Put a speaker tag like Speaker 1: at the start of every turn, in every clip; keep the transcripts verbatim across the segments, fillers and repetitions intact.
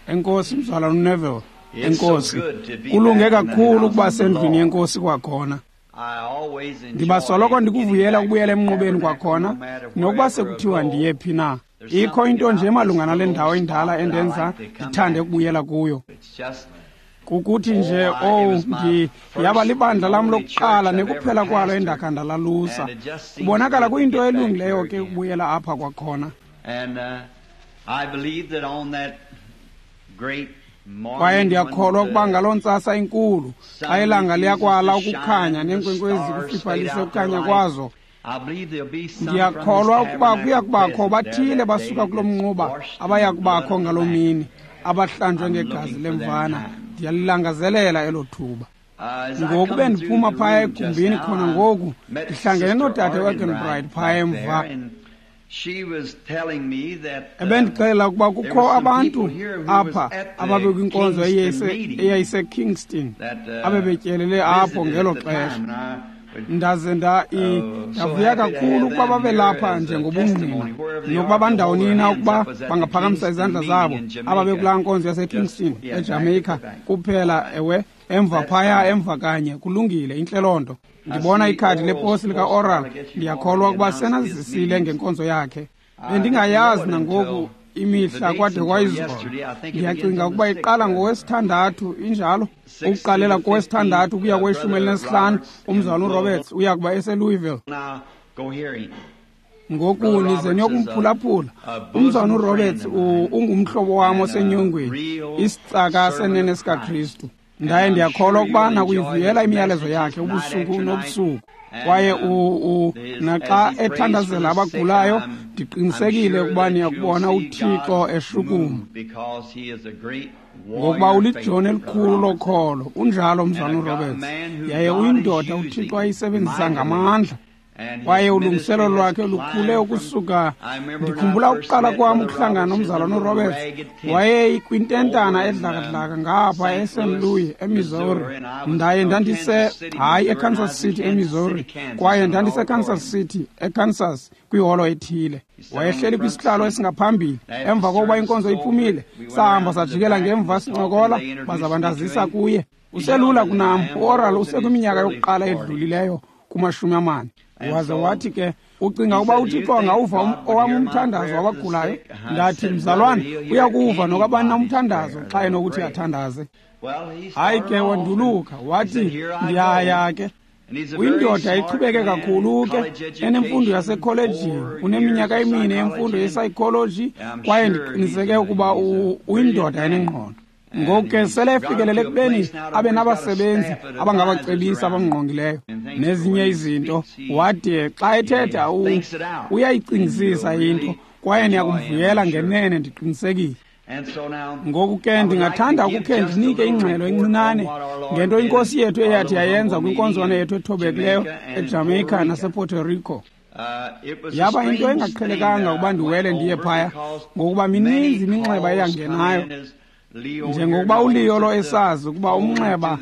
Speaker 1: Enkosi mzalwana uNeville. Enkosi. Kulunge kakhulu ukuba sendlwini yenkosi kwakhona. Ndibasoloko ndikuvuyela ukubuyela emnqubeni kwakhona, nokuba sekuthiwa ndiye phi na. Ikho into nje malunga nale ndawo indala endenza ndithande ukubuyela kuyo. Kukuthi nje, oh, ndi yaba libandla lam lokuqala nekuphela kwalo endakha ndalalusa. Kubonakala kuyinto elungileyo ke ukubuyela apha kwakhona. Kwaye ndiyakholwa ukuba ngaloo ntsasa inkulu, xa ilanga liyakwala ukukhanya neenkwenkwezi kufiphalise ukukhanya kwazo, ndiyakholwa ukuba kuya kubakho bathile basuka kulo mnquba abaya kubakho ngaloo mini, abahlanjwe ngegazi lemvana. Ndiyalilangazelela elo thuba. Ngoku bendiphuma phaya egumbini khona ngoku, ndihlangene nodade Wagenbright phaya emva. Ebendixelela ukuba kukho abantu apha ababekwinkonzo eyayiseKingston abebetyelele apho ngelo xesha. Ndaze nda ndavuya kakhulu ukuba babelapha njengobungqina, nokuba bandawoni na ukuba bangaphakamisa izandla zabo ababekulaa nkonzo yaseKingston eJamaica kuphela, ewe, emva phaya emva kanye. Kulungile, intle loo nto. Ndibona ikhadi leposi lika-Oral, ndiyakholwa ukuba senazisile ngenkonzo yakhe. Bendingayazi nangoku imihla kwade kwayizolo. Ndiyacinga ukuba iqala ngowesithandathu, injalo? Ukuqalela kowesithandathu ukuya kweshumi elinesihlanu, umzalwana uRoberts uya kuba eseLouisville. Ngoku nize niyokumphulaphula. Umzalwana uRoberts ungumhlobo wam osenyongweni, isicaka senene sikaKristu. Ndaye ndiyakholwa ukuba nakuyivuyela imiyalezo yakhe ubusuku nobusuku. Kwaye naxa ethandazela abagulayo, ndiqinisekile ukuba niyakubona uThixo eshukuma, ngokuba ulijoni elikhulu lokholo. Unjalo umzalwana uRoberts, yaye uyindoda uThixo ayisebenzisa ngamandla. Kwaye ulungiselelo lwakhe lukhule ukusuka. Ndikhumbula ukuqala kwam ukuhlangana nomzalwana uRoberts, wayeyikwintentana edlakadlaka ngapha eSaint Louis eMissouri. Ndaye ndandise hayi eKansas City eMissouri, kwaye ndandiseKansas City eKansas kwiholo ethile. Wayehleli kwisihlalo esingaphambili. Emva kokuba inkonzo iphumile, sahamba sajikela ngemva sincokola, baza bandazisa kuye. Uselula kunam, uOral usekwiminyaka yokuqala edlulileyo kumashumi amane. Waze wathi ke, ucinga ukuba uThixo angawuva owam umthandazo wabagulayo? Ndathi, mzalwana, uyakuva nokabani na umthandazo xa enokuthi athandaze. Hayi ke, wanduluka wathi, ndiyaya ke. Uyindoda ichubeke kakhulu ke, enemfundo yasekholejini, uneminyaka emine yemfundo yepsychology, kwaye ndiqiniseke ukuba uyindoda enengqondo. Ngoku ke sele efikelele ekubeni abe nabasebenzi abangabacebisi abamngqongileyo nezinye izinto. Wade xa ethetha uyayicingisisa into, kwaye niyakumvuyela ngenene, ndiqinisekile. Ngoku ke ndingathanda ukukhe ndinike ingxelo encinane ngento inkosi yethu eyathi yayenza kwinkonzwana yethu ethobekileyo eJamaica nasePuerto Rico. Yaba into engaqhelekanga ukuba ndiwele ndiye phaya, ngokuba mininzi iminxeba eyangenayo. Njengokuba uLeo lo esazi ukuba umnxeba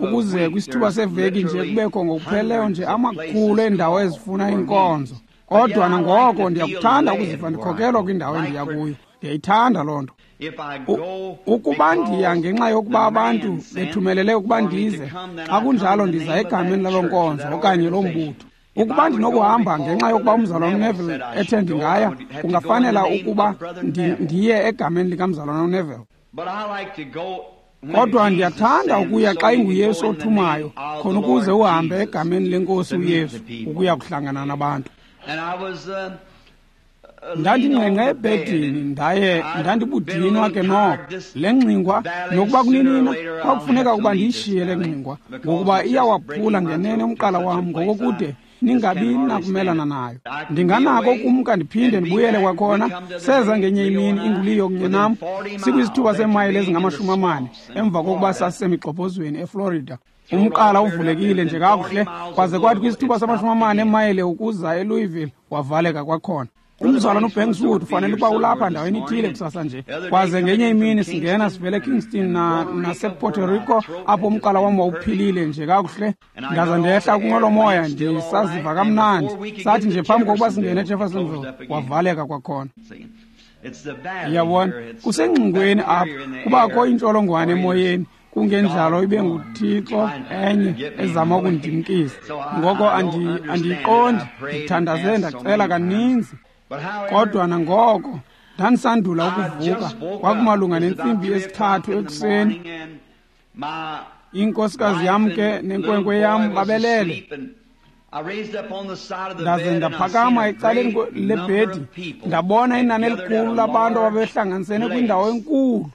Speaker 1: ukuze kwisithuba seveki nje kubekho ngokupheleleyo nje amakhulu eendawo ezifuna inkonzo. Kodwa nangoko ndiyakuthanda ukuziva ndikhokelwa kwindawo endiya kuyo. Ndiyayithanda loo nto. Ukuba ndiya ngenxa yokuba abantu bethumelele ukuba ndize, xa kunjalo ndiza egameni laloo nkonzo okanye loo mbutho. Ukuba ndinokuhamba ngenxa yokuba umzalwana uNeville ethe ndingaya, kungafanela ukuba ndiye egameni likamzalwana uNeville. Kodwa ndiyathanda ukuya xa inguYesu othumayo, khona ukuze uhambe egameni lenkosi uYesu ukuya kuhlangana nabantu. Ndandingqengqe ebhedini, ndaye ndandibudinwa ke noko. Le ngxingwa, nokuba kuninina, kwakufuneka ukuba ndiyishiye le ngxingwa, ngokuba iyawaphula ngenene umqala wam ngokokude ningabi nakumelana nayo. Ndinganako ukumka ndiphinde ndibuyele kwakhona. Seza ngenye imini inguliyo kunye nam, sikwisithuba seemayile ezingamashumi amane emva kokuba sasisemigxobhozweni eFlorida. Umqala uvulekile nje kakuhle, kwaze kwathi kwisithuba samashumi amane emayile ukuza eLouisville wavaleka kwakhona. Umzalwana uBankswood ufanele ukuba ulapha ndaweni ithile kusasa nje. Kwaze ngenye imini singena sivele eKingston na nasePuerto Rico, apho umqala wam wawuphilile nje kakuhle. Ndaza ndehla kwinqwelomoya ndisaziva kamnandi. Sathi nje phambi kokuba singene eJeffersonville, wavaleka kwakhona. Yabona, kusengxingweni apha, kubakho intsholongwane emoyeni, kungenjalo ibe nguThixo enye ezama ukundimkisa. Ngoko andiyiqondi, ndithandaze ndacela kaninzi. Kodwa nangoko ndandisandula ukuvuka, kwakumalunga nentsimbi yesithathu ekuseni. Inkosikazi yam ke nenkwenkwe yam babelele. Ndaze ndaphakama ecaleni lebhedi, ndabona inani elikhulu labantu ababehlanganisene kwindawo enkulu.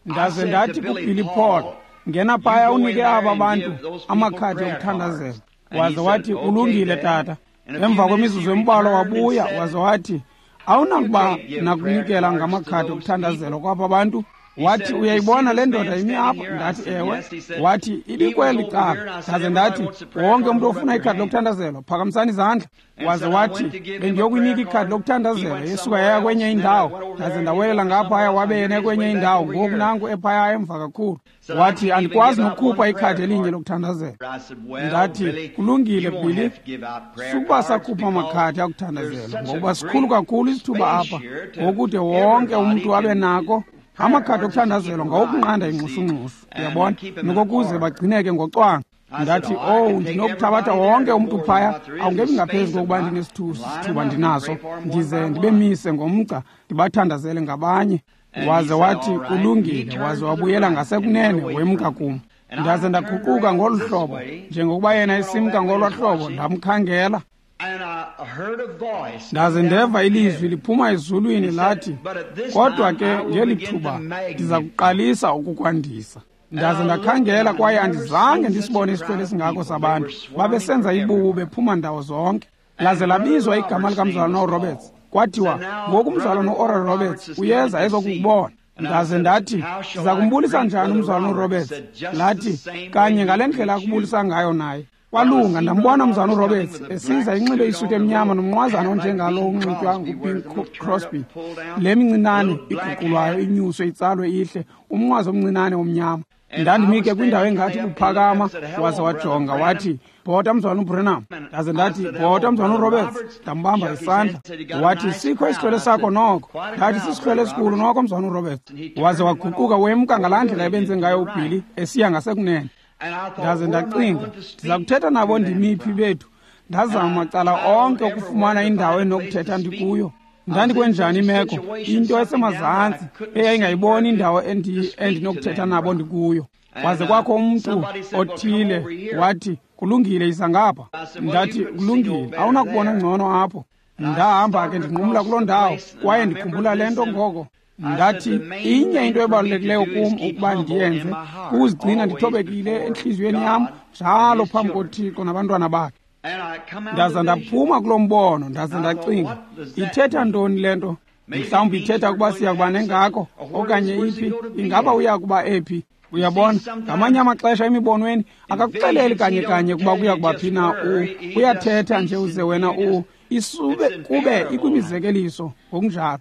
Speaker 1: Ndaze ndathi kuBilly Paul, ngena phaya unike aba bantu amakhadi okuthandazela. Waze wathi, kulungile tata. Emva kwemizuzu embalwa wabuya, waze wathi, awunakuba nakunikela ngamakhadi okuthandazela kwaba bantu? Wathi, uyayibona le ndoda imi apha? Ndathi, ewe. Wathi, ibikweli cala. Ndaze ndathi, wonke umntu ofuna ikhadi lokuthandazelwa, phakamisani izandla. Waze wathi, bendiyokunika ikhadi lokuthandazela, yesuka yaya kwenye indawo. Ndaze ndawelela ngaphaya, wabe yena kwenye indawo. Ngoku nanku ephaya emva kakhulu. Wathi, andikwazi nokukhupha ikhadi elinye lokuthandazela. Ndathi, kulungile Billy, sukuba sakhupha amakhadi akuthandazela, ngokuba sikhulu kakhulu isithuba apha, ngokude wonke umntu abe nako. Amakhadi okuthandazelwa ngawokunqanda ingxushungxushu, uyabona, nokokuze bagcineke ngocwangco. Ndathi, owu, ndinokuthabatha wonke umntu phaya, awungebi ngaphezu kokuba ndinesithuba ndinaso, ndize ndibemise ngomgca, ndibathandazele ngabanye. Waze wathi, kulungile. Waze wabuyela ngasekunene, wemka kum. Ndaze ndaguquka ngolu hlobo, njengokuba yena esimka ngolwa hlobo, ndamkhangela. Ndaze ndeva ilizwi liphuma ezulwini lathi, kodwa ke ngeli thuba ndiza kuqalisa ukukwandisa. Ndaze ndakhangela kwaye andizange ndisibone isihlwele esingako sabantu. Babesenza ibubu bephuma ndawo zonke. Laze labizwa igama likamzalwana uRoberts. Kwathiwa, ngoku umzalwana uOral Roberts uyeza ezokukubona. Ndaze ndathi, ndiza kumbulisa njani umzalwana uRoberts? Lathi, kanye ngale ndlela akubulisa ngayo naye. Kwalunga, ndambona umzalwana uRoberts esiza inxibe isuti emnyama nomnqwazana onjengalo unxitywa nguBing Crosby. Le mincinane iguqulwayo inyuswe itsalwe ihle, umnqwazi omncinane omnyama. Ndandimike kwindawo engathi buphakama, waze wajonga wathi, bhota mzalwana uBranham. Ndaze ndathi, bhota mzalwana uRoberts. Ndambamba isandla. Wathi, sikho isihlwele sakho noko. Ndathi, sisihlwele esikhulu noko mzalwana uRoberts. Waze waguquka wemka ngalaa ndlela ebenze ngayo uBilly esiya ngasekunene. Ndaze ndacinga, ndiza kuthetha nabo ndimiphi bethu. Ndazama macala onke ukufumana indawo endinokuthetha ndikuyo. Ndandikwenjani imeko, into esemazantsi eyayingayiboni indawo endinokuthetha nabo ndikuyo. Waze kwakho umntu othile wathi, kulungile, yiza ngapha. Ndathi, kulungile, awunakubona ngcono apho. Ndahamba ke ndinqumla kuloo ndawo, kwaye ndikhumbula le nto ngoko. Ndathi, inye into ebalulekileyo kum ukuba ndiyenze, kukuzigcina ndithobekile entliziyweni yam njalo phambi koThixo nabantwana bakhe. Ndaza ndaphuma kulo mbono, ndaza ndacinga, ithetha ntoni le nto? Mhlawumbi ithetha ukuba siya kuba nengako, okanye iphi, ingaba uya kuba ephi? Uyabona, ngamanye amaxesha emibonweni akakuxeleli kanye kanye ukuba kuya kuba phi na u, uyathetha nje uze wena u, isube kube ikwimizekeliso ngokunjalo.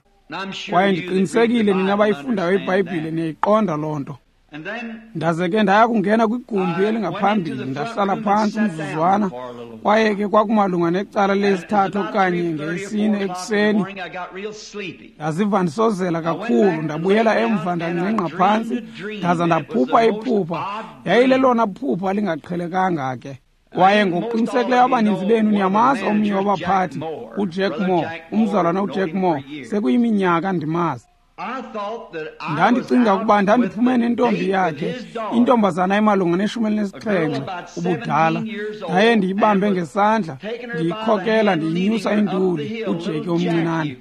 Speaker 1: Kwaye ndiqinisekile nina abayifundayo iBhayibhile niyayiqonda loo nto. Ndaze ke ndaya kungena kwigumbi elingaphambili, ndahlala phantsi umzuzwana, kwaye ke kwakumalunga necala lesithathu okanye ngesine ekuseni. Ndaziva ndisozela kakhulu, ndabuyela emva ndangqengqa phantsi, ndaza ndaphupha iphupha. Yayilelona phupha lingaqhelekanga ke. Kwaye ngokuqinisekileyo abaninzi benu niyamazi omnye wabaphathi, uJack Moore, umzalwana uJack Moore, sekuyiminyaka ndimazi. Ndandicinga ukuba ndandiphume nentombi yakhe, intombazana emalunga neshumi elinesixhenxe ubudala. Ndaye ndiyibambe ngesandla, ndiyikhokela ndiyinyusa induli, uJackie omncinane.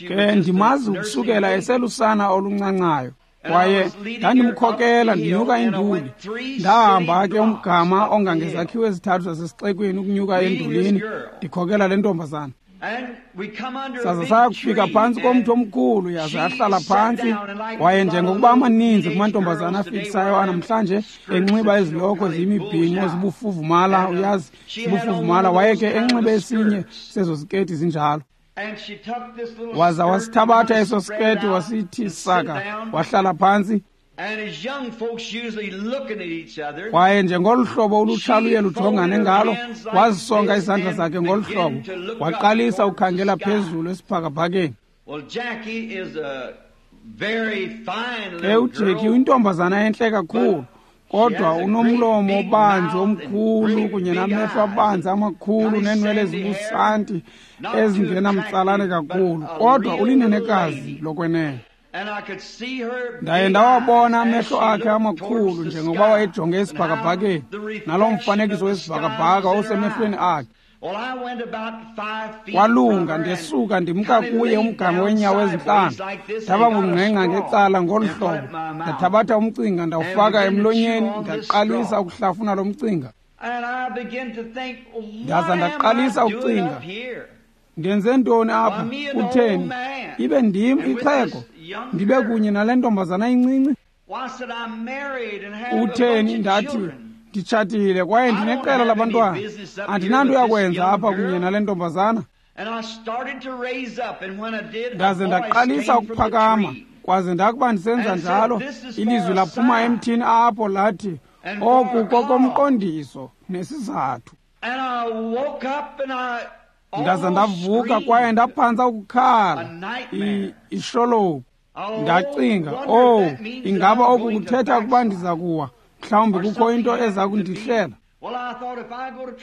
Speaker 1: Ke ndimazi ukusukela eselusana oluncancayo. Kwaye ndandimkhokela ndinyuka induli. Ndahamba ke umgama ongangezakhiwo ezithathu zasesixekweni ukunyuka endulini, ndikhokela le ntombazana. Saze saya kufika phantsi komthi omkhulu, yaze yahlala phantsi. Kwaye njengokuba amaninzi kumantombazana afikisayo anamhlanje enxiba izilokhwe ziyimibhinqo zibufuvumala, uyazi, zibufuvumala, waye ke enxibe esinye sezo ziketi zinjalo. Waza wasithabatha eso siketi wasithi saka, wahlala phantsi. Kwaye njengolu hlobo ulutsha luye lujongane ngalo, wazisonga izandla zakhe ngolu hlobo, waqalisa ukukhangela phezulu esibhakabhakeni. Ke uJackie uyintombazana entle kakhulu, kodwa unomlomo obanzi omkhulu kunye namehlo abanzi amakhulu neenwele ezibusanti ezingenamtsalane kakhulu, kodwa ulinenekazi lokwenene. Ndaye ndawabona amehlo akhe amakhulu njengokuba wayejonge esibhakabhakeni, naloo mfanekiso wesibhakabhaka wawusemehlweni akhe. Kwalunga, ndesuka ndimka kuye umgama weenyawo ezintlanu, ndaba ngungqengqa ngecala ngolu hlobo, ndathabatha umcinga ndawufaka emlonyeni, ndaqalisa ukuhlafuna lo mcinga. Ndaza ndaqalisa ukucinga, ndenze ntoni apha? Kutheni ibe ndim ixhego ndibe kunye nale ntombazana incinci? Utheni? Ndathi, nditshatile kwaye ndineqela labantwana, andinanto yakwenza apha kunye nale ntombazana. Ndaze ndaqalisa ukuphakama, kwaze ndakuba ndisenza njalo, ilizwi laphuma emthini apho lathi, oku kokomqondiso nesizathu. Ndaza ndavuka kwaye ndaphantsa ukukhala ishologu. Ndacinga, oh, ingaba oku kuthetha ukuba ndiza kuwa? Mhlawumbi kukho into eza kundihlela.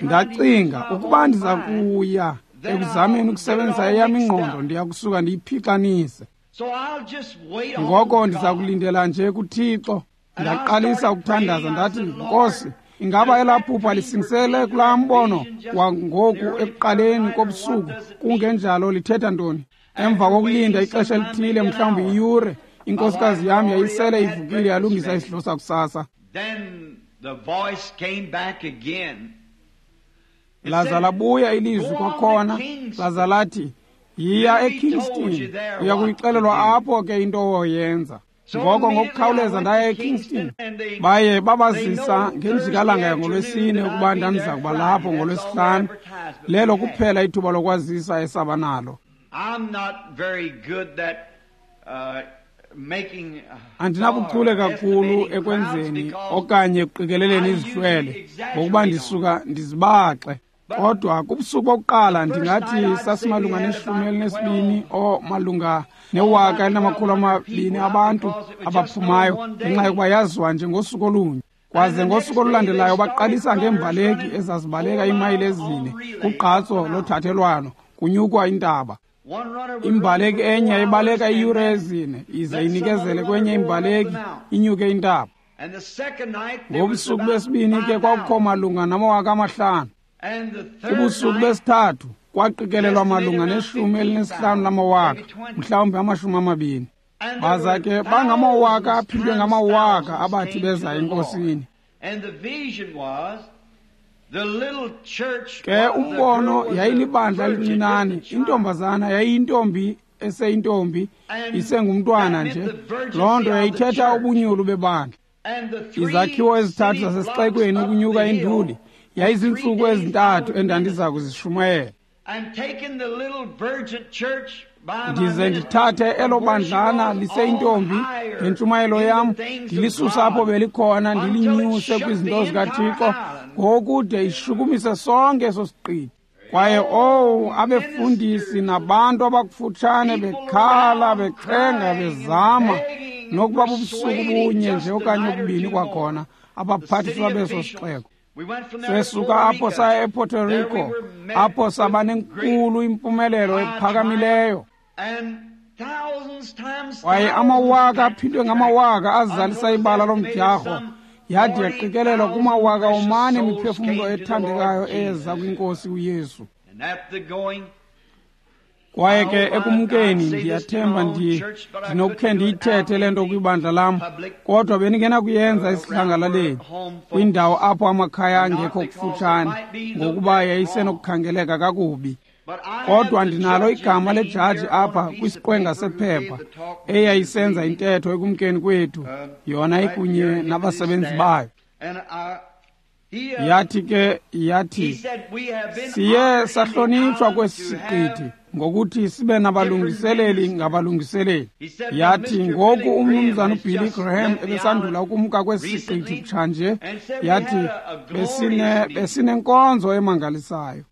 Speaker 1: Ndacinga, ukuba ndiza kuya ekuzameni ukusebenzisa eyam ingqondo, ndiya kusuka ndiyiphixanise. Ngoko ndiza kulindela nje kuThixo. Ndaqalisa ukuthandaza, ndathi, Nkosi, ingaba elaa phupha lisingisele kulaa mbono wangoku ekuqaleni kobusuku? Kungenjalo lithetha ntoni? Emva kokulinda ixesha elithile, mhlawumbi iyure, inkosikazi yam yayisele ivukile yalungisa isidlo sakusasa. Laza labuya ilizwi kwakhona, laza lathi, yiya eKingston, uya kuyixelelwa apho ke into oyenza. Ngoko ngokukhawuleza ndaya eKingston. Baye babazisa ngenjikalanga yangolwesine ukuba ndandiza kuba lapho ngolwesihlanu. Lelo kuphela ithuba lokwazisa esaba nalo. Andinabuchule kakhulu ekwenzeni okanye ekuqikeleleni izihlwele, ngokuba ndisuka ndizibaxe. Kodwa kubusuku bokuqala ndingathi sasimalunga neshumi elinesibini o malunga newaka elinamakhulu amabini abantu abaphumayo, ngenxa yokuba yaziwa nje ngosuku olunye. Kwaze ngosuku olulandelayo baqalisa ngeembaleki ezazibaleka iimayile ezine kugqatso lothathelwano, kunyukwa intaba. Imbaleki enye ibaleka iiyure ezine ize inikezele kwenye imbaleki inyuke intaba. Ngobusuku besibini ke kwakukho malunga namawaka amahlanu. Kubusuku besithathu kwaqikelelwa malunga neshumi elinesihlanu lamawaka, mhlawumbi amashumi amabini. Baza ke bangamawaka aphindwe ngamawaka abathi beza enkosini. Ke umbono yayilibandla elincinane, intombazana yayiyintombi eseyintombi, isengumntwana nje. Loo nto yayithetha ubunyulu bebandla. Izakhiwo ezithathu zasesixekweni ukunyuka induli yayizintsuku ezintathu endandiza kuzishumayela. Ndize ndithathe elo bandlana liseyintombi ngentshumayelo yam, ndilisusa apho belikhona, ndilinyuse kwizinto zikaThixo ngokude ishukumise sonke eso siqithi. Kwaye owu, abefundisi nabantu abakufutshane bekhala, bexhenga, bezama nokuba bubusuku bunye nje okanye obubini kwakhona, abaphathiswa beso sixeko. Sesuka apho saya ePuerto Rico, apho saba nenkulu impumelelo ephakamileyo. Kwaye amawaka aphindwe ngamawaka azalisa ibala lomdyarho, yade yaqikelelwa kumawaka omane imiphefumlo ethandekayo eyeza kwinkosi uYesu. Kwaye ke ekumkeni ndiyathemba ndinokukhe ndiyithethe le nto kwibandla lam, kodwa bendingenakuyenza esidlangalaleni, kwindawo apho amakhaya angekho kufutshane, ngokuba yayisenokukhangeleka kakubi. Kodwa ndinalo igama lejaji apha kwisiqwenga sephepha eyayisenza intetho ekumkeni kwethu, yona ikunye nabasebenzi bayo. Yathi ke, yathi, siye sahlonitshwa kwesi siqithi Ngokuthi sibe nabalungiseleli ngabalungiseleli. Yathi ngoku umnumzana uBilly Graham ebesandula ukumka kwesi siqithi kutshanje, yathi besine besinenkonzo emangalisayo.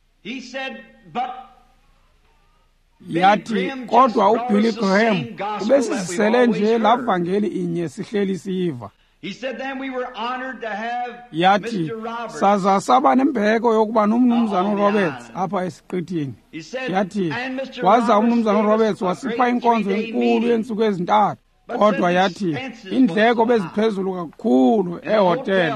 Speaker 1: Yathi kodwa uBilly Graham ubesisele nje laa vangeli inye sihleli siyiva. Yathi saza saba nembeko yokuba nomnumzana uRoberts apha esiqithini. Yathi waza umnumzana uRoberts wasipha inkonzo enkulu yeentsuku ezintathu. Kodwa yathi iindleko beziphezulu kakhulu ehotele.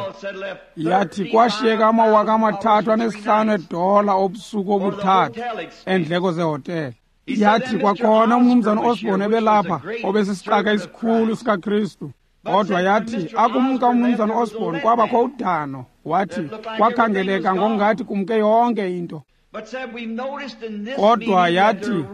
Speaker 1: Yathi kwashiyeka amawaka amathathu anesihlanu edola obusuku obuthathu eendleko zehotele. Yathi kwakhona umnumzana Osborne ebelapha obesisicaka esikhulu sikaKristu. Kodwa yathi akumka umnumzana Osborne kwabakho udano. Wathi kwakhangeleka ngokungathi kumke yonke into. Kodwa yathi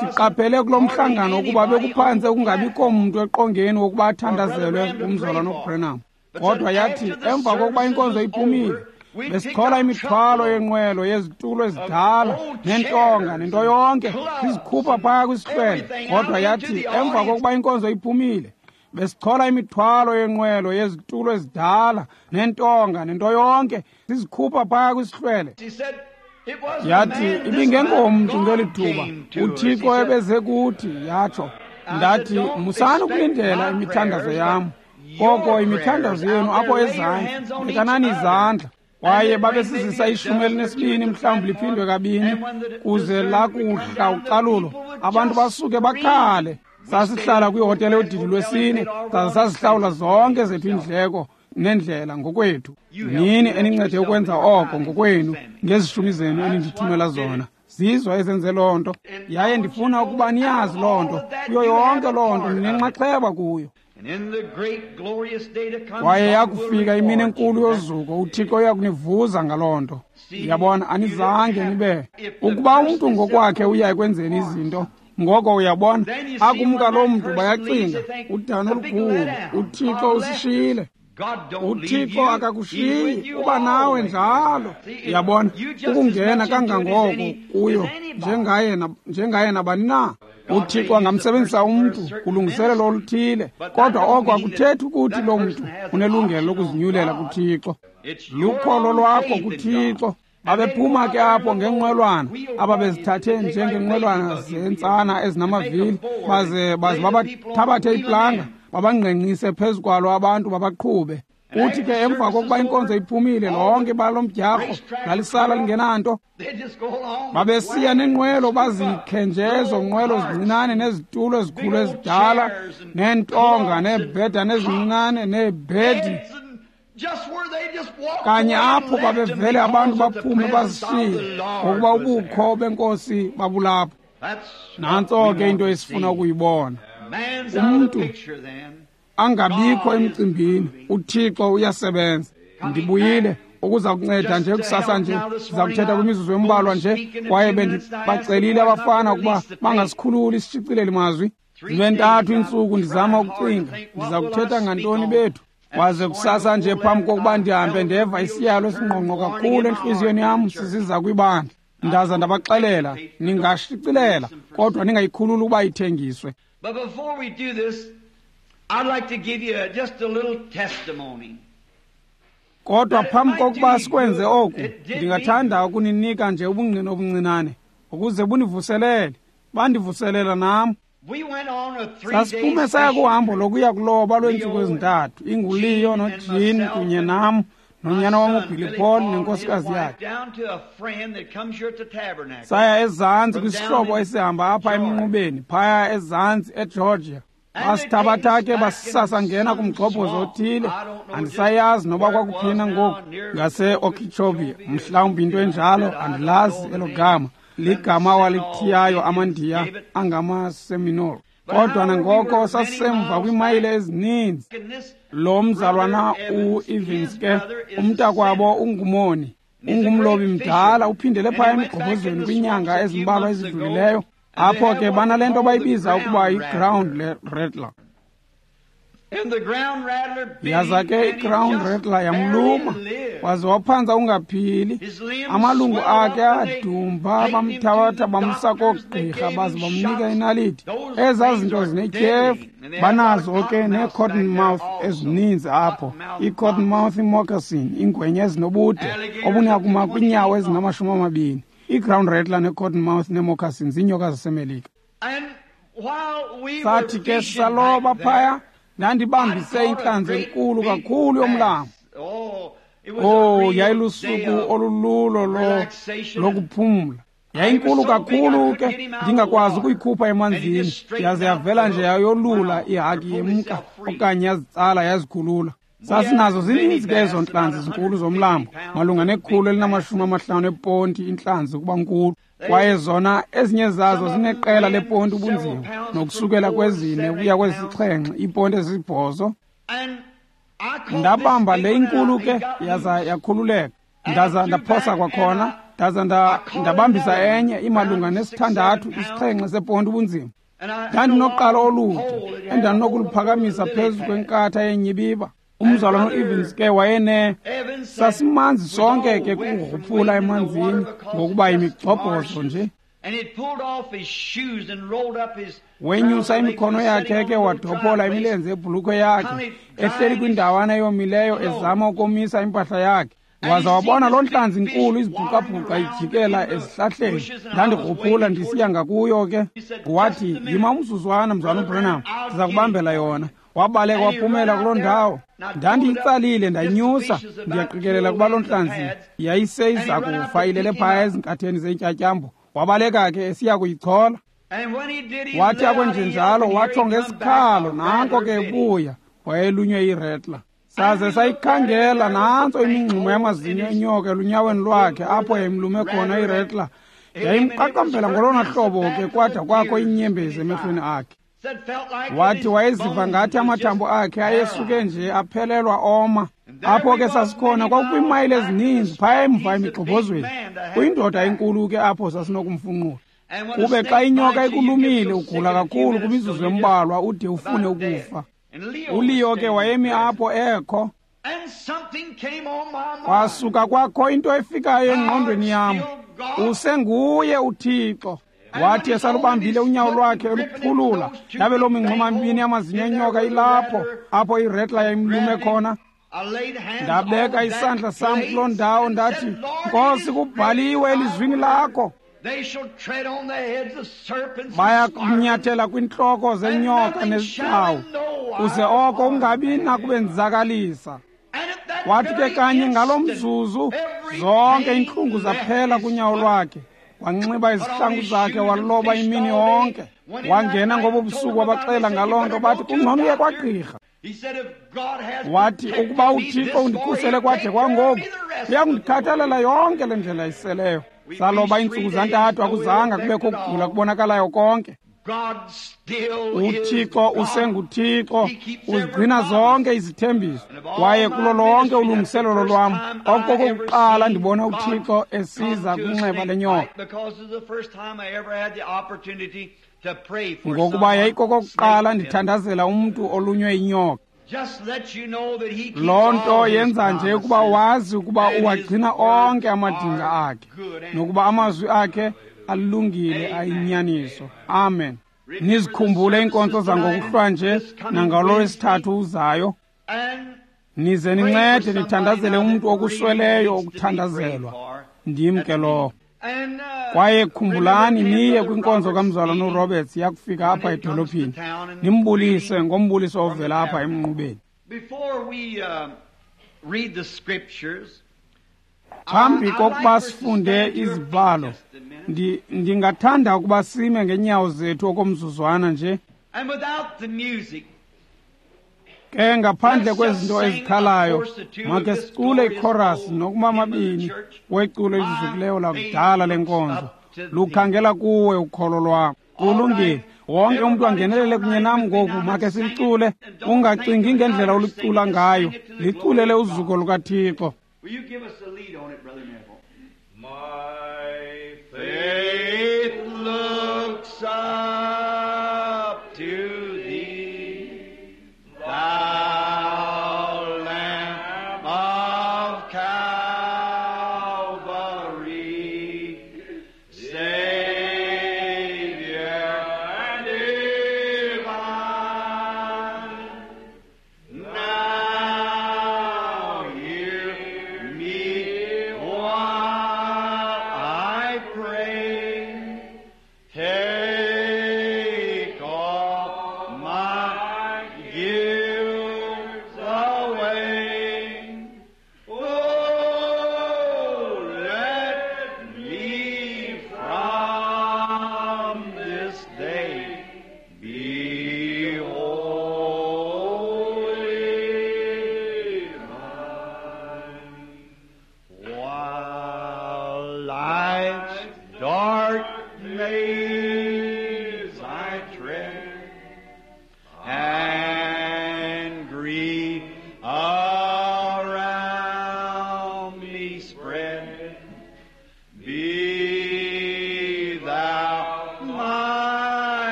Speaker 1: siqaphele kulo mhlangano ukuba bekuphantse kungabikho mntu eqongeni wokuba athandazelwe ngumzalwana uBranham. Kodwa yathi emva kokuba inkonzo iphumile, besichola imithwalo yenqwelo yezitulo ezidala nentonga nento yonke sizikhupha phaya kwisihlwele. Kodwa yathi emva kokuba inkonzo iphumile, besichola imithwalo yenqwelo yezitulo ezidala nentonga nento yonke sizikhupha phaya kwisihlwele. Yathi ibingengomntu ngeli thuba, uThixo ebeze kuthi. Yatsho ndathi musani ukulindela imithandazo yam, koko imithandazo yenu apho ezantsi, bekanani izandla. Kwaye babesizisa ishumi elinesibini mhlawumbi liphindwe kabini kuze lakuhla ucalulo abantu basuke bakhale. Sasihlala kwihotele yodidi lwesine, saze sazihlawula zonke zethu iindleko nendlela ngokwethu. Nini enincede ukwenza oko ngokwenu ngezishumi zenu enindithumela zona. Zizo ezenze loo nto, yaye ndifuna ukuba niyazi loo nto. Kuyo yonke loo nto ninenxaxheba kuyo. Kwaye yakufika imini enkulu yozuko, uThixo uyakunivuza ngaloo nto. Uyabona, anizange nibe. Ukuba umntu ngokwakhe uya ekwenzeni izinto, ngoko uyabona, akumka loo mntu bayacinga, udano olukhulu, uThixo usishiyile. uThixo akakushiyi, uba nawe njalo. Uyabona, ukungena kangangoko kuyo njengaye njengaye nabani na. uThixo angamsebenzisa umntu kulungiselelo oluthile, kodwa oko akuthethi ukuthi loo mntu unelungelo lokuzinyulela kuThixo. Lukholo lwakho kuThixo. Babephuma ke apho ngenqwelwana ababezithathe njengenqwelwana zentsana ezinamavili, baze baze babathabathe iplanga babangqengqise phezu kwalo abantu babaqhube. Uthi ke emva kokuba inkonzo iphumile, lonke ibala lomdyarho lalisala lingenanto. Babesiya nenqwelo bazikhe nje ezo nqwelo zincinane nezitulo ezikhulu ezidala neentonga neebhedana ezincinane neebhedi. Kanye apho babevele abantu baphume bazishiye ngokuba ubukho benkosi babulapho. Nantso ke into esifuna ukuyibona. Umntu angabikho emcimbini, uThixo uyasebenza. Ndibuyile ukuza kunceda nje kusasa nje, ndiza kuthetha kwimizuzu embalwa nje, kwaye bendibacelile abafana ukuba bangasikhululi isishicileli mazwi. Zibe ntathu iintsuku ndizama ukucinga ndiza kuthetha ngantoni bethu. Kwaze kusasa nje phambi kokuba ndihambe ndeva isiyalo esingqongqo kakhulu entliziyweni yam sisiza kwibandla. Ndaza ndabaxelela, ningashicilela kodwa ningayikhululi ukuba ithengiswe.
Speaker 2: But before we do this, I'd like to give you just a little testimony.
Speaker 1: Kodwa phambi kokuba sikwenze oku, ndingathanda ukuninika nje ubungqina obuncinane ukuze bunivuselele. Bandivuselela nam. Sasiphume saya kuhambo lokuya kuloba lweentsuku ezintathu, inguLeo noJean kunye nam nonyana wam uBilly Paul nenkosikazi yakhe. Saya ezantsi kwisihlobo esihamba apha emnqubeni, phaya ezantsi eGeorgia. Basithabatha ke basisasa ngena kumgxobhozo othile, andisayazi noba kwakuphina ngoku, ngase-Okeechobee, mhlawumbi into enjalo, andilazi elo gama. Ligama walithiyayo amaNdiya angamaSeminole. Kodwa nangoko sasisemva kwiimayile ezininzi. Lo mzalwana u-Evans ke, umntakwabo ungumoni, ungumlobi mdala, uphindele phaya emgxobhozweni kwiinyanga ezimbalwa ezidlulileyo. Apho ke banale nto bayibiza ukuba yi-ground rattler. Yaza ke i-ground rattler yamluma, waze waphantsa ungaphili. Amalungu akhe adumba, bamthabatha bamsa koogqirha baze bamnika inaliti. Ezaa zinto zinetyhefu. Banazo ke nee-cottonmouth ezininzi apho, ii-cottonmouth moccasin, iingwenya ezinobude obunakuma kwiinyawo ezingamashumi amabini. I-ground rattler ne-cottonmouth nee-moccasin ziinyoka zaseMelika. Sathi ke sisaloba phaya, ndandibambise intlanzi enkulu kakhulu yomlambo. Oh, yayilusuku olululo lo lokuphumla. Yayinkulu kakhulu ke, ndingakwazi ukuyikhupha emanzini. Yaze yavela nje yayolula ihaki yemka okanye yazitsala yazikhulula. Sasinazo zininzi ke ezo ntlanzi zinkulu zomlambo, malunga nekhulu elinamashumi amahlanu eponti intlanzi ukuba nkulu. Kwaye zona ezinye zazo zineqela leponti ubunzima, nokusukela kwezine ukuya kwezisixhenxe iiponti ezisibhozo. Ndabamba le inkulu ke yaza yakhululeka, ndaza ndaphosa kwakhona, ndaza ndabambisa enye imalunga nesithandathu isixhenxe seponti ubunzima. Ndandinoqalo olude endandinokuluphakamisa phezu kwenkatha yenyibiba. Umzalwana uEvans ke wayene sasimanzi sonke ke kukugruphula emanzini ngokuba imigxobhozo nje. Wenyusa imikhono yakhe ke wadophola imilenze yebhulukhwe yakhe, ehleli kwindawana eyomileyo ezama ukomisa impahla yakhe. Waza wabona loo ntlanzi inkulu izibhuqabhuqa ijikela ezihlahleni. Ndandigruphula ndisiya ngakuyo ke. Wathi, yima umzuzwana mzalwana uBranham, ndiza kubambela yona. Wabaleka waphumela kuloo ndawo. Ndandiyitsalile ndanyusa, ndiyaqikelela ukuba loo ntlanzi yayiseyiza kufa ilele phaya ezinkatheni zeentyatyambo. Wabaleka ke esiya kuyichola. Wathi akwenjenjalo watsho ngesikhalo, nanko ke ebuya, wayelunywe yiretla. Saze sayikhangela, nantso imingxumo yamazinyo enyoka elunyaweni lwakhe apho yayimlume khona iretla. Yayimqaqambela ngolona hlobo ke kwada kwakho iinyembezi emehlweni akhe. Wathi wayeziva ngathi amathambo akhe ayesuke nje aphelelwa oma. Apho ke sasikhona kwakukwiimayile ezininzi phaya emva emigxobhozweni. Kuyindoda enkulu ke apho sasinokumfunqula. Kube xa inyoka ikulumile ugula kakhulu kwimizuzu embalwa ude ufune ukufa. ULeo ke wayemi apho ekho. Kwasuka kwakho into efikayo engqondweni yam. Usenguye uThixo. Wathi esalubambile unyawo lwakhe eluphulula, yabe loo mingxuma mibini yamazinyo enyoka ilapho apho iretla yayimlume khona. Ndabeka isandla sam kuloo ndawo ndathi, Nkosi, kubhaliwe elizwini lakho, baya kunyathela kwintloko zenyoka nezigcawu, uze oko ungabi nakubenzakalisa. Wathi ke kanye ngalo mzuzu zonke iintlungu zaphela kunyawo lwakhe. Wanxiba izihlangu zakhe waloba imini yonke. Wangena ngobo busuku wabaxela ngaloo nto, bathi kungcono uye kwagqirha. Wathi ukuba uThixo undikhusele kwade kwangoku, uyakundikhathalela yonke le ndlela iseleyo. Saloba iintsuku zantathu, akuzanga kubekho ukugula kubonakalayo konke. UThixo usenguThixo, uzigcina zonke izithembiso. Kwaye kulo lonke ulungiselelo lwam, okokuqala ndibona uThixo esiza kwinxeba lenyoka. Ngokuba yayikokokuqala ndithandazela umntu olunywe yinyoka. Loo nto yenza nje ukuba wazi ukuba uwagcina onke amadinga akhe, nokuba amazwi akhe alungile ayinyaniso. Amen. Nizikhumbule iinkonzo zangokuhlwa nje nangalolwesithathu uzayo. Nize nincede nithandazele umntu okusweleyo ukuthandazelwa. Ndim ke lowo. Kwaye khumbulani niye kwinkonzo kamzalwana uRoberts yakufika apha edolophini. Nimbulise ngombuliso ovela apha emnqubeni. Phambi kokuba sifunde izibhalo, ndingathanda ukuba sime ngeenyawo zethu okomzuzwana nje. Ke ngaphandle kwezinto ezikhalayo, make sicule ikhorasi nokuba mabini weculo elizukileyo lakudala lenkonzo. Lukhangela kuwe ukholo lwam. Kulungile. Wonke umntu angenelele kunye nam ngoku, make silicule. Ungacingi ngendlela olicula ngayo, liculele uzuko lukaThixo.
Speaker 2: Will you give us the lead on it, Brother Neville? My faith looks up to thee, thou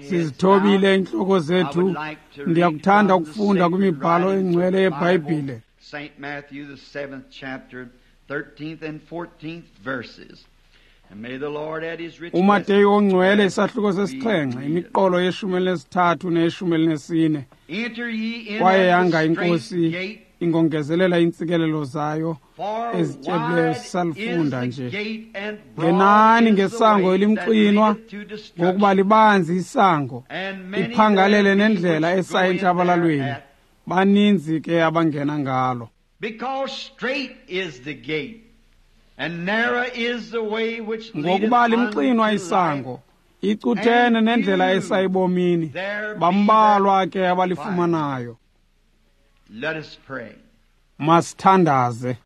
Speaker 1: Sizithobile iintloko zethu. Ndiyakuthanda ukufunda kwimibhalo engcwele yeBhayibhile.
Speaker 2: Saint Matthew, the seventh chapter, thirteenth and fourteenth verses. And may the Lord add his rich
Speaker 1: uMateyu ongcwele isahluko sesixhenxe, imiqolo yeshumi elinesithathu neyeshumi elinesine. Kwaye yanga iNkosi ingongezelela iintsikelelo zayo ezityebileyo sisalifunda nje. Ngenani ngesango elimxinwa, ngokuba libanzi isango, iphangalele nendlela esa entshabalalweni, baninzi ke abangena ngalo. Ngokuba limxinwa isango, icuthene nendlela esa ebomini, bambalwa ke abalifumanayo.
Speaker 2: Let us pray.
Speaker 1: Masithandaze.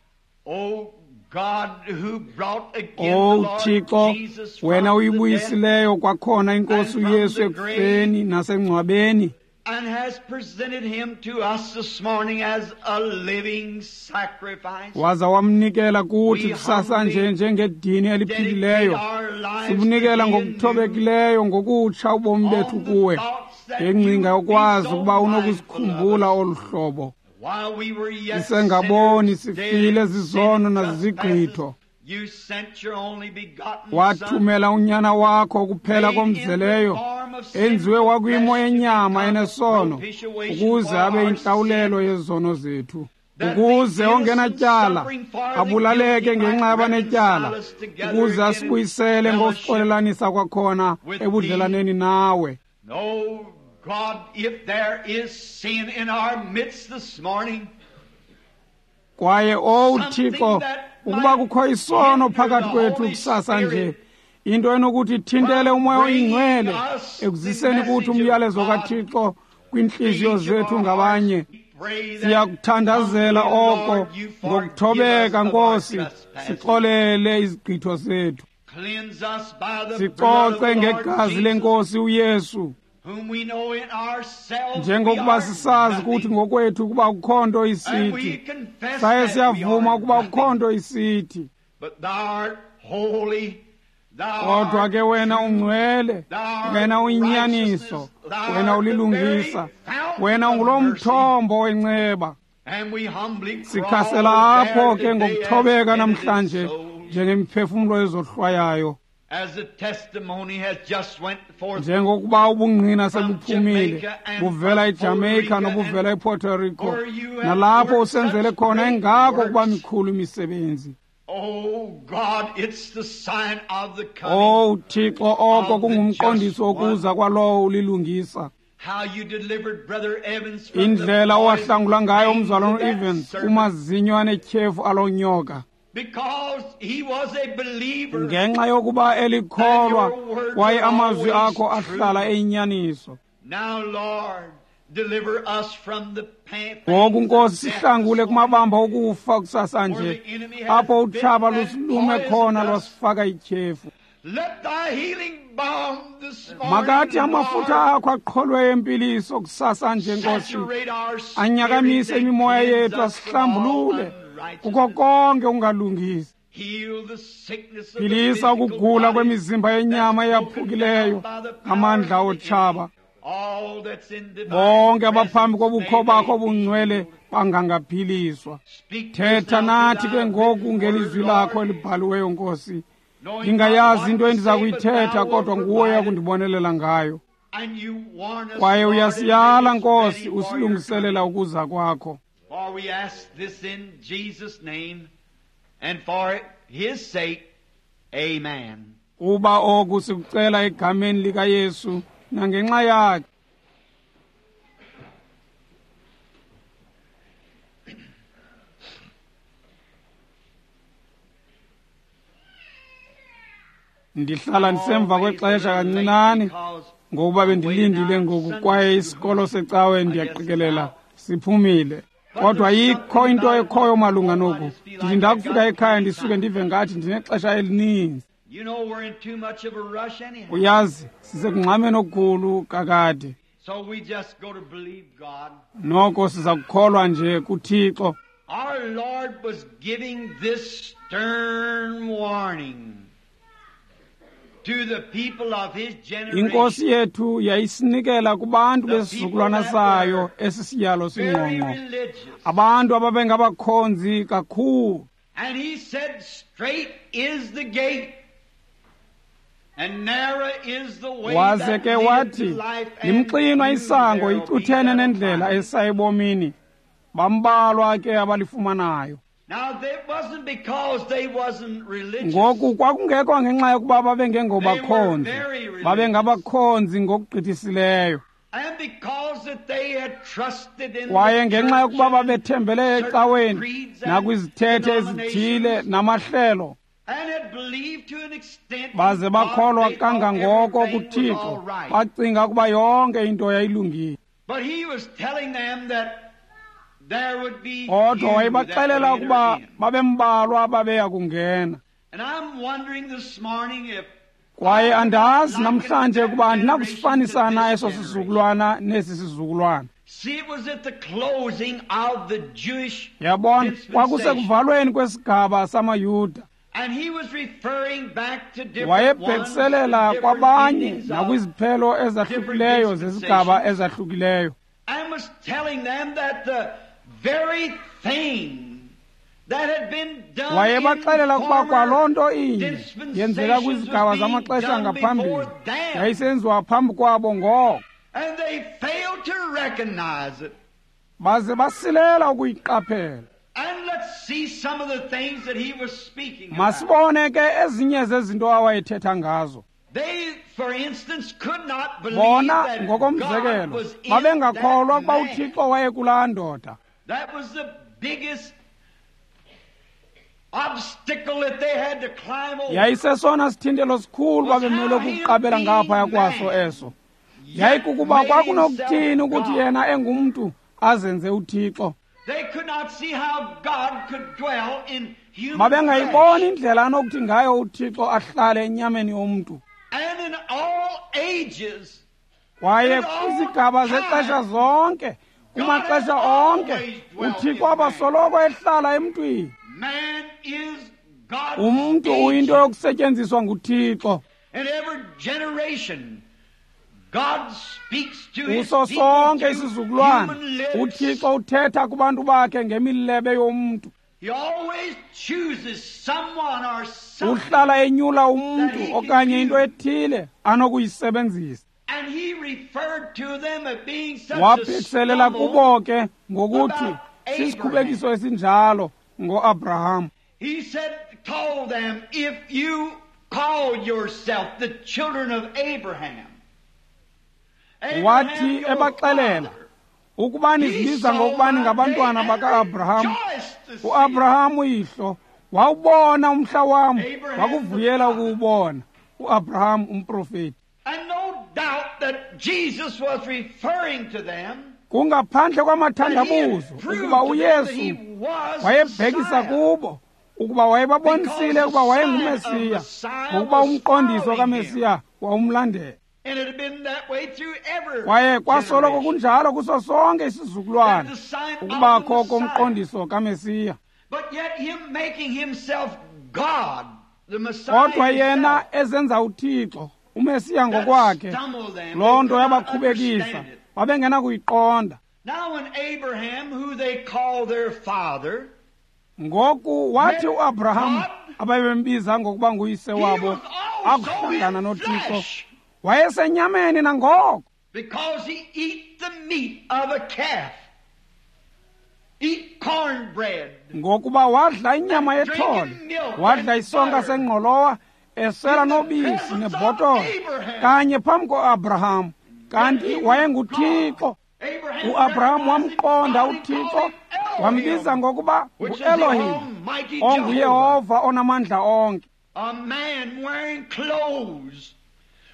Speaker 2: O God, who brought again
Speaker 1: O
Speaker 2: the Lord
Speaker 1: Thixo,
Speaker 2: Jesus from
Speaker 1: wena
Speaker 2: the
Speaker 1: uyibuyisileyo kwakhona iNkosi
Speaker 2: and from
Speaker 1: uYesu
Speaker 2: the
Speaker 1: ekufeni nasengcwabeni,
Speaker 2: and has presented him to us this morning as a living sacrifice.
Speaker 1: Waza wamnikela kuthi
Speaker 2: We
Speaker 1: kusasa nje
Speaker 2: humbly
Speaker 1: njengedini eliphilileyo.
Speaker 2: dedicate our lives
Speaker 1: Sibunikela
Speaker 2: to thee
Speaker 1: ngokuthobekileyo ngokutsha ubomi bethu
Speaker 2: on the
Speaker 1: kuwe,
Speaker 2: thoughts that
Speaker 1: ngengcinga
Speaker 2: you
Speaker 1: yokwazi
Speaker 2: be so
Speaker 1: ukuba
Speaker 2: mindful of
Speaker 1: unokusikhumbula
Speaker 2: us.
Speaker 1: olu hlobo.
Speaker 2: While we were yet
Speaker 1: Sisengaboni,
Speaker 2: sinners, dead
Speaker 1: sifile
Speaker 2: in
Speaker 1: zizono
Speaker 2: sin and
Speaker 1: nazizigqitho.
Speaker 2: trespasses, you sent your only begotten Son,
Speaker 1: Wathumela unyana wakho kuphela
Speaker 2: made in the
Speaker 1: komzeleyo,
Speaker 2: form of
Speaker 1: enziwe
Speaker 2: sinful
Speaker 1: wakwimo
Speaker 2: flesh to
Speaker 1: yenyama
Speaker 2: become
Speaker 1: enesono,
Speaker 2: propitiation
Speaker 1: ukuze
Speaker 2: for
Speaker 1: abe
Speaker 2: our
Speaker 1: yintlawulelo
Speaker 2: sin,
Speaker 1: yezono zethu,
Speaker 2: that the
Speaker 1: ukuze ongenatyala
Speaker 2: innocent suffering for the
Speaker 1: abulaleke
Speaker 2: guilty
Speaker 1: ngenxa
Speaker 2: might
Speaker 1: yabanetyala,
Speaker 2: reconcile us together
Speaker 1: ukuze
Speaker 2: again in
Speaker 1: asibuyisele
Speaker 2: fellowship
Speaker 1: ngokuxolelanisa kwakhona
Speaker 2: with
Speaker 1: ebudlelaneni nawe.
Speaker 2: Oh God, if there is sin in our midst this morning,
Speaker 1: Kwaye owu
Speaker 2: something
Speaker 1: Thixo,
Speaker 2: that
Speaker 1: ukuba
Speaker 2: might
Speaker 1: kukho isono
Speaker 2: hinder
Speaker 1: phakathi
Speaker 2: the
Speaker 1: kwethu
Speaker 2: Holy
Speaker 1: kusasa nje,
Speaker 2: Spirit
Speaker 1: into enokuthi ithintele
Speaker 2: from
Speaker 1: umoya
Speaker 2: bringing
Speaker 1: oyingcwele
Speaker 2: us the
Speaker 1: ekuziseni kuthi
Speaker 2: message of
Speaker 1: umyalezo
Speaker 2: God
Speaker 1: kaThixo
Speaker 2: to
Speaker 1: kwiintliziyo
Speaker 2: each of
Speaker 1: zethu
Speaker 2: our
Speaker 1: ngabanye.
Speaker 2: hearts, we pray that
Speaker 1: Siyakuthandazela
Speaker 2: humbly,
Speaker 1: oko
Speaker 2: Lord, you forgive us
Speaker 1: ngokuthobeka,
Speaker 2: of our
Speaker 1: Nkosi,
Speaker 2: trespasses.
Speaker 1: sixolele izigqitho zethu,
Speaker 2: Cleanse us by the blood of
Speaker 1: sicoce
Speaker 2: the Lord
Speaker 1: ngegazi
Speaker 2: Jesus,
Speaker 1: lenkosi uYesu,
Speaker 2: whom we know in ourselves we
Speaker 1: njengokuba
Speaker 2: are
Speaker 1: sisazi
Speaker 2: nothing.
Speaker 1: kuthi ngokwethu ukuba kukho nto
Speaker 2: And we
Speaker 1: isithi,
Speaker 2: confess
Speaker 1: saye
Speaker 2: that we
Speaker 1: siyavuma
Speaker 2: are
Speaker 1: ukuba kukho
Speaker 2: nothing.
Speaker 1: nto isithi.
Speaker 2: But thou art holy, thou
Speaker 1: Kodwa
Speaker 2: art
Speaker 1: ke wena
Speaker 2: true,
Speaker 1: ungcwele,
Speaker 2: thou art
Speaker 1: wena uyinyaniso,
Speaker 2: righteousness, thou
Speaker 1: wena
Speaker 2: art the
Speaker 1: ulilungisa,
Speaker 2: very fountain
Speaker 1: wena
Speaker 2: of
Speaker 1: ungulo
Speaker 2: mercy.
Speaker 1: mthombo wenceba.
Speaker 2: And we humbly crawl
Speaker 1: Sikhasela apho
Speaker 2: there
Speaker 1: ke
Speaker 2: today as
Speaker 1: ngokuthobeka
Speaker 2: penitent
Speaker 1: namhlanje
Speaker 2: souls,
Speaker 1: njengemiphefumlo ezohlwayayo,
Speaker 2: as the testimony has just went forth
Speaker 1: njengokuba ubungqina
Speaker 2: from
Speaker 1: sebuphumile
Speaker 2: Jamaica and
Speaker 1: buvela
Speaker 2: from
Speaker 1: eJamaica
Speaker 2: Puerto Rico
Speaker 1: nobuvela
Speaker 2: and
Speaker 1: ePuerto Rico,
Speaker 2: where you have
Speaker 1: nalapho
Speaker 2: worked
Speaker 1: usenzele
Speaker 2: such
Speaker 1: khona
Speaker 2: great
Speaker 1: engako ukuba
Speaker 2: works.
Speaker 1: mikhulu imisebenzi.
Speaker 2: Oh God, it's the sign of the coming
Speaker 1: Owu Thixo, oko
Speaker 2: of the
Speaker 1: kungumqondiso
Speaker 2: just one.
Speaker 1: wokuza kwalowo ulilungisa.
Speaker 2: How you delivered Brother Evans from the
Speaker 1: Indlela owahlangula ngayo
Speaker 2: poison
Speaker 1: umzalwana
Speaker 2: of that
Speaker 1: uEvans
Speaker 2: serpent,
Speaker 1: kumazinyo anetyhefu alonyoka,
Speaker 2: because he was a believer
Speaker 1: ngenxa yokuba elikholwa
Speaker 2: and your words
Speaker 1: kwaye
Speaker 2: are
Speaker 1: amazwi
Speaker 2: always
Speaker 1: akho ahlala
Speaker 2: true.
Speaker 1: eyinyaniso.
Speaker 2: Now, Lord, deliver us from the pa-
Speaker 1: Ngoku
Speaker 2: pangs of
Speaker 1: Nkosi
Speaker 2: death
Speaker 1: sihlangule
Speaker 2: this morning,
Speaker 1: kumabamba okufa kusasa
Speaker 2: where
Speaker 1: nje,
Speaker 2: the enemy has
Speaker 1: apho utshaba
Speaker 2: bitten and
Speaker 1: lusilume
Speaker 2: poisoned
Speaker 1: khona
Speaker 2: us.
Speaker 1: lwasifaka ityhefu.
Speaker 2: Let thy healing balm this morning,
Speaker 1: Makathi amafutha
Speaker 2: Lord,
Speaker 1: akho aqholwe empiliso kusasa nje Nkosi,
Speaker 2: saturate our spirit
Speaker 1: anyakamise
Speaker 2: and
Speaker 1: imimoya
Speaker 2: cleanse
Speaker 1: yethu,
Speaker 2: us from all
Speaker 1: asihlambulule kuko
Speaker 2: unrighteousness.
Speaker 1: konke ungalungisi.
Speaker 2: Heal the sickness of the
Speaker 1: Philisa
Speaker 2: physical
Speaker 1: ukugula
Speaker 2: body
Speaker 1: kwemizimba yenyama
Speaker 2: that's broken
Speaker 1: eyaphukileyo
Speaker 2: down by the powers
Speaker 1: ngamandla
Speaker 2: of the
Speaker 1: otshaba.
Speaker 2: enemy. All that's in divine
Speaker 1: Bonke abaphambi
Speaker 2: presence,
Speaker 1: kobukho
Speaker 2: may
Speaker 1: bakho
Speaker 2: they be
Speaker 1: obungcwele
Speaker 2: healed.
Speaker 1: bangangaphiliswa.
Speaker 2: Speak to us
Speaker 1: Thetha
Speaker 2: now
Speaker 1: nathi
Speaker 2: through
Speaker 1: ke
Speaker 2: thy
Speaker 1: ngoku
Speaker 2: written word,
Speaker 1: ngelizwi lakho
Speaker 2: Lord,
Speaker 1: elibhaliweyo Nkosi.
Speaker 2: knowing not
Speaker 1: Ndingayazi
Speaker 2: what
Speaker 1: into
Speaker 2: to
Speaker 1: endiza
Speaker 2: say, but
Speaker 1: kuyithetha,
Speaker 2: thou wilt
Speaker 1: kodwa nguwe
Speaker 2: provide it.
Speaker 1: kundibonelela ngayo.
Speaker 2: And you warn us,
Speaker 1: Kwaye
Speaker 2: Lord, and make
Speaker 1: uyasiyala
Speaker 2: us
Speaker 1: Nkosi,
Speaker 2: ready for your
Speaker 1: usilungiselela
Speaker 2: coming.
Speaker 1: ukuza kwakho.
Speaker 2: For we ask this in Jesus' name, and for his sake, amen.
Speaker 1: Kuba oku sikucela egameni likaYesu nangenxa yakhe. Ndihlala ndisemva
Speaker 2: Always a
Speaker 1: kwexesha
Speaker 2: little late
Speaker 1: kancinane
Speaker 2: because
Speaker 1: ngokuba
Speaker 2: I'm waiting
Speaker 1: bendilindile
Speaker 2: now
Speaker 1: ngoku
Speaker 2: Sunday
Speaker 1: kwaye
Speaker 2: school.
Speaker 1: isikolo secawe
Speaker 2: I guess it's
Speaker 1: ndiyaqikelela
Speaker 2: out.
Speaker 1: siphumile.
Speaker 2: But
Speaker 1: Kodwa
Speaker 2: there's
Speaker 1: yikho
Speaker 2: something
Speaker 1: into
Speaker 2: about it.
Speaker 1: ekhoyo malunga
Speaker 2: Oh, I
Speaker 1: noku.
Speaker 2: just feel
Speaker 1: Ndithi
Speaker 2: like I've
Speaker 1: ndakufika
Speaker 2: got
Speaker 1: ekhaya
Speaker 2: plenty
Speaker 1: ndisuke
Speaker 2: time.
Speaker 1: ndive ngathi ndinexesha elininzi.
Speaker 2: You know we're in too much of a rush anyhow.
Speaker 1: Uyazi, sisekungxameni okukhulu kakade.
Speaker 2: So we just go to believe God.
Speaker 1: Noko siza kukholwa nje kuThixo.
Speaker 2: Our Lord was giving this stern warning. to the people of his generation.
Speaker 1: Inkosi yethu yayisinikela kubantu
Speaker 2: The
Speaker 1: besizukulwana
Speaker 2: people that
Speaker 1: sayo
Speaker 2: were
Speaker 1: esi siyalo
Speaker 2: Very
Speaker 1: singqongqo,
Speaker 2: religious.
Speaker 1: abantu ababengabakhonzi kakhulu.
Speaker 2: And he said, straight is the gate, and narrow is the way
Speaker 1: Waze
Speaker 2: that
Speaker 1: ke
Speaker 2: leadeth
Speaker 1: wathi,
Speaker 2: to life, and
Speaker 1: limxinwa
Speaker 2: few
Speaker 1: isango
Speaker 2: there will be
Speaker 1: icuthene
Speaker 2: that'll
Speaker 1: nendlela
Speaker 2: find it.
Speaker 1: esa ebomini, bambalwa ke abalifumanayo.
Speaker 2: Now, that wasn't because they wasn't religious.
Speaker 1: Ngoku kwakungekho ngenxa yokuba babengengobakhonzi,
Speaker 2: They were very religious.
Speaker 1: babengabakhonzi ngokugqithisileyo.
Speaker 2: And because that they had trusted in
Speaker 1: Kwaye
Speaker 2: the
Speaker 1: ngenxa
Speaker 2: church
Speaker 1: yokuba
Speaker 2: and
Speaker 1: babethembele
Speaker 2: certain
Speaker 1: ecaweni
Speaker 2: creeds and
Speaker 1: nakwizithethe ezithile
Speaker 2: denominations,
Speaker 1: namahlelo,
Speaker 2: and had believed to an extent in
Speaker 1: baze
Speaker 2: God,
Speaker 1: bakholwa
Speaker 2: they thought
Speaker 1: kangangoko
Speaker 2: everything was
Speaker 1: kuThixo,
Speaker 2: all right.
Speaker 1: bacinga ukuba yonke into yayilungile.
Speaker 2: But he was telling them that there would be
Speaker 1: Kodwa
Speaker 2: few that
Speaker 1: wayebaxelela
Speaker 2: would
Speaker 1: ukuba
Speaker 2: enter in.
Speaker 1: babembalwa ababeya kungena.
Speaker 2: And I'm wondering this morning if
Speaker 1: Kwaye andazi
Speaker 2: I
Speaker 1: namhlanje
Speaker 2: like
Speaker 1: ukuba
Speaker 2: that
Speaker 1: andinakusifanisa
Speaker 2: generation
Speaker 1: na
Speaker 2: to
Speaker 1: eso
Speaker 2: this generation.
Speaker 1: sizukulwana nesi sizukulwana.
Speaker 2: See, it was at the closing of the Jewish
Speaker 1: Yabona,
Speaker 2: dispensation.
Speaker 1: kwakusekuvalweni kwesigaba samaYuda.
Speaker 2: And he was referring back to different ones
Speaker 1: Wayebhekiselela
Speaker 2: and different
Speaker 1: kwabanye
Speaker 2: endings of-
Speaker 1: nakwiziphelo ezahlukileyo zezigaba ezahlukileyo.
Speaker 2: and was telling them that the very thing that had been done
Speaker 1: Wayebaxelela
Speaker 2: in
Speaker 1: ukuba
Speaker 2: former
Speaker 1: kwaloo nto inye
Speaker 2: dispensations
Speaker 1: yenzeka kwizigaba
Speaker 2: was being
Speaker 1: zamaxesha
Speaker 2: done
Speaker 1: ngaphambili
Speaker 2: before them.
Speaker 1: yayisenziwa phambi kwabo ngoko,
Speaker 2: And they failed to recognize it.
Speaker 1: baze basilela ukuyiqaphela.
Speaker 2: And let's see some of the things that he was speaking about.
Speaker 1: Masibone ke ezinye zezinto awayethetha ngazo.
Speaker 2: They, for instance, could not believe
Speaker 1: Bona
Speaker 2: that God
Speaker 1: ngokomzekelo
Speaker 2: was in
Speaker 1: babengakholwa
Speaker 2: that
Speaker 1: ukuba
Speaker 2: man.
Speaker 1: uThixo wayekulaa ndoda.
Speaker 2: That was the biggest obstacle that they had to climb over.
Speaker 1: Yayisesona sithintelo sikhulu babemele ukuqabela ngaphaya kwaso eso. Yayikukuba kwakunokuthini ukuthi yena engumntu azenze uThixo.
Speaker 2: They could not see how God could dwell in human
Speaker 1: Babengayiboni
Speaker 2: flesh.
Speaker 1: indlela anokuthi ngayo uThixo ahlale enyameni yomntu.
Speaker 2: And in all ages,
Speaker 1: Kwaye kwizigaba zexesha zonke, kumaxesha onke, uThixo abasoloko ehlala emntwini.
Speaker 2: man is God's
Speaker 1: Umntu uyinto
Speaker 2: agent.
Speaker 1: yokusetyenziswa nguThixo.
Speaker 2: In every generation, God speaks to his
Speaker 1: Kuso
Speaker 2: people
Speaker 1: sonke
Speaker 2: through
Speaker 1: isizukulwana,
Speaker 2: human lips.
Speaker 1: uThixo uthetha kubantu bakhe ngemilebe yomntu.
Speaker 2: He always chooses someone or something.
Speaker 1: Uhlala enyula umntu okanye into ethile anokuyisebenzisa.
Speaker 2: And he referred to them as being such a
Speaker 1: Wabhekiselela
Speaker 2: stumble.
Speaker 1: kubo ke ngokuthi sisikhubekiso esinjalo ngoAbraham.
Speaker 2: He said, told them, if you call yourself the children of Abraham, Abraham
Speaker 1: Wathi
Speaker 2: your
Speaker 1: ebaxelela
Speaker 2: father,
Speaker 1: ukuba
Speaker 2: he
Speaker 1: nizibiza
Speaker 2: saw
Speaker 1: ngokuba
Speaker 2: my
Speaker 1: ningabantwana
Speaker 2: day and
Speaker 1: baka-Abraham,
Speaker 2: rejoiced to see it.
Speaker 1: uAbraham uyihlo wawubona umhla wam,
Speaker 2: Abraham
Speaker 1: wakuvuyela
Speaker 2: the prophet.
Speaker 1: ukuwubona. uAbraham umprofeti.
Speaker 2: And no doubt that Jesus was referring to them
Speaker 1: Kungaphandle
Speaker 2: that he had
Speaker 1: kwamathandabuzo
Speaker 2: proved
Speaker 1: ukuba
Speaker 2: to them that he
Speaker 1: uYesu
Speaker 2: was
Speaker 1: wayebhekisa
Speaker 2: Messiah.
Speaker 1: kubo ukuba wayebabonisile
Speaker 2: Because
Speaker 1: ukuba
Speaker 2: the
Speaker 1: wayenguMesiya,
Speaker 2: sign of Messiah
Speaker 1: ngokuba
Speaker 2: was
Speaker 1: umqondiso
Speaker 2: following
Speaker 1: kaMesiya wawumlandela.
Speaker 2: And it had been that way through every
Speaker 1: Kwaye kwasoloko
Speaker 2: generation.
Speaker 1: kunjalo kuso sonke isizukulwana
Speaker 2: That the sign of
Speaker 1: ukubakho
Speaker 2: the
Speaker 1: komqondiso kaMesiya.
Speaker 2: But yet him making himself God, the Messiah
Speaker 1: Kodwa yena
Speaker 2: himself,
Speaker 1: ezenza uThixo, uMesiya
Speaker 2: that
Speaker 1: ngokwakhe,
Speaker 2: stumbled them.
Speaker 1: loo
Speaker 2: They
Speaker 1: nto
Speaker 2: could not
Speaker 1: yabakhubekisa,
Speaker 2: understand it.
Speaker 1: babengenakuyiqonda.
Speaker 2: Now when Abraham, who they call their father,
Speaker 1: Ngoku wathi
Speaker 2: met
Speaker 1: uAbraham
Speaker 2: God,
Speaker 1: ababembiza ngokuba nguyise
Speaker 2: he
Speaker 1: wabo
Speaker 2: was also
Speaker 1: akuhlangana
Speaker 2: in
Speaker 1: noThixo,
Speaker 2: flesh
Speaker 1: wayesenyameni nangoko.
Speaker 2: because he eat the meat of a calf, eat cornbread,
Speaker 1: Ngokuba wadla inyama yethole, wadla isonka sengqolowa, esela nobisi nebhotolo, kanye phambi koAbraham. Kanti wayenguThixo.
Speaker 2: Abraham
Speaker 1: uAbraham
Speaker 2: recognized
Speaker 1: wamqonda
Speaker 2: God and
Speaker 1: uThixo,
Speaker 2: called him Elohim,
Speaker 1: wambiza ngokuba
Speaker 2: which is the
Speaker 1: nguElohim,
Speaker 2: Almighty Jehovah.
Speaker 1: onguYehova onamandla onke.
Speaker 2: A man wearing clothes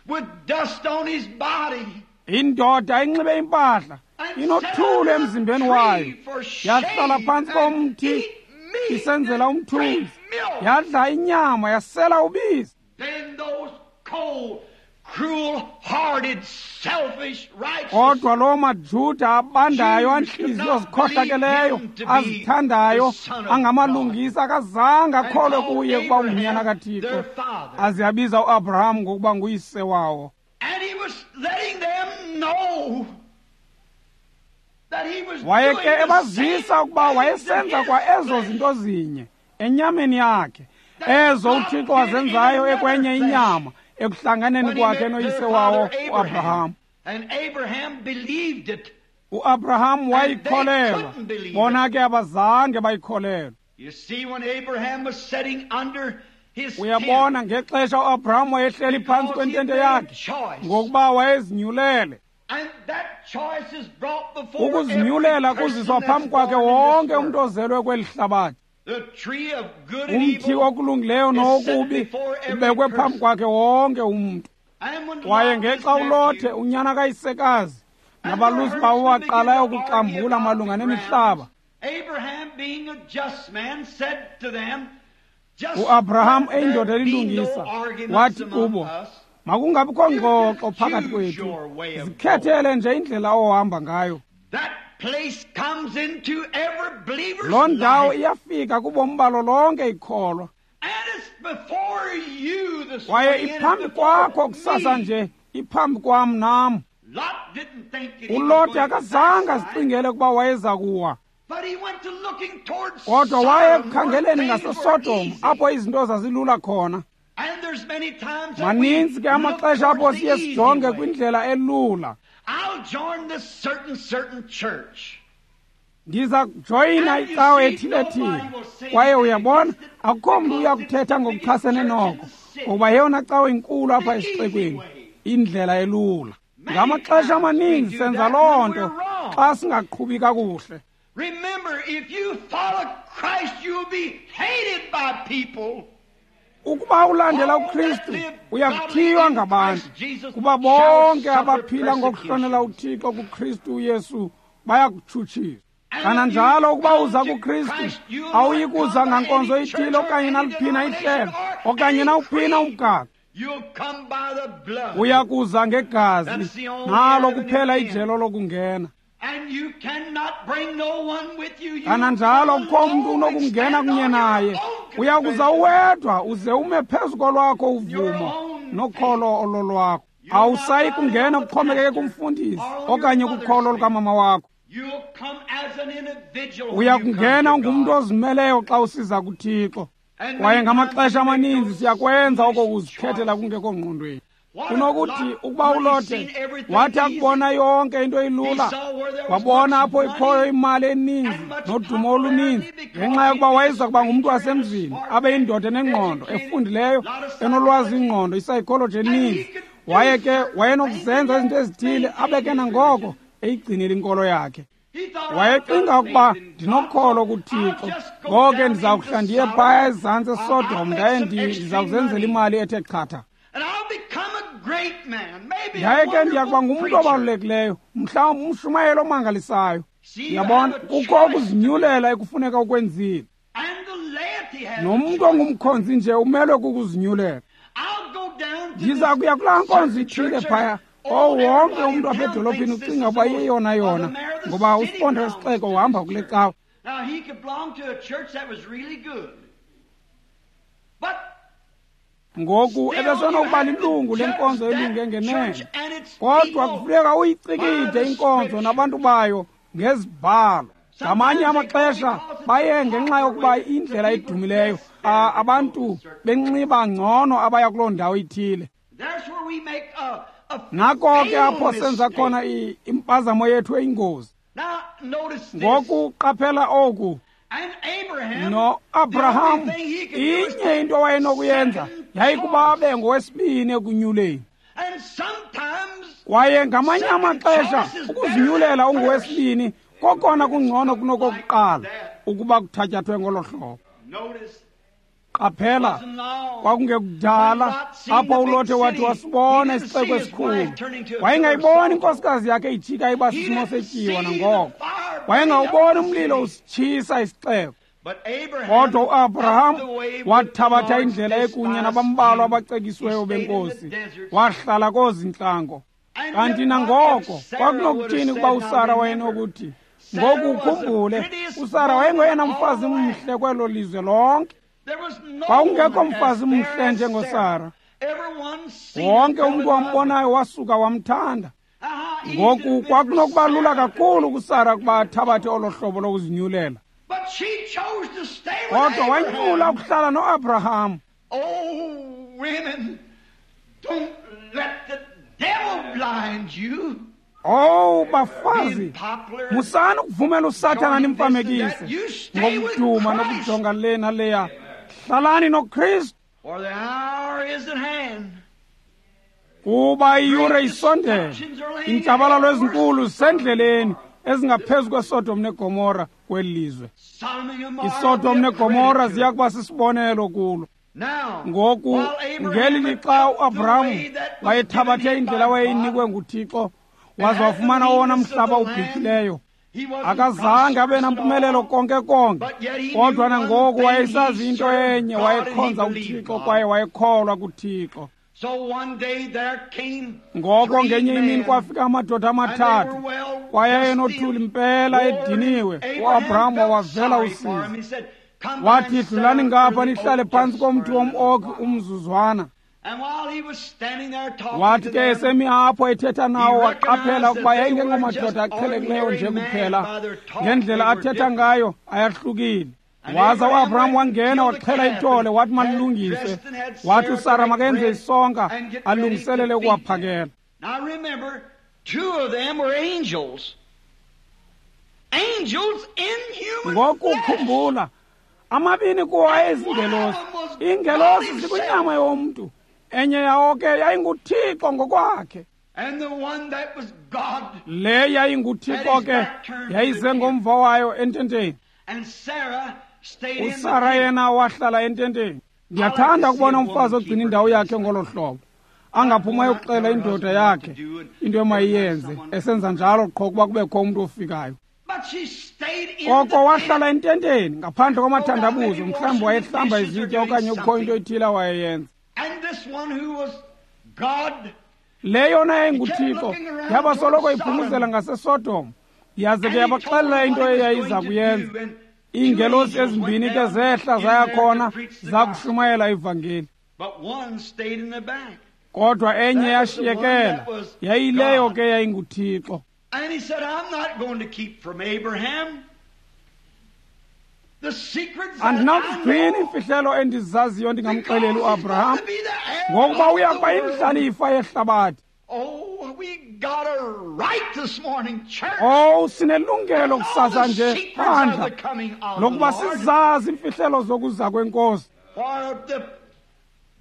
Speaker 2: with dust on his body
Speaker 1: Indoda inxibe impahla,
Speaker 2: and
Speaker 1: inothulu
Speaker 2: sat under
Speaker 1: emzimbeni
Speaker 2: a tree
Speaker 1: wayo,
Speaker 2: for
Speaker 1: yahlala
Speaker 2: shade
Speaker 1: phantsi
Speaker 2: and
Speaker 1: komthi
Speaker 2: eat meat
Speaker 1: isenzela
Speaker 2: and drink
Speaker 1: umthunzi,
Speaker 2: milk.
Speaker 1: yadla inyama yasela ubisi.
Speaker 2: Then those cold,
Speaker 1: Kodwa loo maJuda abandayo, antliziyo zikhohlakeleyo, azithandayo, angamalungisa, akazange akholwe kuye ukuba ungunyana kaThixo, aze abiza uAbraham ngokuba nguyise wawo. Waye ke ebazisa ukuba wayesenza kwa ezo zinto zinye enyameni yakhe, ezo uThixo wazenzayo ekwenye inyama ekuhlanganeni kwakhe noyise wawo uAbraham. UAbraham wayikholelwa, bona ke abazange bayikholelwa. Uyabona, ngexesha uAbraham wayehleli phantsi kwentente yakhe, ngokuba wayezinyulele. Ukuzinyulela kuziswa phambi kwakhe wonke umntu ozelwe kweli hlabathi. Umthi okulungileyo nokubi ubekwe phambi kwakhe wonke umntu. Kwaye ngexa uLothe, unyana kayisekazi, nabalusi bawo waqalayo ukuxambula malunga nemihlaba, uAbraham eyindoda elilungisa wathi kubo, makungabikho ngxoxo phakathi kwethu, zikhethele nje indlela ohamba ngayo. Loo ndawo iyafika kubomi balo lonke ikholwa, kwaye iphambi kwakho kusasa nje, iphambi kwam nam. ULothe akazange azicingele ukuba wayeza kuwa, kodwa waye ekukhangeleni ngaseSodom apho izinto zazilula khona. Maninzi ke amaxesha apho siye sijonge kwindlela elula. Ndiza kujoyina icawe ethile-thile, kwaye uyabona akukho mntu uya kuthetha ngokuchasene noko, ngokuba yeyona cawe inkulu apha esixekweni, indlela elula. Ngamaxesha amaninzi senza loo nto xa singaqhubi kakuhle. Ukuba ulandela uKristu, uyakuthiywa ngabantu, kuba bonke abaphila ngokuhlonela uThixo kuKristu uYesu bayakutshutshiswa. Kananjalo ukuba uza kuKristu, awuyi kuza ngankonzo ithile okanye naliphina ihlelo okanye nawuphina umgaqo. Uya kuza ngegazi, nalo kuphela ijelo lokungena. Kananjalo kukho mntu unokungena kunye naye, uya kuza uwedwa uze ume phezu kolwakho uvumo nokholo ololwakho. Awusayi kungena kuxhomekeke kumfundisi okanye kukholo lukamama wakho. Uya kungena ungumntu ozimeleyo xa usiza kuThixo. Kwaye ngamaxesha amaninzi siyakwenza oko kuzikhethela kungekho ngqondweni. Kunokuthi ukuba uLothe wathi akubona yonke into ilula, wabona apho ikhoyo imali eninzi nodumo oluninzi, ngenxa yokuba wayeza kuba ngumntu wasemzini, abe yindoda enengqondo, efundileyo, enolwazi ingqondo, isayikholoji eninzi. Waye ke wayenokuzenza izinto ezithile, abe ke nangoko eyigcinile inkolo yakhe. Wayecinga ukuba ndinokholo kuThixo, ngoko ke ndiza kuhla ndiye phaya ezantsi eSodom, ndaye ndiza kuzenzela imali ethe chatha. Yaye ke ndiya kuba ngumntu obalulekileyo, mhlawumbi umshumayeli omangalisayo. Uyabona, kukho ukuzinyulela ekufuneka ukwenzile. Nomntu ongumkhonzi nje umelwe kukuzinyulela. Ndiza kuya kulaa nkonzo ithile phaya. Oh, wonke umntu apha edolophini ucinga ukuba iyeyona yona, ngoba usiponda wesixeko uhamba kule cawa. Ngoku ebesenokuba lilungu lenkonzo elunge ngenene, kodwa kufuneka uyicikide inkonzo nabantu bayo ngezibhalo. Ngamanye amaxesha baye ngenxa yokuba indlela edumileyo, abantu benxiba ngcono abaya kuloo ndawo ithile. Nako ke apho senza khona impazamo yethu eyingozi. Ngoku qaphela oku. No-Abraham, inye into awayenokuyenza yayikuba abe ngowesibini ekunyuleni. Kwaye ngamanye amaxesha ukuzinyulela ungowesibini kokona kungcono kunokokuqala ukuba kuthatyathwe ngolo hlobo. Qaphela, kwakungekudala apho uLothe wathi wasibona isixeko esikhulu. Wayengayiboni inkosikazi yakhe ijika iba sisimo setyiwa nangoko. Wayengawuboni umlilo usitshisa isixeko. Kodwa uAbraham wathabatha indlela ekunye nabambalwa abacekisiweyo benkosi, wahlala koozintlango. Kanti nangoko kwakunokuthini ukuba uSara wayenokuthi, ngoku ukhumbule, uSara wayengoyena mfazi mhle kwelo lizwe lonke. Kwakungekho mfazi mhle njengoSara. Wonke umntu wambonayo wasuka wamthanda. Ngoku kwakunokuba lula kakhulu kuSara ukuba athabathe olo hlobo lokuzinyulela. Kodwa wanyula ukuhlala noAbraham.
Speaker 2: Oh, women, don't let the devil blind you.
Speaker 1: Oh, bafazi, musani ukuvumela uSathana nimfamekise ngokuduma nokujonga le naleya. Hlalani noKristu,
Speaker 2: For the hour is at hand.
Speaker 1: Kuba iyure isondele. Iintshabalalo ezinkulu zisendleleni ezingaphezu kweSodom neGomora kweli lizwe. ISodom neGomora ziya kuba sisibonelo kulo. Ngoku ngeli lixa uAbraham wayethabathe indlela wayeyinikwe nguThixo, waze wafumana owona mhlaba ubhityileyo. Akazange abe nampumelelo konke konke, kodwa nangoku wayesazi into enye, wayekhonza uThixo kwaye wayekholwa kuThixo. Ngoko ngenye imini kwafika amadoda amathathu, kwaye ayenothuli mpela ediniwe. UAbraham wawavela usizi, wathi, dlulani ngapha nihlale phantsi komthi wom-oki umzuzwana. Wathi ke esemi apho ethetha nawo, waqaphela ukuba yayingengomadoda aqhelekileyo nje kuphela. Ngendlela athetha ngayo ayahlukile. Waza uAbraham wangena waxhela ithole, wathi malilungiswe. Wathi uSara makenze isonka alungiselele ukuwaphakela.
Speaker 2: Now remember, two of them were angels. Angels in human
Speaker 1: Ngoku
Speaker 2: flesh.
Speaker 1: khumbula, amabini kuwo ayezingelosi. Iingelosi zikwinyama yomntu. Enye yawo ke yayinguThixo ngokwakhe.
Speaker 2: And the one that was God.
Speaker 1: Le yayinguThixo ke yayize ngomva wayo ententeni.
Speaker 2: And Sarah stayed in the
Speaker 1: uSara
Speaker 2: tent.
Speaker 1: yena wahlala ententeni. Ndiyathanda ukubona umfazi ogcina indawo yakhe ngolo hlobo, angaphuma ayokuxela indoda yakhe into emayiyenze, esenza njalo qho kuba kubekho umntu ofikayo.
Speaker 2: But she stayed in
Speaker 1: Koko
Speaker 2: the
Speaker 1: wahlala
Speaker 2: tent.
Speaker 1: ententeni ngaphandle kwamathandabuzo, mhlawumbi wayehlamba izitya okanye kukho into ethile awayeyenza.
Speaker 2: And this one who was God,
Speaker 1: Le yona yayinguThixo yaba soloko iphumuzela ngaseSodom, yaze ke yabaxelela into eyayiza kuyenza. Iingelosi ezimbini ke zehla zaya khona zakushumayela ivangeli,
Speaker 2: but one stayed in the back.
Speaker 1: kodwa enye yashiyekela, yayileyo ke yayinguThixo.
Speaker 2: And he said, I'm not going to keep from Abraham the secrets that I
Speaker 1: Andinakuzigcina
Speaker 2: know,
Speaker 1: iimfihlelo endizaziyo ndingamxeleli
Speaker 2: because he's
Speaker 1: uAbraham,
Speaker 2: going to be the heir
Speaker 1: ngokuba
Speaker 2: of
Speaker 1: uya
Speaker 2: the
Speaker 1: kuba
Speaker 2: world.
Speaker 1: yindlalifa yehlabathi.
Speaker 2: Oh, we got a right this morning, church.
Speaker 1: Owu, sinelungelo
Speaker 2: All
Speaker 1: kusasa
Speaker 2: the
Speaker 1: nje
Speaker 2: secrets of
Speaker 1: bandla
Speaker 2: the coming of the
Speaker 1: lokuba
Speaker 2: Lord.
Speaker 1: sizazi iimfihlelo zokuza kwenkosi,
Speaker 2: For the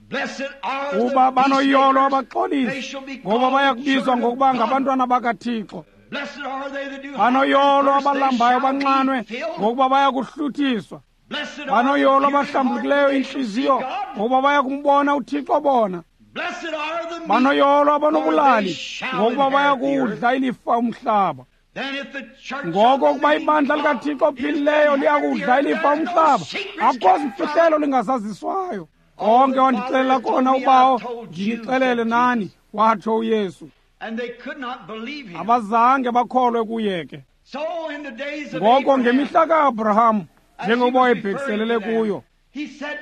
Speaker 2: blessed are the
Speaker 1: kuba banoyolo
Speaker 2: peacemakers. They
Speaker 1: abaxolisi,
Speaker 2: shall be
Speaker 1: ngoba
Speaker 2: called
Speaker 1: baya
Speaker 2: the
Speaker 1: kubizwa
Speaker 2: children of
Speaker 1: ngokuba
Speaker 2: God.
Speaker 1: ngabantwana bakaThixo.
Speaker 2: Blessed are they that do
Speaker 1: Banoyolo
Speaker 2: hunger and thirst, they
Speaker 1: abalambayo
Speaker 2: shall
Speaker 1: banxanwe,
Speaker 2: be filled.
Speaker 1: ngokuba baya kuhluthiswa.
Speaker 2: Blessed are the
Speaker 1: Banoyolo
Speaker 2: pure in heart,
Speaker 1: abahlambulukileyo
Speaker 2: they shall see
Speaker 1: intliziyo,
Speaker 2: God.
Speaker 1: ngokuba baya kumbona uThixo bona.
Speaker 2: Blessed are the meek,
Speaker 1: Banoyolo
Speaker 2: for
Speaker 1: abanobulali,
Speaker 2: they shall
Speaker 1: ngokuba baya
Speaker 2: inherit the earth.
Speaker 1: kudla ilifa umhlaba.
Speaker 2: Then if the church
Speaker 1: Ngoko
Speaker 2: of the
Speaker 1: ukuba
Speaker 2: living
Speaker 1: ibandla
Speaker 2: God
Speaker 1: likaThixo
Speaker 2: is
Speaker 1: ophilileyo
Speaker 2: to
Speaker 1: liya
Speaker 2: inherit the
Speaker 1: kudla
Speaker 2: earth,
Speaker 1: ilifa
Speaker 2: there is no
Speaker 1: umhlaba,
Speaker 2: secrets
Speaker 1: akukho
Speaker 2: kept from
Speaker 1: zimfihlelo
Speaker 2: it.
Speaker 1: lingazaziswayo.
Speaker 2: All
Speaker 1: Konke
Speaker 2: the Father
Speaker 1: wandixelela
Speaker 2: has told
Speaker 1: kona
Speaker 2: me,
Speaker 1: uBawo,
Speaker 2: I've told you,
Speaker 1: ndinixelele
Speaker 2: said
Speaker 1: nani,
Speaker 2: Jesus.
Speaker 1: watsho uYesu.
Speaker 2: And they could not believe him.
Speaker 1: Abazange bakholwe kuye ke.
Speaker 2: So in the days of
Speaker 1: Ngoko
Speaker 2: Abraham,
Speaker 1: ngemihla kaAbraham,
Speaker 2: as he
Speaker 1: njengokuba
Speaker 2: was referring
Speaker 1: wayebhekiselele
Speaker 2: to them,
Speaker 1: kuyo,
Speaker 2: he said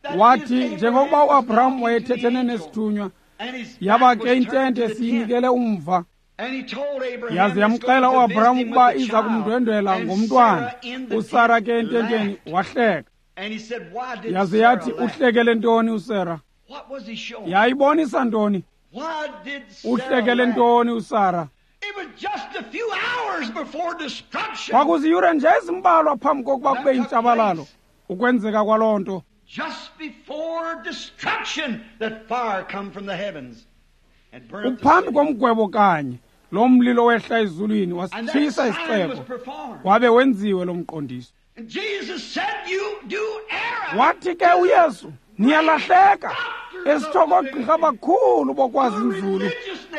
Speaker 2: that
Speaker 1: wathi
Speaker 2: his
Speaker 1: njengokuba
Speaker 2: Abraham was
Speaker 1: uAbraham
Speaker 2: talking to the
Speaker 1: wayethethene
Speaker 2: angel,
Speaker 1: nesithunywa,
Speaker 2: and his
Speaker 1: yaba
Speaker 2: back
Speaker 1: ke
Speaker 2: was turned
Speaker 1: intente
Speaker 2: to the tent.
Speaker 1: siyinikele umva.
Speaker 2: And he told Abraham
Speaker 1: Yaze
Speaker 2: he's
Speaker 1: yamxela
Speaker 2: going to
Speaker 1: uAbraham
Speaker 2: visit him
Speaker 1: ukuba
Speaker 2: with the
Speaker 1: iza
Speaker 2: child.
Speaker 1: kumndwendwela
Speaker 2: And
Speaker 1: ngomntwana.
Speaker 2: Sarah in the
Speaker 1: uSara
Speaker 2: tent
Speaker 1: ke ententeni
Speaker 2: laughed.
Speaker 1: wahleka.
Speaker 2: And he said, why did
Speaker 1: Yaze
Speaker 2: Sarah
Speaker 1: yathi,
Speaker 2: laugh?
Speaker 1: uhlekele ntoni uSara?
Speaker 2: What was he showing?
Speaker 1: Yayibonisa ntoni?
Speaker 2: Why did Sarah
Speaker 1: Uhlekele
Speaker 2: laugh?
Speaker 1: ntoni uSara?
Speaker 2: It was just a few hours before destruction.
Speaker 1: Kwakuziyure nje ezimbalwa phambi kokuba kube yintshabalalo ukwenzeka kwaloo nto.
Speaker 2: Just before destruction, that fire come from the heavens and burn up the
Speaker 1: Uphambi
Speaker 2: city.
Speaker 1: komgwebo kanye lo mlilo wehla ezulwini
Speaker 2: And that
Speaker 1: wasitshisa
Speaker 2: sign was
Speaker 1: isixeko,
Speaker 2: performed.
Speaker 1: wabe wenziwe lo mqondiso.
Speaker 2: And Jesus said, you do error.
Speaker 1: Wathi ke uYesu, niyalahleka esitho koogqirha abakhulu bokwazi inzulu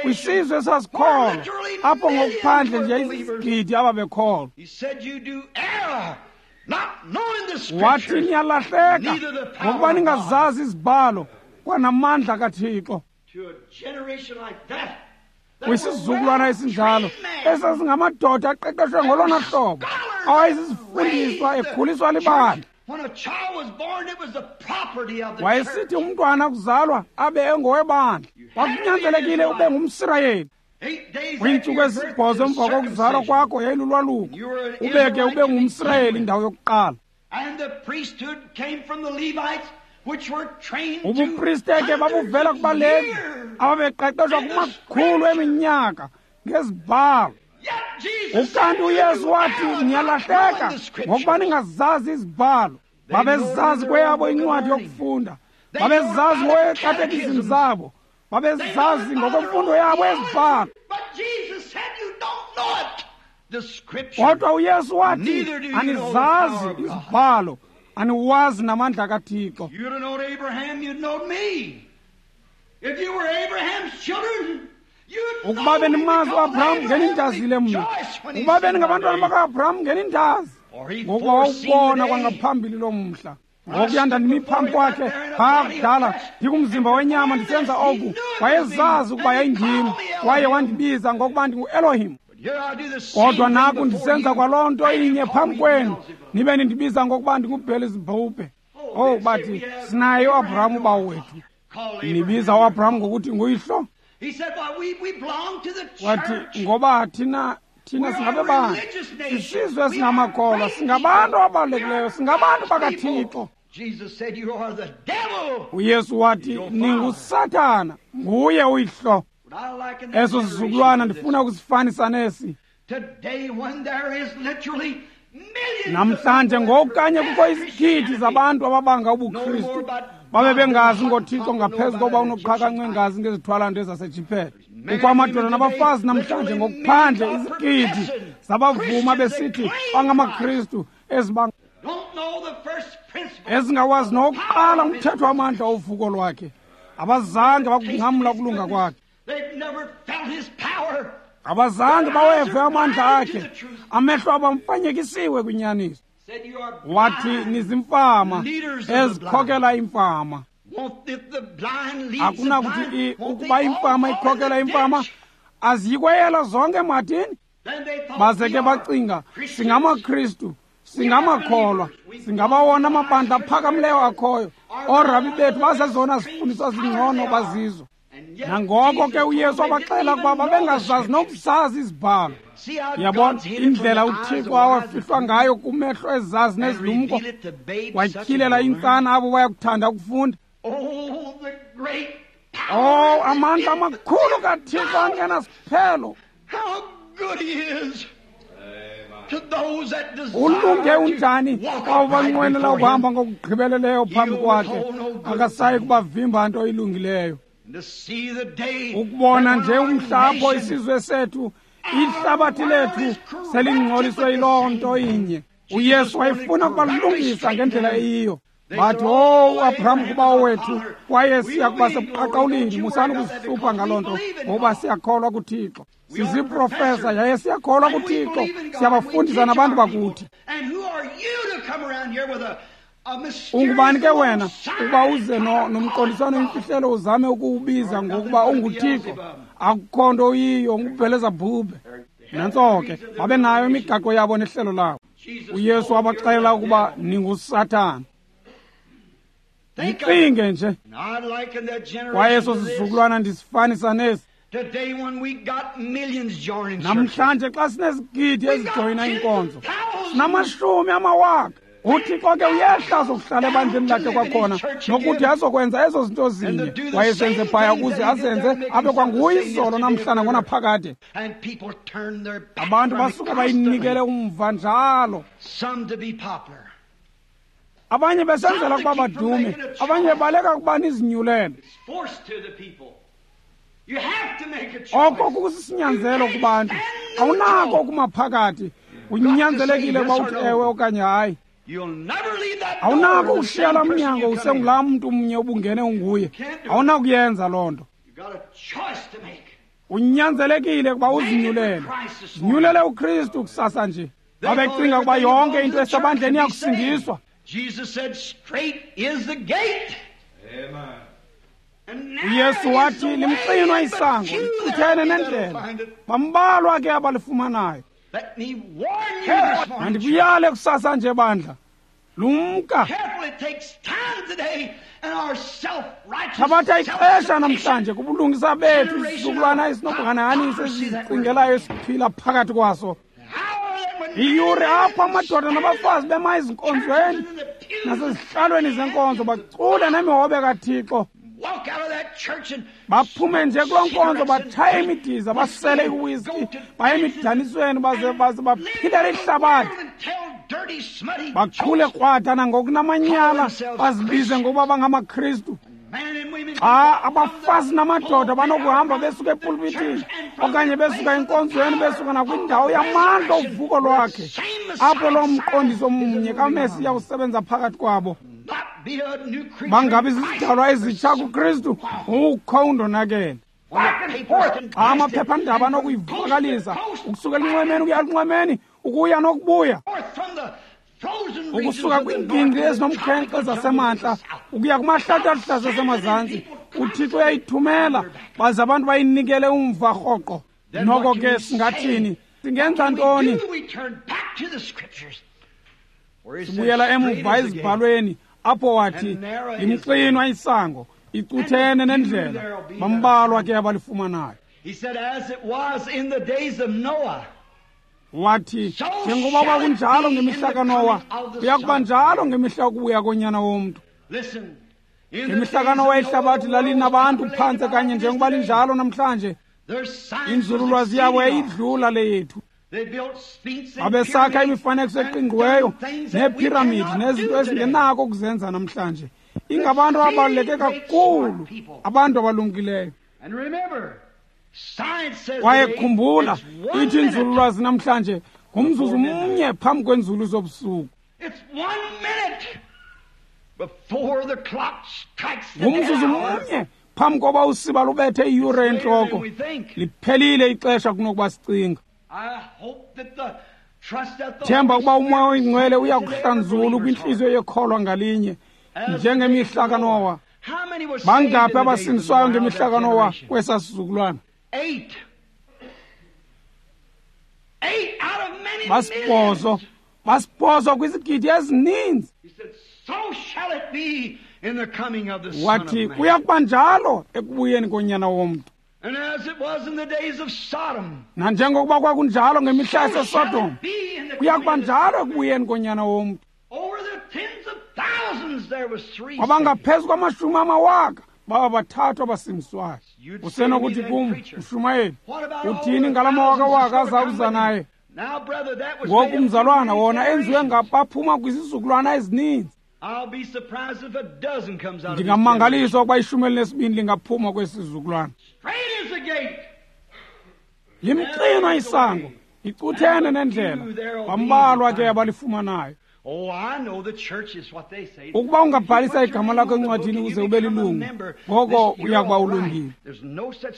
Speaker 1: kwisizwe esasikholwa, apho ngokuphandle nje izigidi ababekholwa.
Speaker 2: He said, you do error
Speaker 1: Wathi niyalahleka ngokuba ningazazi izibhalo kwanamandla kaThixo. Kwisizukulwana esinjalo esasingamadoda aqeqeshwe ngolona hlobo, awayesizifundiswa ekhuliswa libandla. Wayesithi umntwana kuzalwa abe engowebandla. Kwakunyanzelekile ube ngumSirayeli. Kwiintsuku ezisibhozo emva kokuzalwa kwakho yayilulwaluko, ube ke ube ngumSirayeli indawo yokuqala. Ubupriste ke babuvela kubaLevi ababeqeqeshwa kumakhulu eminyaka ngezibhalo. Ukanti uYesu wathi niyalahleka ngokuba ningazazi izibhalo. Babezazi kweyabo incwadi yokufunda, babezazi ngokwekatekizim zabo, babezazi ngokwemfundo yabo ezibhalo. Kodwa uYesu wathi anizazi izibhalo, aniwazi namandla kaThixo. Ukuba benimazi uAbraham ngenindazile mna, ukuba beningabantwana baka-Abraham ngenindazi, ngokuba wawubona kwangaphambili lo mhla. Ngokuya ndandimi phambi kwakhe phaa kudala ndikumzimba wenyama ndisenza oku, wayezazi ukuba yayindim, kwaye wandibiza ngokuba ndinguElohim. Kodwa naku ndisenza kwaloo nto inye phambi kwenu, nibe nindibiza ngokuba ndinguBhelezebhubhe. Oh, bathi sinaye uAbraham ubawo wethu. Nibiza uAbraham ngokuthi nguyihlo? Wathi ngoba thina thina singabebandla, sisizwe esingamakholwa, singabantu ababalulekileyo, singabantu bakaThixo. uYesu wathi ninguSathana, nguye uyihlo. Eso sizukulwana ndifuna ukusifanisa nesi. Namhlanje ngokanye kukho izigidi zabantu ababanga ubuKristu, babe bengazi ngoThixo ngaphezu koba unoqhakanqwe ngazi ngezithwalanto ezaseJiphela. Kukho amadoda nabafazi namhlanje ngokuphandle izigidi zabavuma besithi bangamaKristu ezingawazi nokuqala umthetho wamandla ovuko lwakhe. Abazange bakunqamla ukulunga kwakhe, abazange baweve amandla akhe, amehlo abo amfanyekisiwe kwinyaniso. Wathi nizimfama ezikhokela imfama. Akunakuthi ukuba imfama ikhokela imfama, aziyikweyela zonke emadini. Baze ke bacinga singamaKristu, singamakholwa, singabawona amabandla aphakamileyo akhoyo, oorabi bethu bazezona zifundiswa zingcono bazizo. Nangoko ke uYesu wabaxela ukuba babengazazi nokuzazi izibhalo. Yabona indlela uThixo awafihlwa ngayo kumehlo ezazi nezilumko, watyhilela intsana abo bayakuthanda ukufunda. Oh, amandla amakhulu kaThixo angenasiphelo. Ulunge unjani xa ubanqwenela ukuhamba ngokugqibeleleyo phambi kwakhe, akasayi kubavimba nto ilungileyo. Ukubona nje umhla apho isizwe sethu, ihlabathi lethu selingcoliswe yiloo nto inye. uYesu wayefuna ukubalungisa ngendlela eyiyo. Bathi, oh, uAbraham kubawo wethu, kwaye siya kuba sebuqaqawulini. Musani ukuzihlupha ngaloo nto, ngokuba siyakholwa kuThixo. Siziprofesa yaye siyakholwa kuThixo, siyabafundisa nabantu bakuthi. Ungubani ke wena ukuba uze nomqondiswano imfihlelo uzame ukuwubiza ngokuba unguThixo? Akukho nto uyiyo, nguBhelezebhubhe. Nantso ke, babe nayo imigaqo yabo nehlelo labo. uYesu wabaxelela ukuba ninguSathana. Yicinge nje. Kwaye eso sizukulwana ndisifanisa nesi. Namhlanje xa sinezigidi ezijoyina inkonzo, sinamashumi amawaka. uThixo ke uyehla azokuhlala ebandleni lakhe kwakhona, nokuthi azokwenza ezo zinto zinye wayesenze phaya ukuze azenze abe kwanguye izolo namhlana ngonaphakade. Abantu basuka bayinikele umva njalo, abanye besenzela ukuba badume, abanye bebaleka ukuba nizinyulele. Oko kusisinyanzelo kubantu, awunako ukumaphakathi, unyanzelekile ukuba uthi ewe okanye hayi. Awunako ukushiya laa mnyango usengulaa mntu mnye ubungene unguye. Awunakuyenza loo nto. Unyanzelekile ukuba uzinyulele. Zinyulele uKristu kusasa nje. Babecinga ukuba yonke into esebandleni iyakusindiswa. UYesu wathi limxinwa isango, licuthene nendlela, bambalwa ke abalifumanayo. Mandikuyale kusasa nje bandla, lumka. Thabatha ixesha namhlanje kubulungisa bethu, isizukulwana esinobuhanahaniso esizicingelayo esiphila phakathi kwaso. Iyure apho amadoda nabafazi bema ezinkonzweni nasezihlalweni zenkonzo bacule nemihobe kaThixo. Baphume nje kuloo nkonzo, batshaye imidiza, basele iwiski, baye emidanisweni, baze baze baphilele ihlabathi, bachule krwada nangokunamanyala, bazibize ngokuba bangamaKristu. Xa abafazi namadoda banokuhamba besuka epulpitini okanye besuka enkonzweni, besuka nakwindawo yamandla ovuko lwakhe, apho loo mqondiso mnye kaMesiya usebenza phakathi kwabo, bangabi zizidalwa ezitsha kuKristu, ukho undonakele. Xa amaphephandaba anokuyivakalisa ukusuka elinxwemeni ukuya elinxwemeni, ukuya nokubuya, ukusuka kwiingingqi ezinomkhenkce zasemantla ukuya kumahlathi aluhlaza asemazantsi, uThixo uyayithumela baze abantu bayinikele umva rhoqo. Noko ke singathini? Singenza ntoni? Sibuyela emuva ezibhalweni apho wathi limxinwa isango, icuthene nendlela, bambalwa ke abalifumanayo. Wathi njengoba kwakunjalo ngemihla kaNowa, kuya kuba njalo ngemihla yokubuya konyana womntu. Ngemihla kaNowa ihlabathi lalinabantu phantse kanye njengoba linjalo namhlanje. Inzululwazi yabo yayidlula le yethu. Babesakha imifanekiso eqingqiweyo neephiramidi nezinto esingenako ukuzenza namhlanje. Ingabantu ababaluleke kakhulu, abantu abalumkileyo. Kwaye khumbula, ithi inzululwazi namhlanje ngumzuzu mnye phambi kwenzulu zobusuku. Ngumzuzu mnye phambi koba usiba lubethe iyure entloko. Liphelile ixesha kunokuba sicinga. Themba ukuba uMoya oyiNgcwele uyakuhlanzula kwintliziyo yekholwa ngalinye njengemihla kaNowa. Bangaphi abasindiswayo ngemihla kaNowa kwesa sizukulwana? Basibhozo, basibhozo kwizigidi ezininzi. Wathi kuya kuba njalo ekubuyeni konyana womntu. Nanjengokuba kwakunjalo ngemihla yaseSodom, kuya kuba njalo ekubuyeni konyana womntu. Kwabangaphezu kwamashumi amawaka baba bathathu abasindiswayo. Usenokuthi kum, mshumayeli, uthini ngala mawakawaka aza kuza naye? Ngoku mzalwana, wona enziwe ngabaphuma kwizizukulwana ezininzi. Ndingamangaliswa ukuba ishumi elinesibini lingaphuma kwesi sizukulwana. Limxinwa isango, icuthene nendlela, bambalwa ke abalifumanayo. Ukuba ungabhalisa igama lakho encwadini ukuze ube lilungu, ngoko uya kuba ulungile.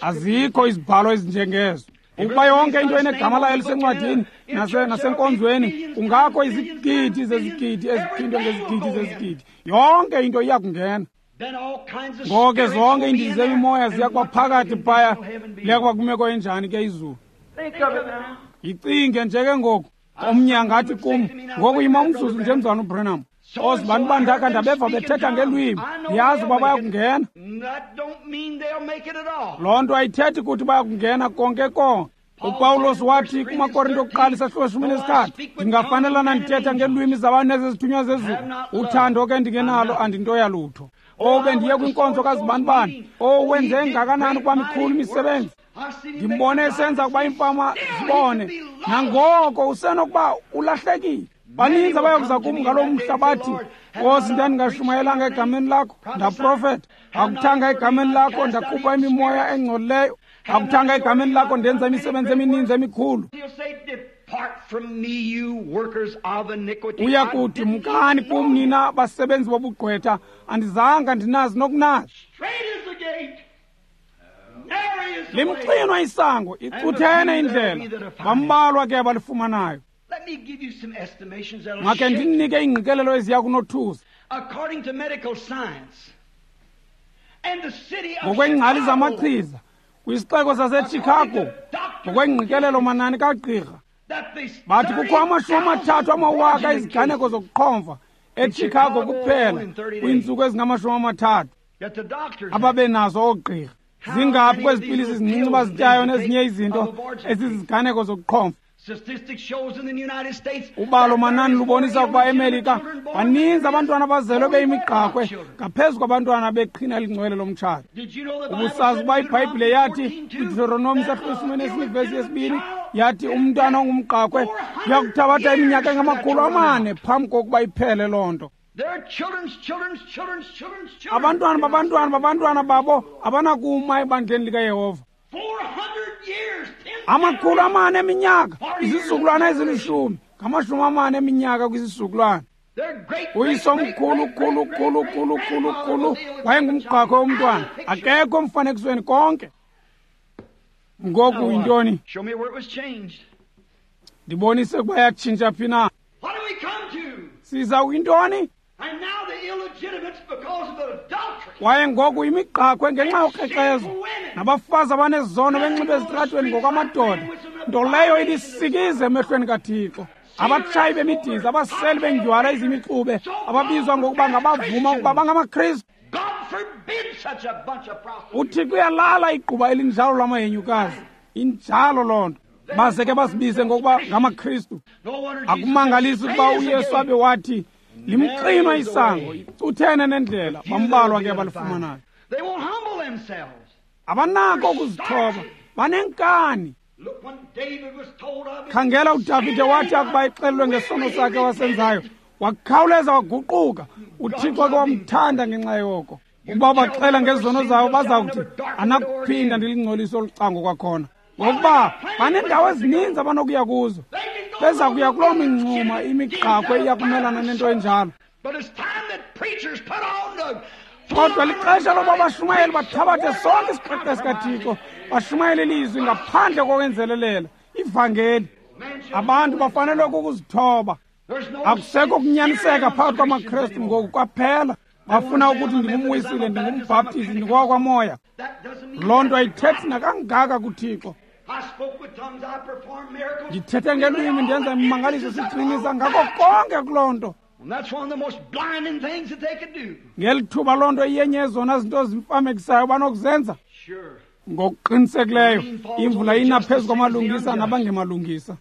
Speaker 1: Azikho izibhalo ezinjengezo. Ukuba yonke into enegama layo lisencwadini nasenkonzweni, kungakho izigidi zezigidi eziphindwe ngezigidi zezigidi. Yonke into iya kungena. Ngoko ke zonke iindidi zemimoya ziya kuba phakathi phaya. Liya kuba kwimeko enjani ke izulu? Yicinge nje ke ngoku. Omnye angathi kum, ngoku yima umzuzu nje mzalwana uBranham. Ozibantu bandakha ndabeva bethetha ngelwimi, ndiyazi uba bayakungena. Loo nto ayithethi kuthi bayakungena konke konke. UPawulos wathi kumaKorinto okuqala isahluko shumi nesithathu, ndingafanelana ndithetha ngeelwimi zabantu nezezithunywa zezulu, uthando ke ndingenalo andinto yalutho. Owu, bendiye kwinkonzo kazibanibani, owu, wenze ngakanani ukuba mikhulu imisebenzi. Ndimbone esenza ukuba iimfama zibone, nangoko usenokuba ulahlekile. Baninzi abayokuza kum ngaloo mhla bathi, Nkosi, ndandingashumayelanga egameni lakho, ndaprofeta. Akuthanga egameni lakho, ndakhupha imimoya engcolileyo. Akuthanga egameni lakho, ndenza imisebenzi emininzi emikhulu. Uya kuthi, mkani kum nina basebenzi bobugqwetha, andizanga ndinazi nokunazi. Limxinwa isango, icuthene indlela, bambalwa ke abalifumanayo. Makhe ndinike iingqikelelo eziya kunothusa. Ngokweengcali zamachiza kwisixeko saseChicago, ngokweengqikelelo manani kagqirha, bathi kukho amashumi amathathu amawaka iziganeko zokuqhomfa eChicago kuphela kwiintsuku ezingamashumi amathathu ababenazo oogqirha. Zingaphi kwezi pilisi zincinci bazityayo nezinye izinto eziziganeko zokuqhomfa? Ubalo manani lubonisa ukuba eMelika baninzi abantwana abazelwe beyimigqakhwe ngaphezu kwabantwana beqhina elingcwele lomtshato. Ubusazi ukuba iBhayibhile yathi kwiDeuteronomi isahluko sesine nesivesi yesibini yathi umntwana ongumgqakhwe uyakuthabatha iminyaka engamakhulu amane phambi kokuba iphele loo nto. Abantwana babantwana babantwana babo abanakuma ebandleni likaYehova. Amakhulu amane eminyaka, izizukulwana ezilishumi, ngamashumi amane eminyaka kwisizukulwana. Uyisomkhulu khulu khulu khulu khulu khulu wayengumgqakhwe womntwana, akekho emfanekisweni konke. Ngoku yintoni? Ndibonise ukuba yatshintsha phi na. Siza kwintoni? Kwaye ngoku imigqakhwe ngenxa yokrexezo nabafazi abanezono benxibe ezitratweni ngokwamadoda, nto leyo ilisikize emehlweni kaThixo. Abatshayi bemidiza, abaseli bendywala ezimixube, ababizwa ngokuba ngabavuma ukuba bangamaKristu. UThixo uyalala igquba elinjalo lamahenyukazi. Injalo loo nto. Baze ke basibize ngokuba ngamaKristu. Akumangalisi ukuba uYesu abe wathi limxinwa isango, icuthene nendlela, bambalwa ke abalifumanayo. Abanako ukuzithoba, banenkani. Khangela uDavide wathi akuba exelelwe ngesono sakhe wasenzayo, wakhawuleza waguquka. UThixo ke wamthanda ngenxa yoko. Ukuba baxela ngezono zabo baza kuthi anakuphinda ndilingcolise olu cango kwakhona, ngokuba baneendawo ezininzi abanokuya kuzo. Beza kuya kuloo mingxuma imigqakhwe iyakumelana nento enjalo. Kodwa lixesha lokuba abashumayeli bathabathe sonke isiqeqe sikaThixo, bashumayele ilizwi ngaphandle kokwenzelelela ivangeli. Abantu bafanelwe kukuzithoba. Akusekho kunyaniseka phakathi kwamaKristu ngoku kwaphela. Bafuna ukuthi ndingumwisile, ndingumbhaptizi, ndingowakwamoya. Loo nto ayithethi nakangaka kuThixo. Ndithethe ngelwimi, ndenza imimangaliso, siqinisa ngako konke kuloo nto. Ngeli thuba loo nto iyenye yezona zinto zimfamekisayo banokuzenza. Ngokuqinisekileyo imvula ina phezu kwamalungisa nabangemalungisa.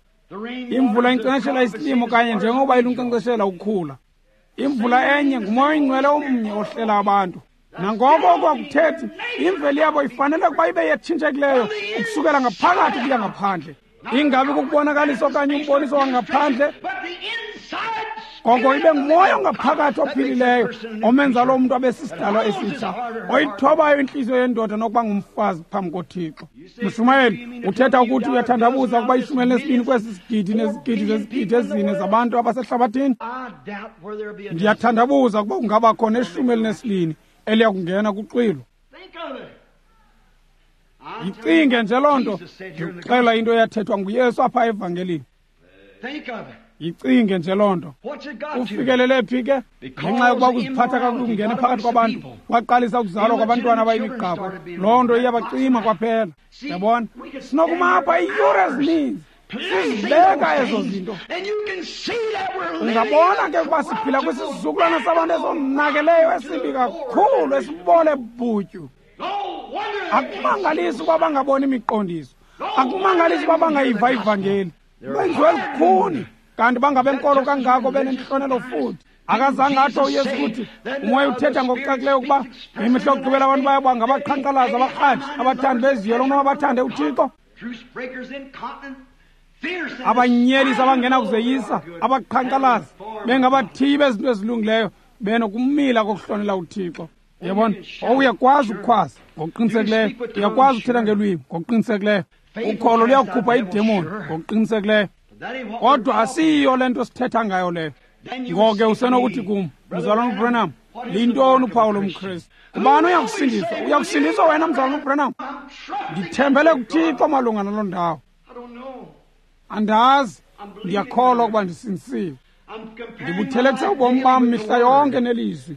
Speaker 1: Imvula inkcenkceshela isilimo kanye njengoba ilunkcenkceshela ukhula. Imvula enye ngumoya oyingcwele omnye ohlela abantu. Nangoko oko akuthethi, imveli yabo ifanele ukuba ibe yetshintshekileyo ukusukela ngaphakathi ukuya ngaphandle. Ingabi kukubonakalisa okanye umboniso wangaphandle, koko ibe ngumoya ongaphakathi ophilileyo omenza loo mntu abe sisidalwa esitsha, oyithobayo intliziyo yendoda nokuba ngumfazi phambi koThixo. Mshumayeli, uthetha ukuthi uyathandabuza ukuba ishumi elinesibini kwesi sigidi nezigidi zezigidi ezine zabantu abasehlabathini? Ndiyathandabuza ukuba kungaba khona ishumi elinesibini eliya kungena kuxwilo. Yicinge nje loo nto. Ndikuxela into eyathethwa nguYesu apha evangelini. Yicinge nje loo nto. Ufikelele phi ke? Ngenxa yokuba ukuziphatha kakubi kungene phakathi kwabantu, kwaqalisa ukuzalwa kwabantwana abayimigqakhwe. Loo nto iyabacima kwaphela. Yabona, sinokuma apha iiyure ezininzi sizibeka ezo zinto. Ungabona ke ukuba siphila kwisizukulwana sabantu esonakeleyo, esibi kakhulu, esibole bhutyu. Akumangalisi ukuba bangaboni imiqondiso, akumangalisi ukuba bangayiva ivangeli. Benziwe lukhuni, kanti bangabenkolo kangako benentlonelo futhi. Akazange atsho uYesu ukuthi umoya uthetha ngokucacileyo ukuba ngemihla yokugqibela abantu bayaba ngabaqhankqalazi, abarhatshi, abathandi beziyolo kunoba bathande uThixo, abanyelisi abangena kuzeyisa, abaqhankqalazi, bengabathiyi bezinto ezilungileyo, benokumila kokuhlonela uThixo. Yabona, uyakwazi ukukhwaza ngokuqinisekileyo, uyakwazi ukuthetha ngelwimi ngokuqinisekileyo, ukholo luyakukhupha idemoni ngokuqinisekileyo, kodwa asiyiyo le nto sithetha ngayo leyo. Ngoko ke usenokuthi kum, mzalwana uBranham, liyintoni uphawu lomKristu? Ubani uyakusindiswa? Uyakusindiswa wena, mzalwana uBranham? Ndithembele kuThixo malunga naloo ndawo. Andazi, Ndiyakholwa ukuba ndisindisiwe. Ndibuthelekisa ubomi bam mihla yonke nelizwi.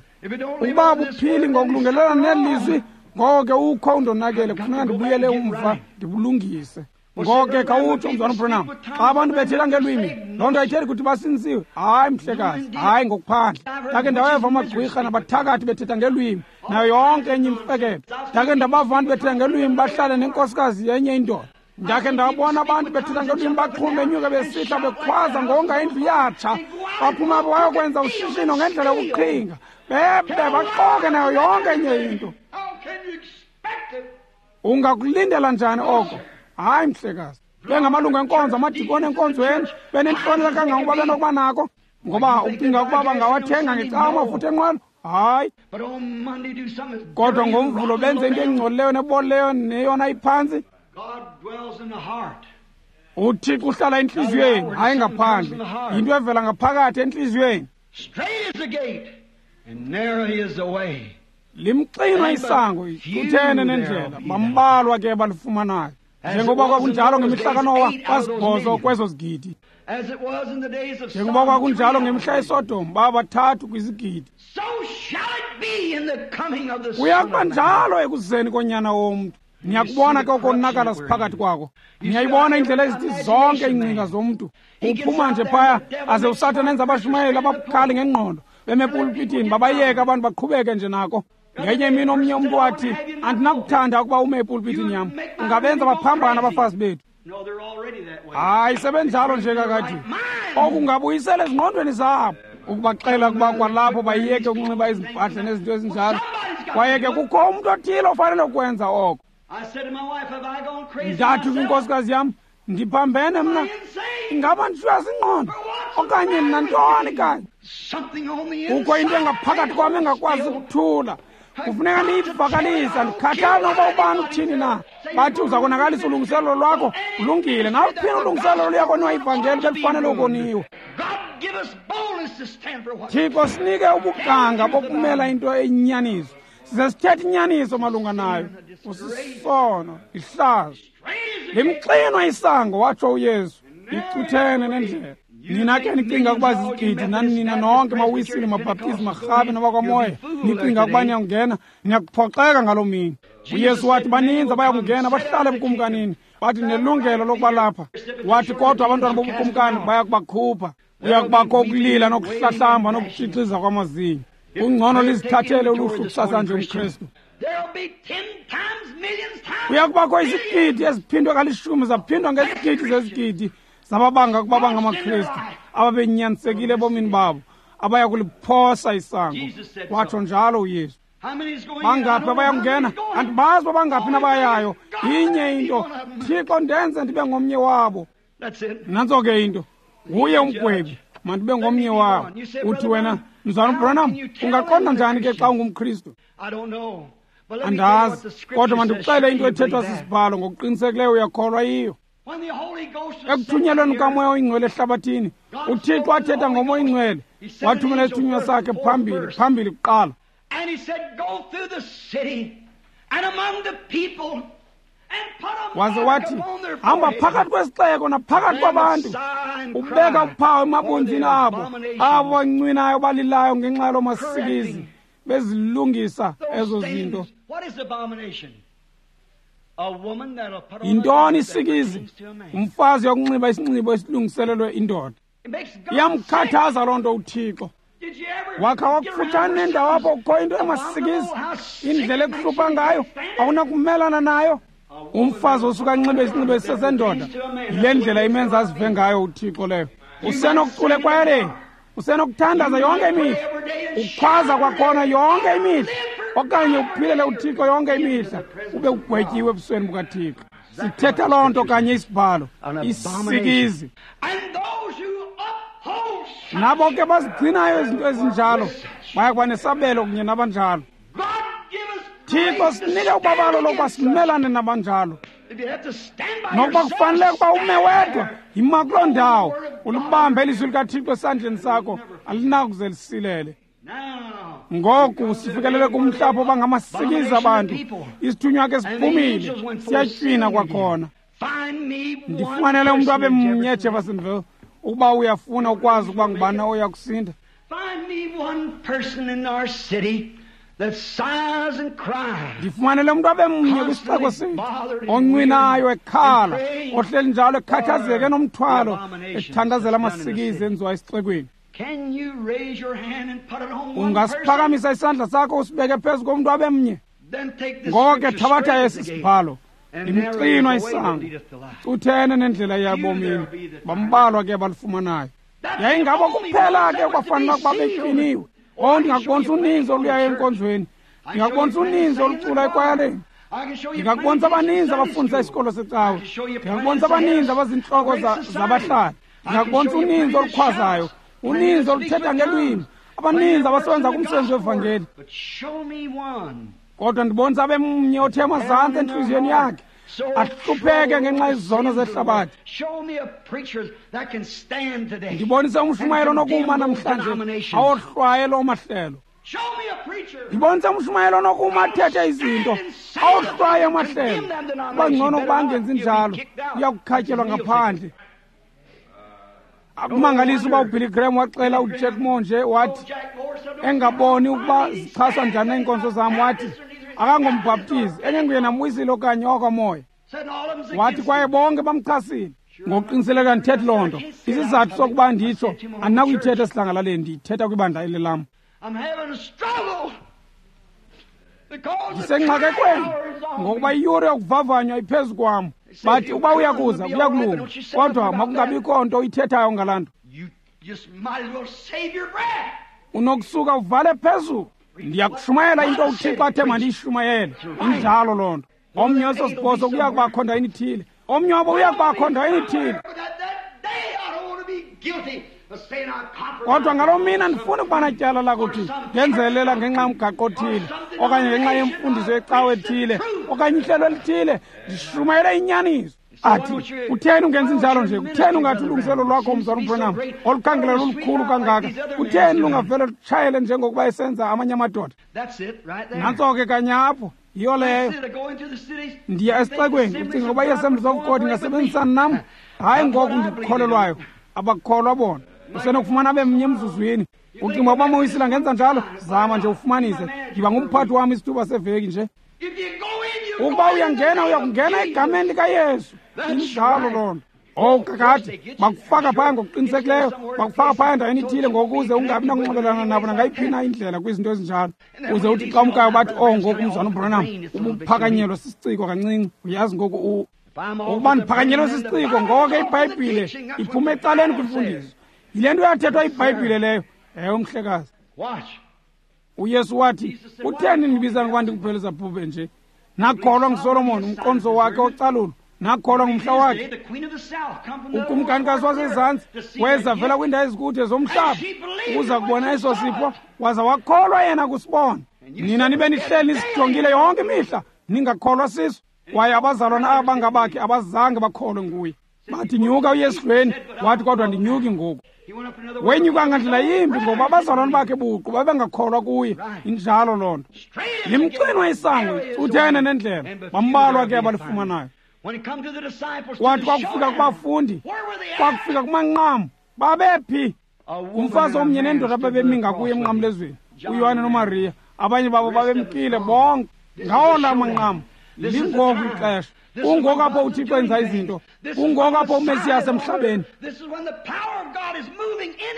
Speaker 1: Ukuba abuphili ngokulungelelana nelizwi, ngoko ke ukho undonakele, kufuneka ndibuyele umva ndibulungise. Ngoko ke khawutsho, Mzalwana uBranham, xa abantu bethetha ngelwimi, loo nto ayithethi ukuthi basindisiwe. Hayi, mhlekazi, hayi ngokuphandle. Ndakhe ndaweva amagqwirha nabathakathi bethetha ngelwimi, nayo yonke enye imfeketho. Ndakhe ndabava abantu bethetha ngelwimi bahlale nenkosikazi yenye indoda. Ndakhe ndabona abantu bethetha ngelwimi baxhume benyuka besihla bekhwaza ngonga indlu yatsha. Baphuma bayokwenza ushishino ngendlela yokuqhinga. Bebe baxoke nayo yonke enye into. Ungakulindela njani oko? Hayi, mhlekazi. Bengamalungu enkonzo, amadikoni enkonzweni, benentlonelo kangangokuba benokuba nako. Ngoba ucinga ukuba bangawathenga ngecawa amafutha enqwelo? Hayi. Kodwa ngoMvulo benze into engcolileyo nebolileyo neyona iphantsi. UThixo uhlala entliziyweni, hayi ngaphandle. Yinto evela ngaphakathi entliziyweni. Limxinwa isango, icuthene nendlela, bambalwa ke balifumanayo. Njengoba kwakunjalo ngemihla kaNowa, basibhozo kwezo zigidi. Njengoba kwakunjalo ngemihla yeSodom, babathathu kwizigidi. Kuya kuba njalo ekuzeni koNyana womntu. Niyakubona ke ukonakala siphakathi kwako. Niyayibona indlela ezithi zonke iingcinga zomntu. Uphuma nje phaya aze uSathane enze abashumayeli ababukhali ngengqondo beme epulpitini, babayeke abantu baqhubeke nje nako. Ngenye imini omnye umntu wathi, andinakuthanda ukuba ume epulpitini yam, ungabenza baphambana abafazi bethu. Hayi, sebenjalo nje kakade. Okungabuyisela ezingqondweni zabo ukubaxela ukuba kwalapho bayeke ukunxiba izimpahla nezinto ezinjalo. Kwaye ke kukho umntu othile ofanele ukwenza oko. Ndathi kwinkosikazi yam, ndiphambene mna, ingaba ndishiywa zingqondo okanye nantoni kanye? Kukho into engaphakathi kwam engakwazi ukuthula. Kufuneka ndiyivakalise, andikhathali nokuba ubani uthini na. Bathi uza konakalisa ulungiselelo lwakho, ulungile. Naluphina ulungiselelo luyakoniwa ivangeli belifanele ukoniwa. Thixo sinike ubuganga bokumela into eyinyaniso. Size sithethe inyaniso malunga nayo. Usisono, ihlazo. Limxinwa isango, watsho uYesu, icuthene nendlela. Nina ke nicinga ukuba zizigidi, nani nina nonke mawisile, mabhaptizi, marhabe nabakwamoya, nicinga ukuba niyakungena, niyakuphoxeka ngaloo mini. UYesu wathi baninzi abayakungena bahlale ebukumkanini. Bathi nelungelo lokuba lapha. Wathi kodwa abantwana bobukumkani bayakubakhupha. Kuyakubakho ukulila nokuhlahlamba nokutshixiza kwamazinyo. Kungcono lizithathele uluhlu kusasa nje umKristu. Kuyakubakho izigidi eziphindwe kalishumi zaphindwa ngezigidi zezigidi zababanga ukuba bangamaKristu ababenyanisekile ebomini babo abaya kuliphosa isango. Watsho njalo uYesu. Bangaphi abayakungena? Andibazi uba bangaphi nabayayo. Inye into, Thixo ndenze ndibe ngomnye wabo. Nantso ke into, nguye umgwebi, mandibe ngomnye wabo. Uthi wena, Mzalwana uBranham, ungaqonda njani ke xa ungumKristu? Andazi, kodwa mandikuxele into ethethwa sisibhalo, ngokuqinisekileyo uyakholwa yiyo. Ekuthunyelweni kukaMoya oyiNgcwele ehlabathini, uThixo wathetha ngoMoya oyiNgcwele, wathumela isithunywa sakhe phambili, phambili kuqala. Waze wathi, hamba phakathi kwesixeko naphakathi kwabantu, ubeka uphawu emabunzini abo, abo bancwinayo balilayo ngenxa yaloo masikizi, bezilungisa ezo zinto. Yintoni isikizi? Umfazi yokunxiba isinxibo esilungiselelwe indoda. Iyamkhathaza loo nto uThixo. Wakha wakufutshane nendawo apho kukho into emasikizi, indlela ekuhlupha ngayo, awunakumelana nayo. Umfazi osuka anxibe isinxibo esisesendoda, yile ndlela imenza azive ngayo uThixo leyo. Usenokucula ekwayareni, usenokuthandaza yonke imihla, ukhwaza kwakhona yonke imihla, okanye uphilele uThixo yonke imihla, ube ugwetyiwe ebusweni bukaThixo. Sithetha loo nto kanye isibhalo, isikizi. Nabo ke bazigcinayo izinto ezinjalo baya kuba nesabelo kunye nabanjalo. Thixo sinike ubabalo lokuba simelane nabanjalo. Nokuba kufanele ukuba ume wedwa, yima kuloo ndawo, ulibambe ilizwi likaThixo esandleni sakho, alinakuze lisilele. Ngoku sifikelele kumhla apho bangamasikizi abantu. Isithunywa ke siphumile, siyatywina kwakhona. Ndifumanele umntu abe mnye eJeffersonville Ukuba uyafuna ukwazi ukuba ngubani oya kusinda. Ndifumanele umntu abe mnye kwisixeko sethu oncwinayo ekhala, ohleli njalo ekhathazeke enomthwalo, ethandazela amasikizi enziwa esixekweni. Ungasiphakamisa isandla sakho usibeke phezu komntu abe mnye? Ngoko ke thabatha esi sibhalo, limxinwa isango, cuthene nendlela yabomini, bambalwa ke balifumanayo. Yayingabo kuphela ke kwafanele ukuba beqiniwe. Oh, ndingakubonisa uninzi oluyayo enkonzweni, ndingakubonisa uninzi olucula ekwayaleni, ndingakubonisa abaninzi abafundisa isikolo secawe, ndingakubonisa abaninzi abazintloko zabahlali, ndingakubonisa uninzi olukhwazayo, uninzi oluthetha ngelwimi, abaninzi abasebenza kumsebenzi wevangeli. Kodwa ndibonisa abe mnye othe amazantsi entliziyweni yakhe, ahlupheke ngenxa yezono zehlabathi. Ndibonise umshumayelo onokuma namhlanje awohlwaye loo mahlelo. Ndibonise umshumayelo onokuma athethe izinto awohlwaye amahlelo. Kuba ngcono ukuba angenzi njalo, uya kukhatyelwa ngaphandle. Akumangalisi uba uBilly Graham waxela uJack Moore nje wathi, engaboni ukuba zichaswa njani iinkonzo zam, wathi akangombhaptizi, engenguye namwisile okanye owakwamoya. Wathi kwaye bonke bamchasile. Ngokuqiniseleka ndithethi loo nto. Isizathu sokuba nditsho andinakuyithetha esidlangalaleni, ndiyithetha kwibandla eli lam. Ndisengxakekweni ngokuba iyure yokuvavanywa iphezu kwam. Bathi uba uyakuza kuyakulunga, kodwa makungabikho nto uyithethayo ngalaa nto. Unokusuka uvale phezulu. Ndiyakushumayela into uThixo athe mandiyishumayele. Injalo loo nto. Omnye weso sibhozo kuya kubakho ndaweni ithile, omnye wabo uya kubakho ndaweni ithile. Kodwa ngaloo mini andifuni ukuba natyala lakuthi ndenzelela ngenxa yomgaqo othile, okanye ngenxa yemfundiso yecawe ethile, okanye ihlelo elithile. Ndishumayele inyaniso. Athi, kutheni ungenzi njalo nje? Kutheni ungathi ulungiselo lwakho, mzalwana uBranham, olukhangela lolukhulu kangaka, kutheni lungavele lutshayele njengokuba esenza amanye amadoda? Nantso ke kanye apho, yiyo leyo. Ndiya esixekweni, ucinga ukuba i-Assemblies of God ingasebenzisana nam? Hayi ngoku ndikukholelwayo, abakholwa bona. Usenokufumana abe mnye emzuzwini. Ucinga ukuba Moyisile angenza njalo? Zama nje ufumanise. Yiba ngumphathi wam isithuba seveki nje. Ukuba uyangena, uyakungena egameni likaYesu. Injalo loo nto. Oh, kakade bakufaka phaya ngokuqinisekileyo, bakufaka phaya endaweni ithile ngokuze ungabi nakunxibelelana nabo nangayiphi na indlela kwizinto ezinjalo. Uze uthi xa umkayo bathi, oh, ngoku umzwana uBranham ubuphakanyelwe sisiciko kancinci. Uyazi ngoku ukuba ndiphakanyelwe sisiciko, ngoko ke iBhayibhile iphuma ecaleni kwimfundiso. Yile nto yathethwa iBhayibhile leyo. Ewe, mhlekazi. uYesu wathi, kutheni nibiza ngokuba ndinguBhelezebhubhe nje? Nakholwa nguSolomon, umqondiso wakhe ocalulo. Nakholwa ngumhla wakhe. Ukumkanikazi wasezantsi weza vela kwiindawo ezikude zomhlaba ukuza kubona eso sipho, waza wakholwa yena kusibona. Nina nibe nihleli nisijongile yonke imihla, ningakholwa siso. Kwaye abazalwana abangabakhe abazange bakholwe nguye. Bathi, nyuka uye esidlweni. Wathi, kodwa ndinyuki ngoku. Wenyuka ngandlela yimbi ngoba abazalwana bakhe buqu babengakholwa kuye. Injalo loo nto. Limxinwa isango, uthene nendlela, bambalwa ke abalifumanayo. Wathi kwakufika kubafundi, kwakufika kumanqam, babephi? Umfazi omnye nendoda babemi ngakuye emnqamlezweni, uYohane noMariya. Abanye babo babemkile bonke. Ngawo la manqam, lingoku ixesha. Kungoku apho uThixo enza izinto. Kungoku apho uMesiyas emhlabeni.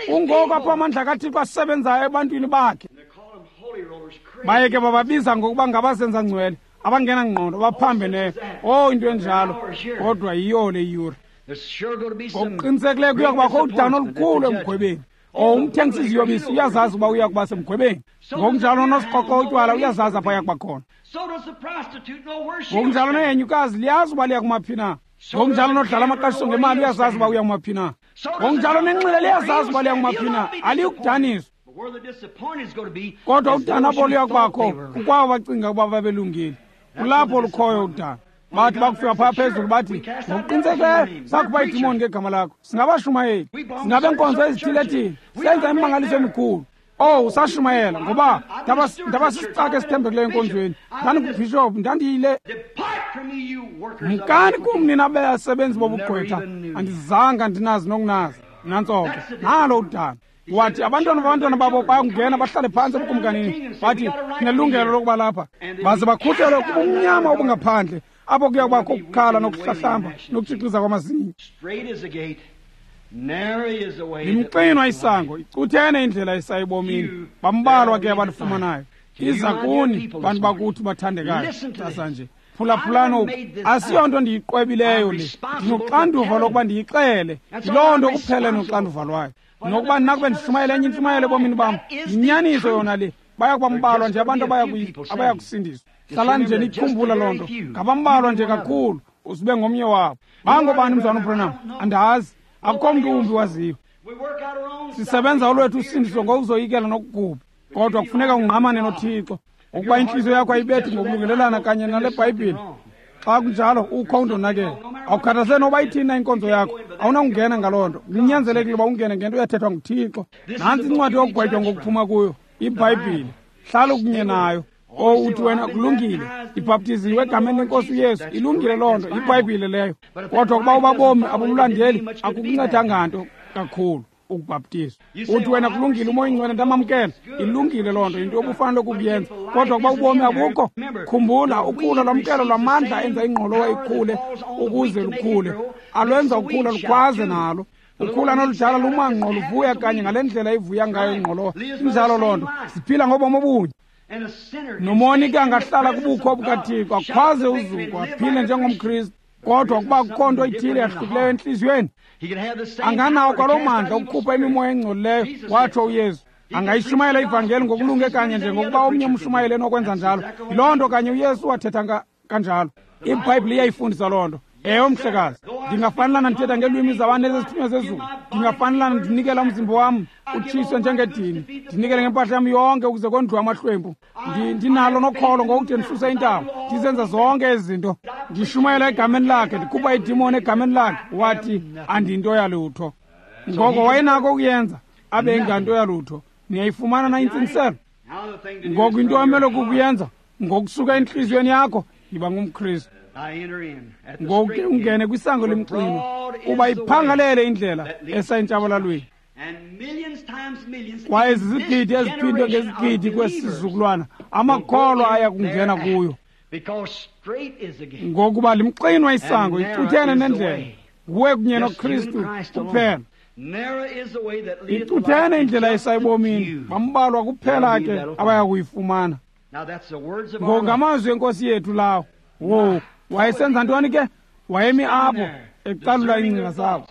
Speaker 1: Kungoku apho amandla kaThixo asebenzayo ebantwini bakhe. Baye ke bababiza ngokuba ngabazenza ngcwele, abangenangqondo, abaphambeneyo. Oh, into enjalo. Kodwa yiyo le yure. Ngokuqinisekileyo kuya kubakho udano olukhulu emgwebeni. Oh, umthengisi iziyobisi uyazazi uba uya kuba semgwebeni. Ngokunjalo nosiqoqo utywala uyazazi apho aya kuba khona. Ngokunjalo nehenyukazi liyazi uba liya kumaphi na. Ngokunjalo nodlala amaqashiso ngemali uyazazi uba uya kumaphi na. Ngokunjalo nenxila liyazazi uba liya kumaphi na. Aliyukudaniswa. Kodwa udano apho luya kubakho kukwabo bacinga ukuba babelungile. Kulapho lukhoyo udano. Bathi bakufika phaya phezulu bathi, ngokuqinisekileyo sakhupha iidimoni ngegama lakho. Singabashumayeli, singabenkonzo ezithile-thile, senza imimangaliso emikhulu. Oh, usashumayela ngoba ndaba sisicaka esithembekileyo enkonzweni. Ndandingubhishophu, ndandiyile. Mkani kum nina basebenzi bobugqwetha, andizanga ndinazi nokunazi. Nantso ke, nalo udano. Wathi abantwana babantwana babo bayakungena bahlale phantsi ebukumkanini, bathi sinelungelo lokuba lapha, baze bakhutshelwe kubumnyama obungaphandle, apho kuya kubakho ukukhala nokuhlahlamba nokutshixiza kwamazinyo. Limxinwa isango, icuthene indlela esayibomini, bambalwa ke abalifumanayo. Iza kuni bantu bakuthi bathandekayo, sasa nje phulaphulani oku, asiyonto ndiyiqwebileyo le, ndinoxanduva lokuba ndiyixele, yiloo nto kuphela noxanduva lwayo. Nokuba ndinakube ndishumayele enye intshumayelo ebomini bam, yinyaniso yona le. Baya kuba mbalwa nje abantu abaya kusindiswa. Hlalani nje niyikhumbula loo nto, ngabambalwa nje kakhulu, uzibe ngomnye wabo. Bangobani mzalwana uBranham? Andazi, akukho mntu wumbi waziyo. Sisebenza olwethu usindiso ngokuzoyikela nokugubha, kodwa kufuneka ungqamane noThixo. Ukuba intliziyo yakho ayibethi ngokulungelelana kanye nale Bhayibhile, xa kunjalo ukho undonakele. Awukhathazeki noba ithini na inkonzo yakho, awunakungena ngaloo nto. Kunyanzelekile uba ungene ngento eyathethwa nguThixo. Nantsi incwadi yokugwetywa ngokuphuma kuyo, iBhayibhile. Hlala kunye nayo. O uthi wena kulungile, ibhaptiziwe egameni lenkosi uYesu, ilungile loo nto, iBhayibhile leyo. Kodwa ukuba ubabomi abumlandeli, akukuncedanga nto kakhulu ukubhaptizwa. Uthi wena kulungile, uMoya oyiNgcwele ndamamkela, ilungile loo nto, yinto obufanele ukuyenza. Kodwa ukuba ubomi abukho, khumbula ukhula lwamkelo lwamandla enza ingqolowa ikhule ukuze lukhule, alwenza ukhula lukhwaze nalo. Ukhula noludala lumangqo luvuya kanye ngale ndlela ivuya ngayo ingqolowa. Injalo loo nto, siphila ngobomi obunye. Nomoni ke angahlala kubukho bukaThixo, akhwaze uzuko, aphile njengomKristu. Kodwa ukuba kukho nto ithile yahlukileyo entliziyweni, anganawo kwaloo mandla okukhupha imimoya engcolileyo, watsho uYesu. Angayishumayela ivangeli ngokulunge kanye njengokuba omnye umshumayeli enokwenza njalo. Yiloo nto kanye uYesu wathetha kanjalo. IBhayibhile iyayifundisa loo nto. Ewe, mhlekazi, ndingafanelana ndithetha ngeelwimi zabantu ezizithunywa zezulu, ndingafanelana ndinikela umzimba wam utshiswe njengedini, ndinikele ngempahla yam yonke ukuze kondliwe amahlwempu. Ndinalo nokholo ngokude ndisuse intaba, ndizenza zonke ezi zinto, ndishumayela egameni lakhe, ndikhupha idimoni egameni lakhe. Wathi andinto yalutho. Ngoko wayenako ukuyenza abe enganto yalutho. Niyayifumana na intsingiselo? Ngoku into amele kukuyenza ngokusuka entliziyweni yakho, yiba ngumKristu. Ngoku ke ungene kwisango lemxinwa, uba iphangalele indlela esayintshabalalweni. Kwaye zizigidi eziphindwe ngezigidi kwesizukulwana amakholwa aya kungena kuyo, ngokuba limxinwa isango, icuthene nendlela, nguwe kunye noKristu kuphela. Icuthene indlela esayibomini, bambalwa kuphela ke abaya kuyifumana. Ngoku ngamazwi enkosi yethu lawo. Wo, wayesenza ntoni ke? Wayemi apho ecalula iingcinga zabo.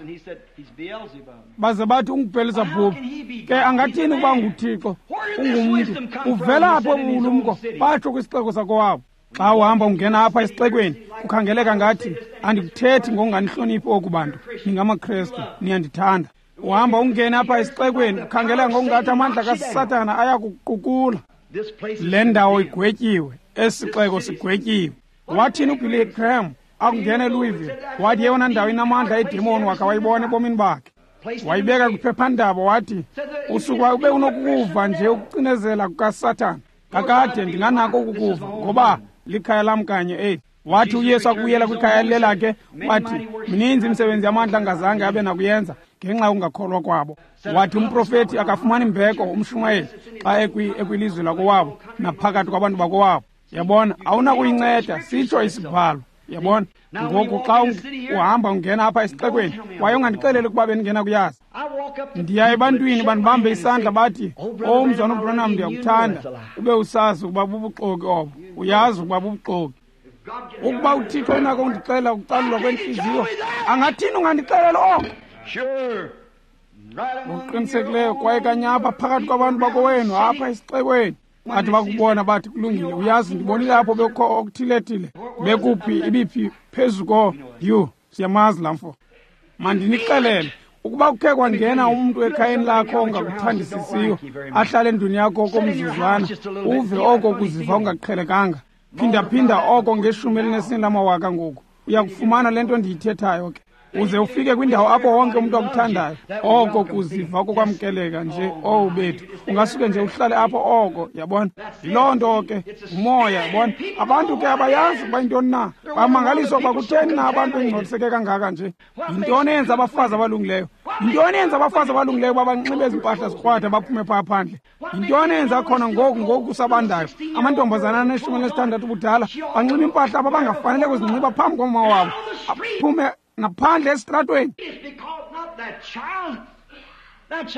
Speaker 1: Baze bathi unguBhelizebhubhi. Ke angathini ukuba nguThixo, ungumntu? Uvela apho ubulumko, batsho kwisixeko sakowabo. Xa uhamba ungena apha esixekweni, kukhangeleka ngathi andikuthethi ngokunganihloniphi oku bantu, ningamaKrestu, niyandithanda. Uhamba ungena apha esixekweni, kukhangeleka ngokungathi amandla kaSathana ayakuqukula. Le ndawo igwetyiwe, esixeko sigwetyiwe. Wathini uBilly Graham akungena eLouisville? Wathi yeyona ndawo inamandla edemoni wakhe wayibona ebomini bakhe. Wayibeka kwiphephandaba wathi, usuka ube unokukuva nje ukucinezela kukaSathana. Kakade ndinganako ukukuva ngoba likhaya lam kanye eli. Wathi uYesu akubuyela kwikhaya lelakhe, wathi mininzi imisebenzi yamandla angazange abe nakuyenza ngenxa yokungakholwa kwabo. Wathi umprofethi akafumani mbeko umshumayeli xa ekwilizwe lakowabo naphakathi kwabantu bakowabo. Yabona, awunakuyinceda, sitsho isibhalo. Yabona, ngoku xa uhamba ungena apha esixekweni, kwaye ungandixeleli ukuba bendingena kuyazi. Ndiya ebantwini bandibambe isandla bathi, "Oh mzalwana uBranham, ndiyakuthanda." Ube usazi ukuba bubuxoki obo, uyazi ukuba bubuxoki. Ukuba uThixo enako undixelela ukucalulwa kwentliziyo, angathini ungandixelela oko? Ngokuqinisekileyo, kwaye kanye apha phakathi kwabantu bakowenu apha esixekweni, bathi bakubona bathi kulungile, uyazi ndibonile apho bekukho okuthile-thile, bekuphi ibiphi phezu ko yhu, siyamazi laa mfo. Mandinixelele, ukuba kukhe kwangena umntu ekhayeni lakho ongakuthandisisiyo, ahlale endlwini yakho okomzuzwana, uve oko kuziva ungaqhelekanga. Phindaphinda oko ngeshumi elinesine lamawaka ngoku, uyakufumana le nto ndiyithethayo ke. Uze ufike kwindawo apho wonke umntu akuthandayo, oko kuziva kokwamkeleka nje. Owu bethu, ungasuke nje uhlale apho oko, yabona. Yiloo nto ke, umoya, yabona. Abantu ke abayazi ukuba yintoni na, bamangaliswa ukuba kutheni na abantu bengcoliseke kangaka nje. Yintoni eyenza abafazi abalungileyo? Yintoni eyenza abafazi abalungileyo uba banxibe ezi mpahla zikrwada baphume phaa phandle? Yintoni eyenza khona ngoku ngoku kusabandayo amantombazana aneshumi elinesithandathu ubudala banxiba impahla aba bangafanele kuzinxiba phambi komama wabo, aphume ngaphandle esitratweni?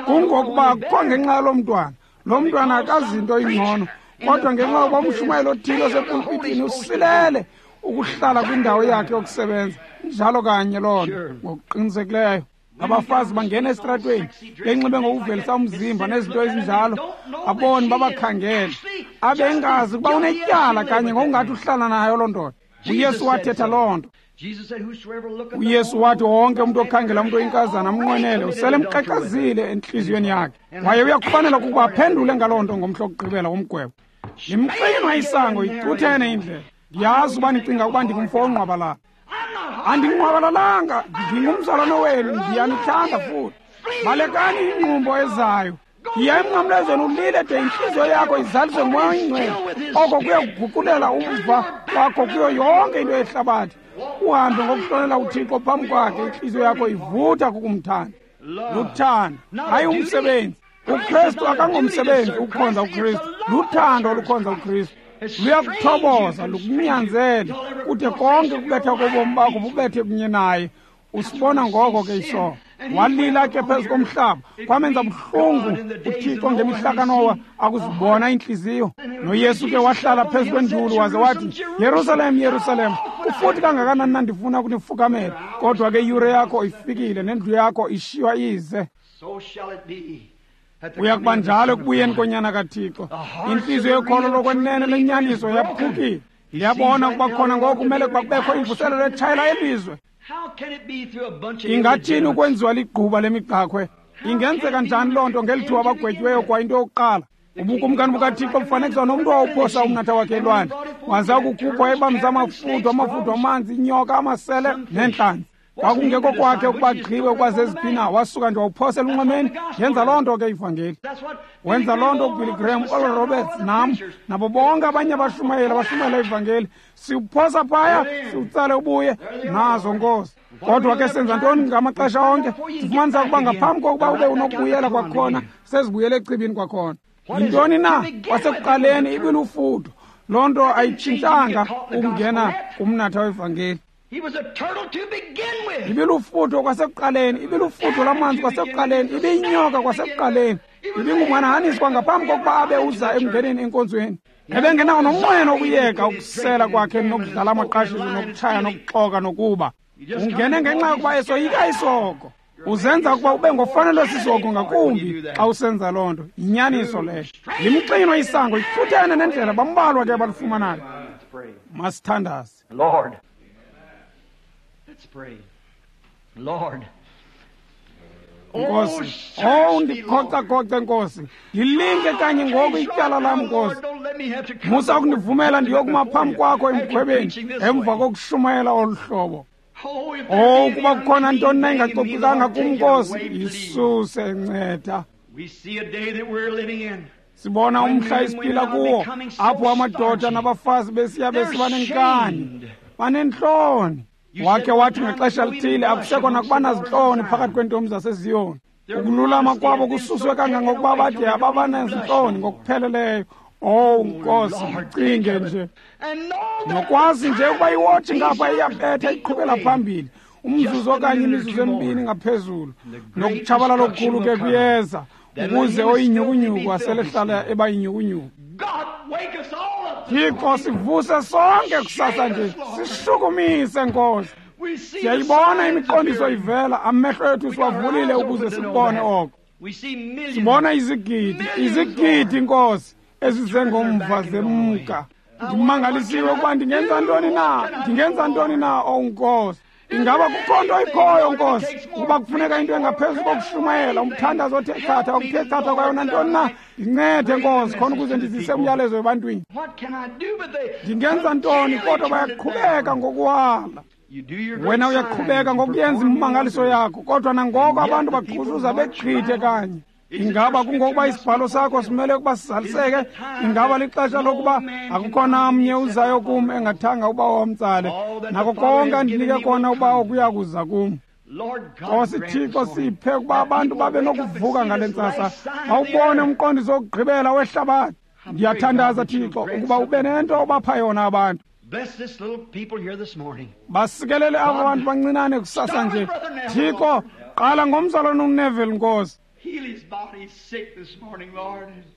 Speaker 1: Kungokuba akukho ngenxa yalo mntwana, lo mntwana akazinto ingcono, kodwa ngenxa yokuba umshumayeli othile osepulpitini usilele ukuhlala kwindawo yakhe yokusebenza. Njalo kanye loo nto, ngokuqinisekileyo. Abafazi bangena esitratweni benxibe ngokuvelisa umzimba nezinto ezinjalo, aboni babakhangele, abengazi ukuba unetyala kanye ngokungathi uhlala nayo loo ndoda. UYesu wathetha loo nto. UYesu wathi wonke umntu okhangela umntu oyinkazana amnqwenele usele emqeqezile entliziyweni yakhe, kwaye uyakufanela ukuba aphendule ngaloo nto ngomhla wokugqibela womgwebo. Limxinwa isango, icuthene indlela. Ndiyazi uba nicinga ukuba ndingumfo ongqwabalala. Andingqwabalalanga, ndingumzalwane wenu, ndiyanithanda futhi. Balekani ingqumbo ezayo. Yiya emnqamlezweni ulile de intliziyo yakho izaliswe nguMoya oyiNgcwele. Oko kuya kuguqulela umva wakho kuyo yonke into yehlabathi. Uhambe ngokuhlonela uThixo phambi kwakhe, intliziyo yakho ivutha kukumthanda. Luthando, hayi umsebenzi. UKristu akangomsebenzi ukukhonza uKristu, luthando olukhonza uKristu. Luyakuthoboza, lukunyanzele, kude konke ukubetha kobomi bakho bubethe kunye naye. Usibona ngoko ke isono. Walila ke phezu komhlaba, kwamenza buhlungu uThixo ngemihla kaNowa akuzibona iintliziyo. NoYesu ke wahlala phezu kwenduli waze wathi, Yerusalem, Yerusalem, kufuthi kangakanani na ndifuna ukunifukamela, kodwa ke iyure yakho ifikile nendlu yakho ishiywa ize. Uya kuba njalo ekubuyeni konyana kaThixo. Intliziyo yokholo lokwenene lenyaniso yaphukile. Ndiyabona ukuba khona ngoku kumele kuba kubekho imvuselelo etshayela elizwe. Ingathini ukwenziwa ligquba lemigqakhwe? Ingenzeka njani loo nto ngeli thuba abagwetyiweyo kwa into yokuqala? Ubukumkani bukaThixo bufanekiswa nomntu owawuphosa umnatha wakhe elwandle, waza ukukhuphwa ebamza amafuthu, amafuthu amanzi, inyoka, amasele neentlanzi. Kwakungekho kwakhe ukuba gqiwe ukwazeziphi na, wasuka nje wawuphosela unxwemeni. Yenza loo nto ke ivangeli. Wenza loo nto uBilly Graham, Oral Roberts, nam, nabo bonke abanye abashumayeli abashumayela ivangeli. Siwuphosa phaya, siwutsale ubuye, nazo Nkosi. Kodwa ke senza ntoni ngamaxesha onke? Sifumanisa ukuba ngaphambi kokuba ube unokubuyela kwakhona, sezibuyele echibini kwakhona. Yintoni na? Kwasekuqaleni ibilufudo. Loo nto ayitshintshanga ukungena kumnatha wevangeli. Ibilufutho kwasekuqaleni, ibilufutho lwamanzi kwasekuqaleni, ibiyinyoka kwasekuqaleni, ibingumhanahanisi kwangaphambi kokuba abe uza ekungeneni enkonzweni. Ebengenawo nomnqweno wokuyeka ukusela kwakhe nokudlala amaqashiso nokutshaya nokuxoka nokuba. Ungene ngenxa yokuba esoyika isoko. Uzenza ukuba ube ngofanelwe sisoko ngakumbi xa usenza loo nto. Yinyaniso leyo. Limxinwa isango, ifuthene nendlela, bambalwa ke abalifumanayo. Masithandaze.
Speaker 2: Lord. Let's pray. Lord.
Speaker 1: Nkosi, oh ndikhocakoce Nkosi, ndilinke kanye ngoku ityala lam Nkosi. Musa ukundivumela ndiyokuma phambi kwakho emgwebeni emva kokushumayela olu hlobo. Oh, ukuba kukhona ntoni na ingacocekanga kum Nkosi, yisuse, nceda. Sibona umhla esiphila kuwo apho amadoda nabafazi besiya besiba nenkani, banentloni. Wakhe wathi ngexesha lithile akusekho nakuba nazintloni phakathi kweentombi zaseZiyoni. Ukululama kwabo kususwe kangangokuba bade ababanezintloni ngokupheleleyo. Oh Nkosi, ndicinge nje nokwazi nje ukuba iwotshi ngapha iyabetha iqhubela phambili umzuzu okanye imizuzu emibini ngaphezulu, nokutshabalala okukhulu ke kuyeza ukuze oyinyhukunyhuku aselehlala eba yinyhukunyhuku. Thixo, sivuse sonke kusasa nje, sishukumise Nkosi. Siyayibona imiqondiso ivela, amehlo ethu siwavulile ukuze sikubone oko. Sibona izigidi, izigidi Nkosi, ezizengomva zemka. Ndimangalisiwe ukuba ndingenza ntoni na, ndingenza ntoni na, oh Nkosi. Ingaba kukho nto ikhoyo Nkosi, ukuba kufuneka into engaphezu kokushumayela, umthandazo othe chatha, okuthe chatha kwayona ntoni na? Ndincede Nkosi, khona ukuze ndizise umyalezo ebantwini. Ndingenza ntoni kodwa bayaqhubeka ngokuwala. Wena uyaqhubeka ngokuyenza imimangaliso yakho, kodwa nangoko abantu baqhushuza begqithe kanye. Ingaba kungokuba isibhalo sakho simele ukuba sizaliseke? Ingaba lixesha lokuba akukho namnye uzayo kum engathanga uba wamtsale? Nako konke andinike kona uba kuya kuza kum. Nkosi Thixo, siphe ukuba abantu babe nokuvuka ngale ntsasa, bawubone umqondiso wokugqibela wehlabathi. Ndiyathandaza Thixo ukuba ube nento obapha yona abantu. Basikelele aba bantu bancinane kusasa nje. Thixo, qala ngomzalwane uNeville, Nkosi.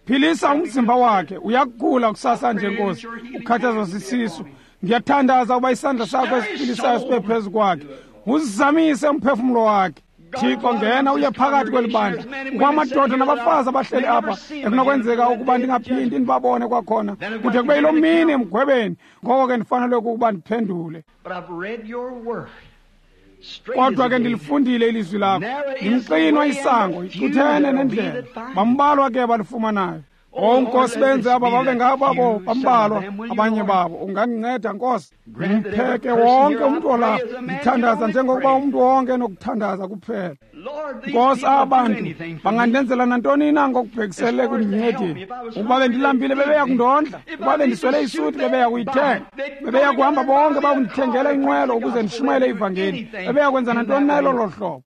Speaker 1: Philisa umzimba wakhe, uyagula kusasa nje Nkosi, ukhathazwa sisisu. Ndiyathandaza ukuba isandla sakho esiphilisayo sibe phezu kwakhe, uzizamise umphefumlo wakhe. Thixo, ngena uye phakathi kweli bandla. Kwamadoda nabafazi abahleli apha ekunokwenzeka ukuba ndingaphindi ndibabone kwakhona kude kube yiloo mini emgwebeni. Ngoko ke ndifanele ukuba ndiphendule. Kodwa ke ndilifundile ilizwi lakho. Ndimxinwa isango, icuthene nendlela, bambalwa ke balifumanayo. O Nkosi, benze aba babe ngababo bambalwa abanye babo. Ungandinceda Nkosi, ndimpheke wonke umntu olapha. Ndithandaza njengokuba umntu wonke enokuthandaza kuphela. Nkosi, aba bantu bangandenzela nantoni na ngokubhekiselele kundincedeni. Ukuba bendilambile bebeya kundondla, ukuba bendiswele isuti bebeya kuyithenga, bebeya kuhamba bonke bakundithengela inqwelo ukuze ndishumayele ivangeli, bebeya kwenza nantoni na elolo hlobo.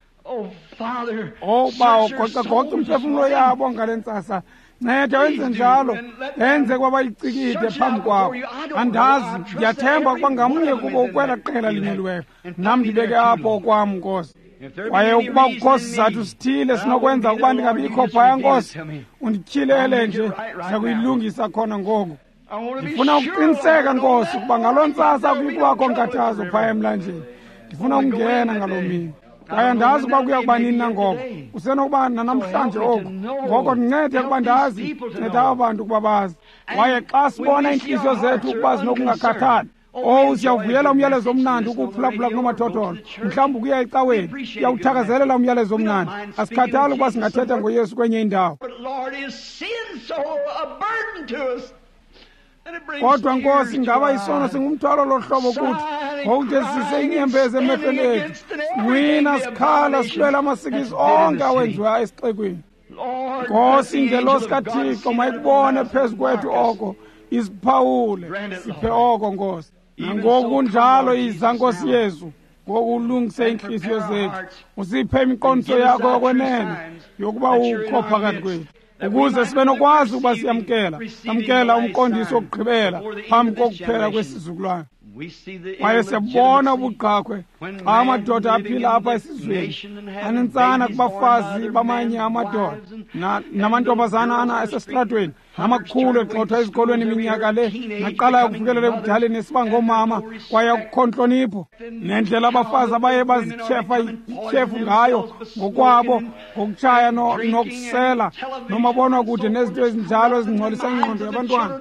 Speaker 1: O Bawo, gocagoca umphefumlo yabo ngale ntsasa. Nceda wenze njalo, enze ukuba bayicikide phambi kwakho. Andazi, ndiyathemba ukuba ngamnye kubo ukwela qela linyuliweyo. Nam ndibeke apho okwam, Nkosi. Kwaye ukuba kukho sizathu sithile sinokwenza ukuba ndingabikho phaya, Nkosi, undityhilele nje, ndiza kuyilungisa khona ngoku. Ndifuna ukuqiniseka, Nkosi, ukuba ngaloo ntsasa akuyikubakho nkathazo phaya emlanjeni. Ndifuna ukungena ngaloo mini. Kwaye andazi ukuba kuya kuba nini nangoko, kusenokuba nanamhlanje oku. Ngoko ndincede ukuba ndazi, nceda aba bantu ukuba bazi. Kwaye xa sibona iintliziyo zethu ukuba zinokungakhathali, owu, siyawuvuyela umyalezo omnandi ukuwuphulaphula kunomathotholo, mhlawumbi ukuya ecaweni, siyawuthakazelela umyalezo omnandi. Asikhathali ukuba singathetha ngoYesu kwenye indawo. Kodwa Nkosi, ingaba isono singumthwalo lohlobo kuthi, ngokude sise inyembezi emehlweni ethu, sincwina, sikhala, silwela amasikizi onke awenziwayo esixekweni. Nkosi, ingelosi kaThixo mayikubone phezu kwethu oko, isiphawule, siphe oko Nkosi. Nangoku kunjalo, yiza Nkosi Yesu, ngoku ulungise iintliziyo zethu, usiphe imiqondiso yakho yokwenene yokuba ukho phakathi kwethu, ukuze sibe nokwazi ukuba siyamkela, samkela umqondiso wokugqibela phambi kokuphela kwesizukulwana. Kwaye siyabona ubugqakhwe xa amadoda aphila apha esizweni anentsana kubafazi bamanye amadoda namantombazana ana esesitratweni, namakhulu egxothwa ezikolweni iminyaka le, naqalayo ukufikelela ebudaleni esiba ngoomama, kwaye akukho ntlonipho. Nendlela abafazi abaye bazityhefa ityhefu ngayo ngokwabo, ngokutshaya nokusela nomabonwakude nezinto ezinjalo ezingcolisa ingqondo yabantwana.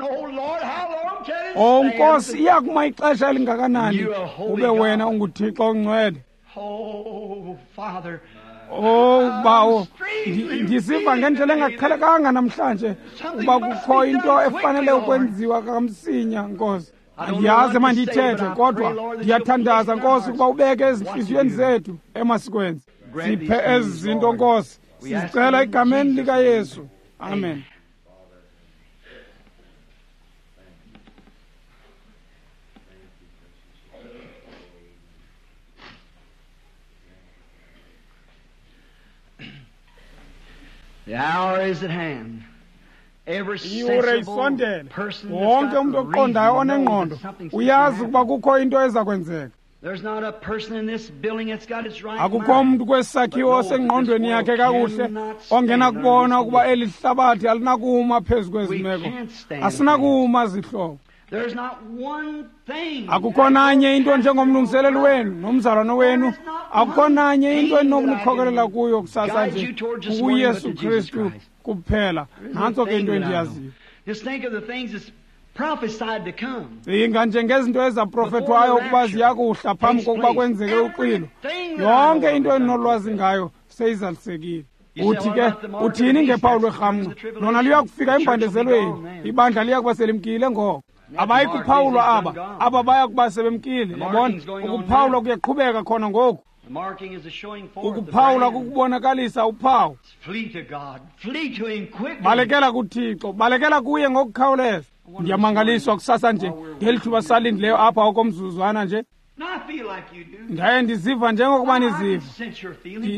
Speaker 1: O Nkosi, iya kuma ixesha elingakanani ube wena unguThixo ongcwele? O Bawo, ndisiva ngendlela engaqhelekanga namhlanje uba kukho into efanele ukwenziwa kamsinya, Nkosi. Andiyazi emandiyithethe, kodwa ndiyathandaza Nkosi ukuba ubeke ezintliziyweni zethu emasikwenze. Siphe ezi zinto Nkosi, sizicela egameni likaYesu. Amen.
Speaker 2: The hour is at hand. Every
Speaker 1: Iyure
Speaker 2: sensible
Speaker 1: isondele.
Speaker 2: person that's
Speaker 1: Wonke
Speaker 2: got
Speaker 1: umntu oqondayo
Speaker 2: reason knows
Speaker 1: onengqondo
Speaker 2: that something's
Speaker 1: uyazi
Speaker 2: gonna
Speaker 1: ukuba
Speaker 2: happen.
Speaker 1: kukho into eza kwenzeka.
Speaker 2: There's not a person in this building that's got its right
Speaker 1: Akukho
Speaker 2: mind.
Speaker 1: umntu kwesi sakhiwo osengqondweni yakhe kakuhle ongenakubona ukuba eli hlabathi alinakuma phezu kwezi meko. Asinakuma zihlobo.
Speaker 2: There's not one thing.
Speaker 1: Akukho nanye into njengomlungiseleli wenu nomzalwane wenu, akukho nanye into endinokunikhokelela kuyo kusasa nje kuYesu Kristu kuphela. Nantso ke into endiyaziyo.
Speaker 2: Just think of the things that's prophesied to come.
Speaker 1: Cinga nje ngezinto ezaprofethwayo ukuba ziya kuhla phambi kokuba kwenzeke uxwilo. Yonke into endinolwazi ngayo seyizalisekile. Uthi ke, uthini ngephawu lwerhamncwa? Lona liya kufika embandezelweni, ibandla liya kuba selimkile ngoko. Abayi kuphawulwa aba, aba baya kuba sebemkile. Yabona, ukuphawulwa kuyaqhubeka khona ngoku. Ukuphawulwa kukubonakalisa uphawu. Balekela kuThixo, balekela kuye ngokukhawuleza. Ndiyamangaliswa kusasa nje ngeli thuba salindileyo apha okomzuzwana nje. Ndaye ndiziva njengokuba niziva.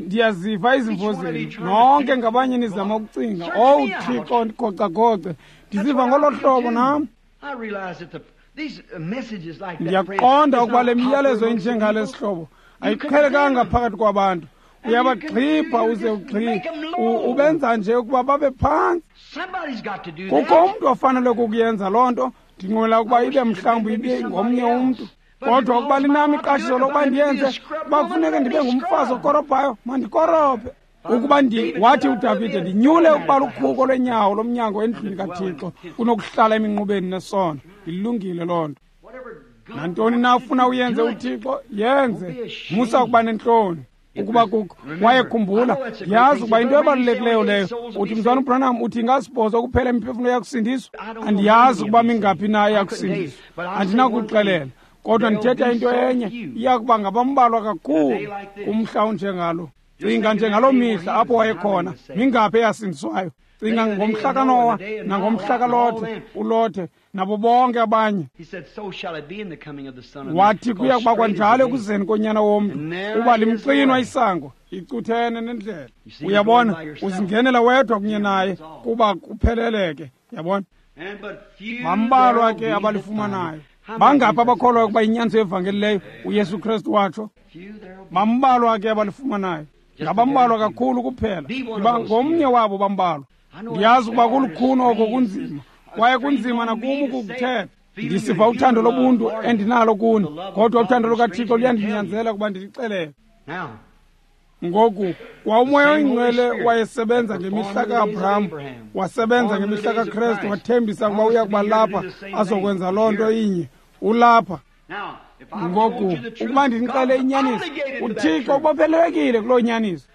Speaker 1: Ndiyaziva izimvo zenu nonke ngabanye nizama ukucinga, owu Thixo, ndigocagoce. Ndiziva ngolo hlobo nam. Ndiyaqonda ukuba le miyalezo injengale sihlobo ayiqhelekanga phakathi kwabantu. Uyabagxibha uze ugxibhe, ubenza nje ukuba babe phantsi. Kukho umntu ofanele ukuyenza loo nto. Ndinqwela ukuba ibe mhlawumbi ibe ngomnye umntu, kodwa ukuba linam iqashiso lokuba ndiyenze, uba kufuneke ndibe ngumfazi okorobhayo, mandikorobhe. Ukuba ndi wathi uDavide, ndinyule ukuba lukhuko lwenyawo lomnyango endlwini kaThixo kunokuhlala eminqubeni nesono. Ilungile loo nto. Nantoni na ufuna uyenze uThixo, yenze. Musa ukuba nentloni. Ukuba kukho kwaye khumbula, yazi ukuba into ebalulekileyo leyo. Uthi mzwana uBranham uthi ingasibhozo kuphela imiphefumlo yakusindiswa. Andiyazi ukuba mingaphi na eyakusindiswa, andinakuxelela, kodwa ndithetha into enye, iya kuba ngabambalwa kakhulu kumhla onjengalo. Cinga njengaloo mihla apho wayekhona, mingaphi eyasindiswayo. Cinga ngomhla kaNowa nangomhla kaLothe, uLothe nabo bonke abanye. Wathi kuya kuba kwanjalo ekuzeni konyana womntu, uba limxinwa isango, icuthene nendlela. Uyabona, uzingenela wedwa kunye naye kuba kupheleleke. Yabona, bambalwa ke abalifumanayo. Bangaphi abakholwayo ukuba inyaniso yevangeli leyo uYesu Kristu watsho? Bambalwa ke abalifumanayo. Ngabambalwa kakhulu kuphela. Ndiba ngomnye wabo bambalwa. Ndiyazi ukuba kulukhuni oko kunzima, kwaye kunzima nakum ukukuthetha. Ndisiva uthando lobuntu endinalo kuni, kodwa uthando lukaThixo luyandinyanzela ukuba ndilixelele. Ngoku kwa uMoya oyiNgcwele wayesebenza ngemihla ka-Abraham, wasebenza ngemihla kaKrestu, wathembisa ukuba uya kuba lapha azokwenza loo nto inye. Ulapha ngoku. Ukuba ndinixele inyaniso, uThixo ubophelelekile kuloo nyaniso.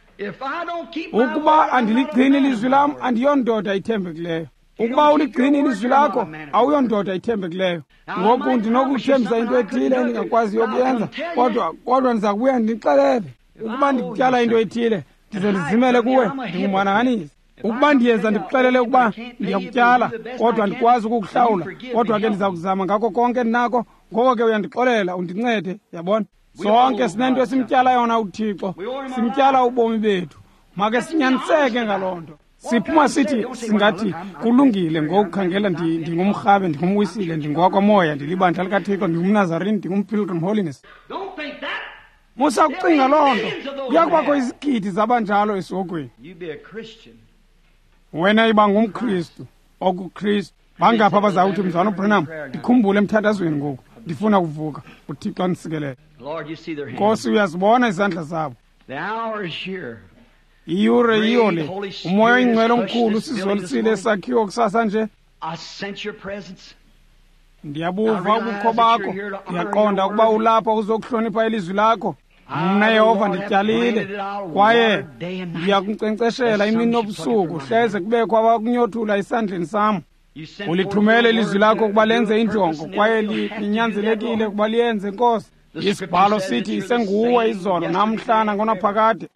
Speaker 1: Ukuba andiligcini ilizwi lam, andiyondoda ithembekileyo. Ukuba uligcini ilizwi lakho, awuyondoda ithembekileyo. Ngoku ndinokuthembisa into ethile endingakwaziyo ukuyenza, kodwa kodwa ndiza kubuya ndinixelele. Ukuba ndikutyala into ethile, ndize ndizimele kuwe, ndingumhanahanisi. Ukuba ndiyeza ndikuxelele ukuba ndiyakutyala, kodwa andikwazi ukukuhlawula, kodwa ke ndiza kuzama ngako konke ndinako, ngoko ke uyandixolela, undincede. Yabona, sonke sinento esimtyala yona uThixo, simtyala ubomi bethu. Make sinyaniseke ngaloo nto. Siphuma sithi singathi kulungile ngokukhangela, ndingumrhabe, ndingumwisile, ndingowakwamoya, ndilibandla likaThixo, ndingumNazarene, ndingumPilgrim Holiness. Musa kucinga loo nto. Kuya kubakho izigidi zabanjalo esihogweni. Wena iba ngumKristu, okuKristu. Bangaphi abazawuthi, mzwana uBranham, ndikhumbule emthandazweni ngoku, ndifuna ukuvuka. uThixo andisikelele. Nkosi, uyazibona izandla zabo. Iyure yiyo le. UMoya oyiNgcwele omkhulu usizolisile esakhiwo kusasa nje. Ndiyabuva ubukho bakho, ndiyaqonda ukuba ulapha uzokuhlonipha ilizwi lakho. Mna Yehova ndityalile, kwaye ndiyakunkcenkceshela imini nobusuku, hleze kubekho abakunyothula esandleni sam. Ulithumele ilizwi lakho ukuba lenze injongo, kwaye linyanzelekile ukuba liyenze, Nkosi. Isibhalo sithi isenguwe izolo namhla nangonaphakade.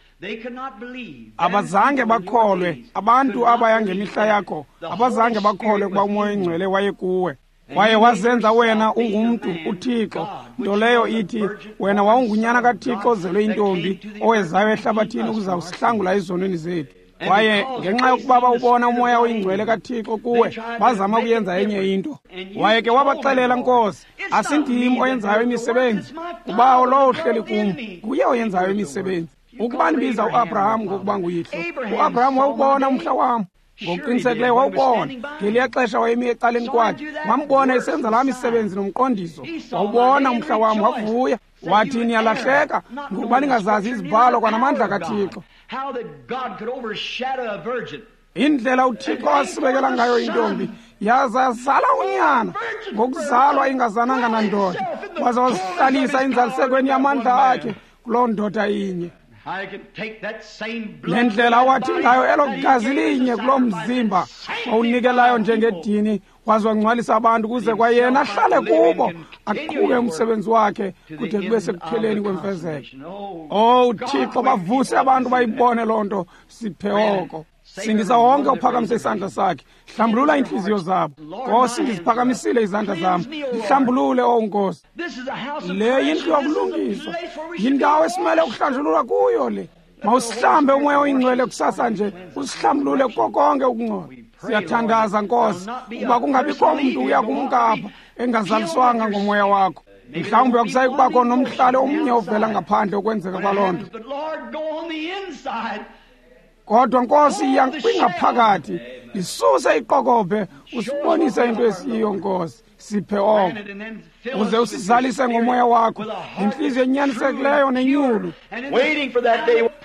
Speaker 1: Abazange bakholwe abantu abaya ngemihla yakho, abazange bakholwe ukuba uMoya oyiNgcwele wayekuwe. Kwaye wazenza wena ungumntu uThixo, nto leyo ithi wena wawungunyana kaThixo ozelwe intombi owezayo ehlabathini ukuzawusihlangula ezonweni zethu. Kwaye ngenxa yokuba bawubona uMoya oyiNgcwele kaThixo kuwe, bazama ukuyenza enye into. Waye ke wabaxelela, Nkosi, asindim oyenzayo imisebenzi, uBawo lowo uhleli kum, nguye oyenzayo imisebenzi. Ukuba ndibiza uAbraham ngokuba nguyihlo, uAbraham wawubona umhla wam. Ngokuqinisekileyo wawubona. Ngeliya xesha wayemi ecaleni kwakhe, wambona esenza laa misebenzi nomqondiso. Wawubona umhla wam, wavuya. Wathi, niyalahleka ngokuba ningazazi izibhalo kwanamandla kaThixo. Indlela uThixo asibekela ngayo intombi, yaza yazala unyana ngokuzalwa ingazananga nandoda, waza wazihlalisa inzalisekweni yamandla akhe kuloo ndoda inye. Nendlela wathi ngayo elo gazi linye kuloo mzimba wawunikelayo njengedini, Waze wangcwalisa abantu ukuze kwayena ahlale kubo, aqhube umsebenzi wakhe kude kube sekupheleni kwemfezeko. Oh Thixo, bavuse abantu bayibone loo nto. Siphe oko. Sindisa wonke ophakamise isandla sakhe, hlambulula iintliziyo zabo. Nkosi, ndiziphakamisile izandla zam, ndihlambulule, o Nkosi. Le yindlu yokulungiswa, yindawo esimele ukuhlanjululwa kuyo le. Mawusihlambe umoya oyingcwele kusasa nje, usihlambulule kuko konke ukungcola. Siyathandaza Nkosi, ukuba kungabikho mntu uya kumka apha engazaliswanga ngomoya wakho. Mhlawumbi akusayi kubakho nomhlali omnye ovela ngaphandle ukwenzeka kwaloo nto. Kodwa Nkosi, iya kwingaphakathi, isuse iqokobhe, usibonise into esiyiyo Nkosi. Siphe oko, uze usizalise ngomoya wakho, intliziyo enyanisekileyo nenyulu.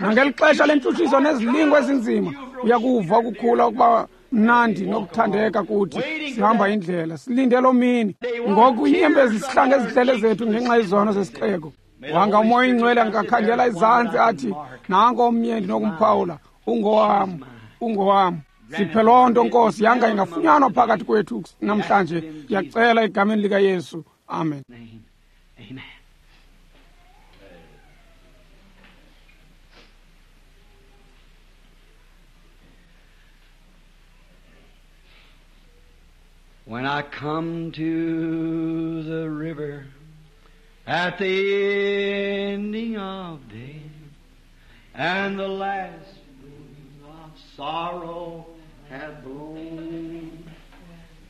Speaker 1: Nangeli xesha lentshutshiso nezilingo ezinzima, uyakuva ukukhula ukuba mnandi nokuthandeka kuthi. Sihamba indlela, silinde loo mini. Ngoku iinyembezi zihlange ezihlele zethu ngenxa yezono zesixeko. Wanga umoya oyingcwele angakhangela izantsi athi, nanko omnye ndinokumphawula, ungowam, ungowam. Siphe loo nto Nkosi, yanga ingafunyanwa phakathi kwethu namhlanje. Ndiyacela egameni likaYesu, amen.
Speaker 2: Amen. When I come to the river at the ending of day, and the last bloom of sorrow hath blown,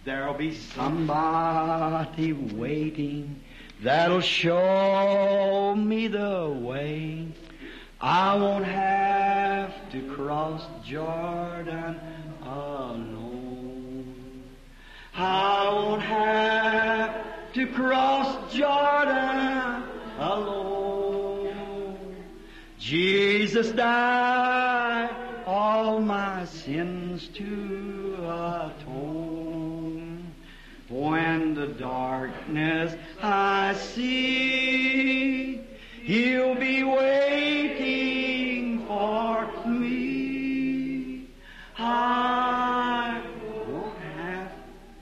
Speaker 2: there'll be somebody waiting that'll show me the way. I won't have to cross Jordan alone. I won't have to cross Jordan alone. Jesus died all my sins to atone. When the darkness I see, He'll be waiting for me. I won't have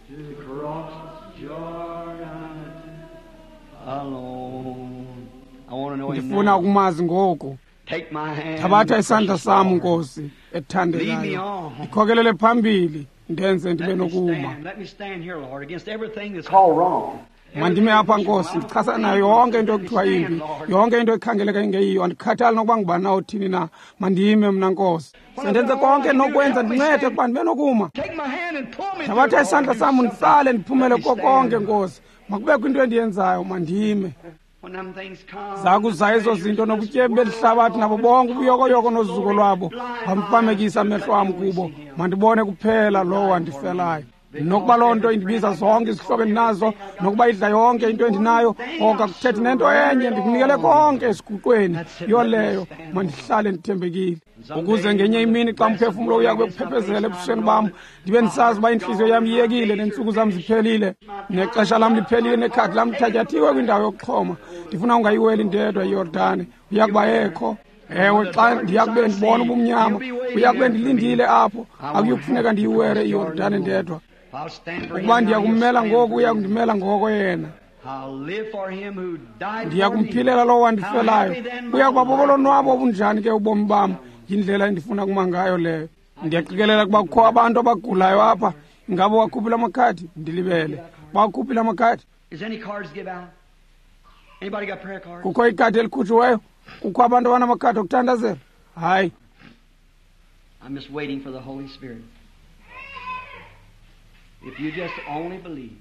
Speaker 2: to cross Jordan alone. I want to know Him
Speaker 1: Ndifuna
Speaker 2: now.
Speaker 1: ukumazi ngoku.
Speaker 2: Take my hand,
Speaker 1: Thabatha isandla
Speaker 2: precious
Speaker 1: sam
Speaker 2: Lord.
Speaker 1: Nkosi
Speaker 2: Lead me
Speaker 1: ethandekayo,
Speaker 2: on.
Speaker 1: ndikhokelele phambili, ndenze ndibe
Speaker 2: Let me
Speaker 1: nokuma.
Speaker 2: stand. Let me stand here, Lord, against everything that's called wrong.
Speaker 1: Mandime apha Nkosi, ndichasana nayo yonke into ekuthiwa imbi, yonke into ekhangeleka ingeyiyo. Andikhathali nokuba ngubani na othini na, mandime mna Nkosi. Sendenze konke endinokwenza, ndincede ukuba ndibe nokuma.
Speaker 2: Take my hand and pull me
Speaker 1: Thabatha
Speaker 2: through, Lord.
Speaker 1: isandla
Speaker 2: Do
Speaker 1: sam
Speaker 2: something.
Speaker 1: unditsale ndiphumele
Speaker 2: Let me
Speaker 1: kuko konke
Speaker 2: stand.
Speaker 1: Nkosi. Makubekho into endiyenzayo, mandime.
Speaker 2: When them things come,
Speaker 1: Zakuza ezo zinto nobutyebi belihlabathi nabo bonke ubuyokoyoko nozuko lwabo, bamfamekisa amehlo am kubo. Mandibone kuphela lowo wandifelayo. Nokuba loo nto indibiza zonke izihlobo endinazo, nokuba idla yonke into endinayo, oko akuthethi nento enye, ndikunikele konke esiguqweni. Yiyo leyo, mandihlale ndithembekile, ukuze ngenye imini xa umphefumlo uya kube kuphephezela ebusweni bam, ndibe ndisazi uba intliziyo yam iyekile, neentsuku zam ziphelile, nexesha lam liphelile, nekhadi lam lithatyathiwe kwindawo yokuxhoma. Ndifuna ungayiweli ndedwa iYordane, uya kuba ekho. Ewe, xa ndiya kube ndibona ubumnyama, uya kube ndilindile apho. Akuyi kufuneka ndiyiwele iYordane ndedwa.
Speaker 2: I'll stand for him
Speaker 1: Ukuba
Speaker 2: now,
Speaker 1: ndiya
Speaker 2: he'll
Speaker 1: kummela
Speaker 2: stand
Speaker 1: ngoku,
Speaker 2: for
Speaker 1: uya
Speaker 2: me.
Speaker 1: kundimela ngoko yena.
Speaker 2: I'll live for him who died
Speaker 1: Ndiya
Speaker 2: for me.
Speaker 1: kumphilela lowo
Speaker 2: How
Speaker 1: wandifelayo.
Speaker 2: happy then my
Speaker 1: Uya kuba
Speaker 2: life
Speaker 1: bobolonwabo obunjani ke ubomi bam. Yindlela endifuna kuma ngayo leyo. Ndiyaqikelela ukuba kukho abantu abagulayo apha. Ingaba wakhuphile amakhadi? Ndilibele. Bawakhuphile amakhadi?
Speaker 2: Is any cards give out? Anybody got prayer cards?
Speaker 1: Kukho ikhadi elikhutshiweyo? Kukho abantu abanamakhadi okuthandazela? Hayi.
Speaker 2: I'm just waiting for the Holy Spirit. If you just only believe.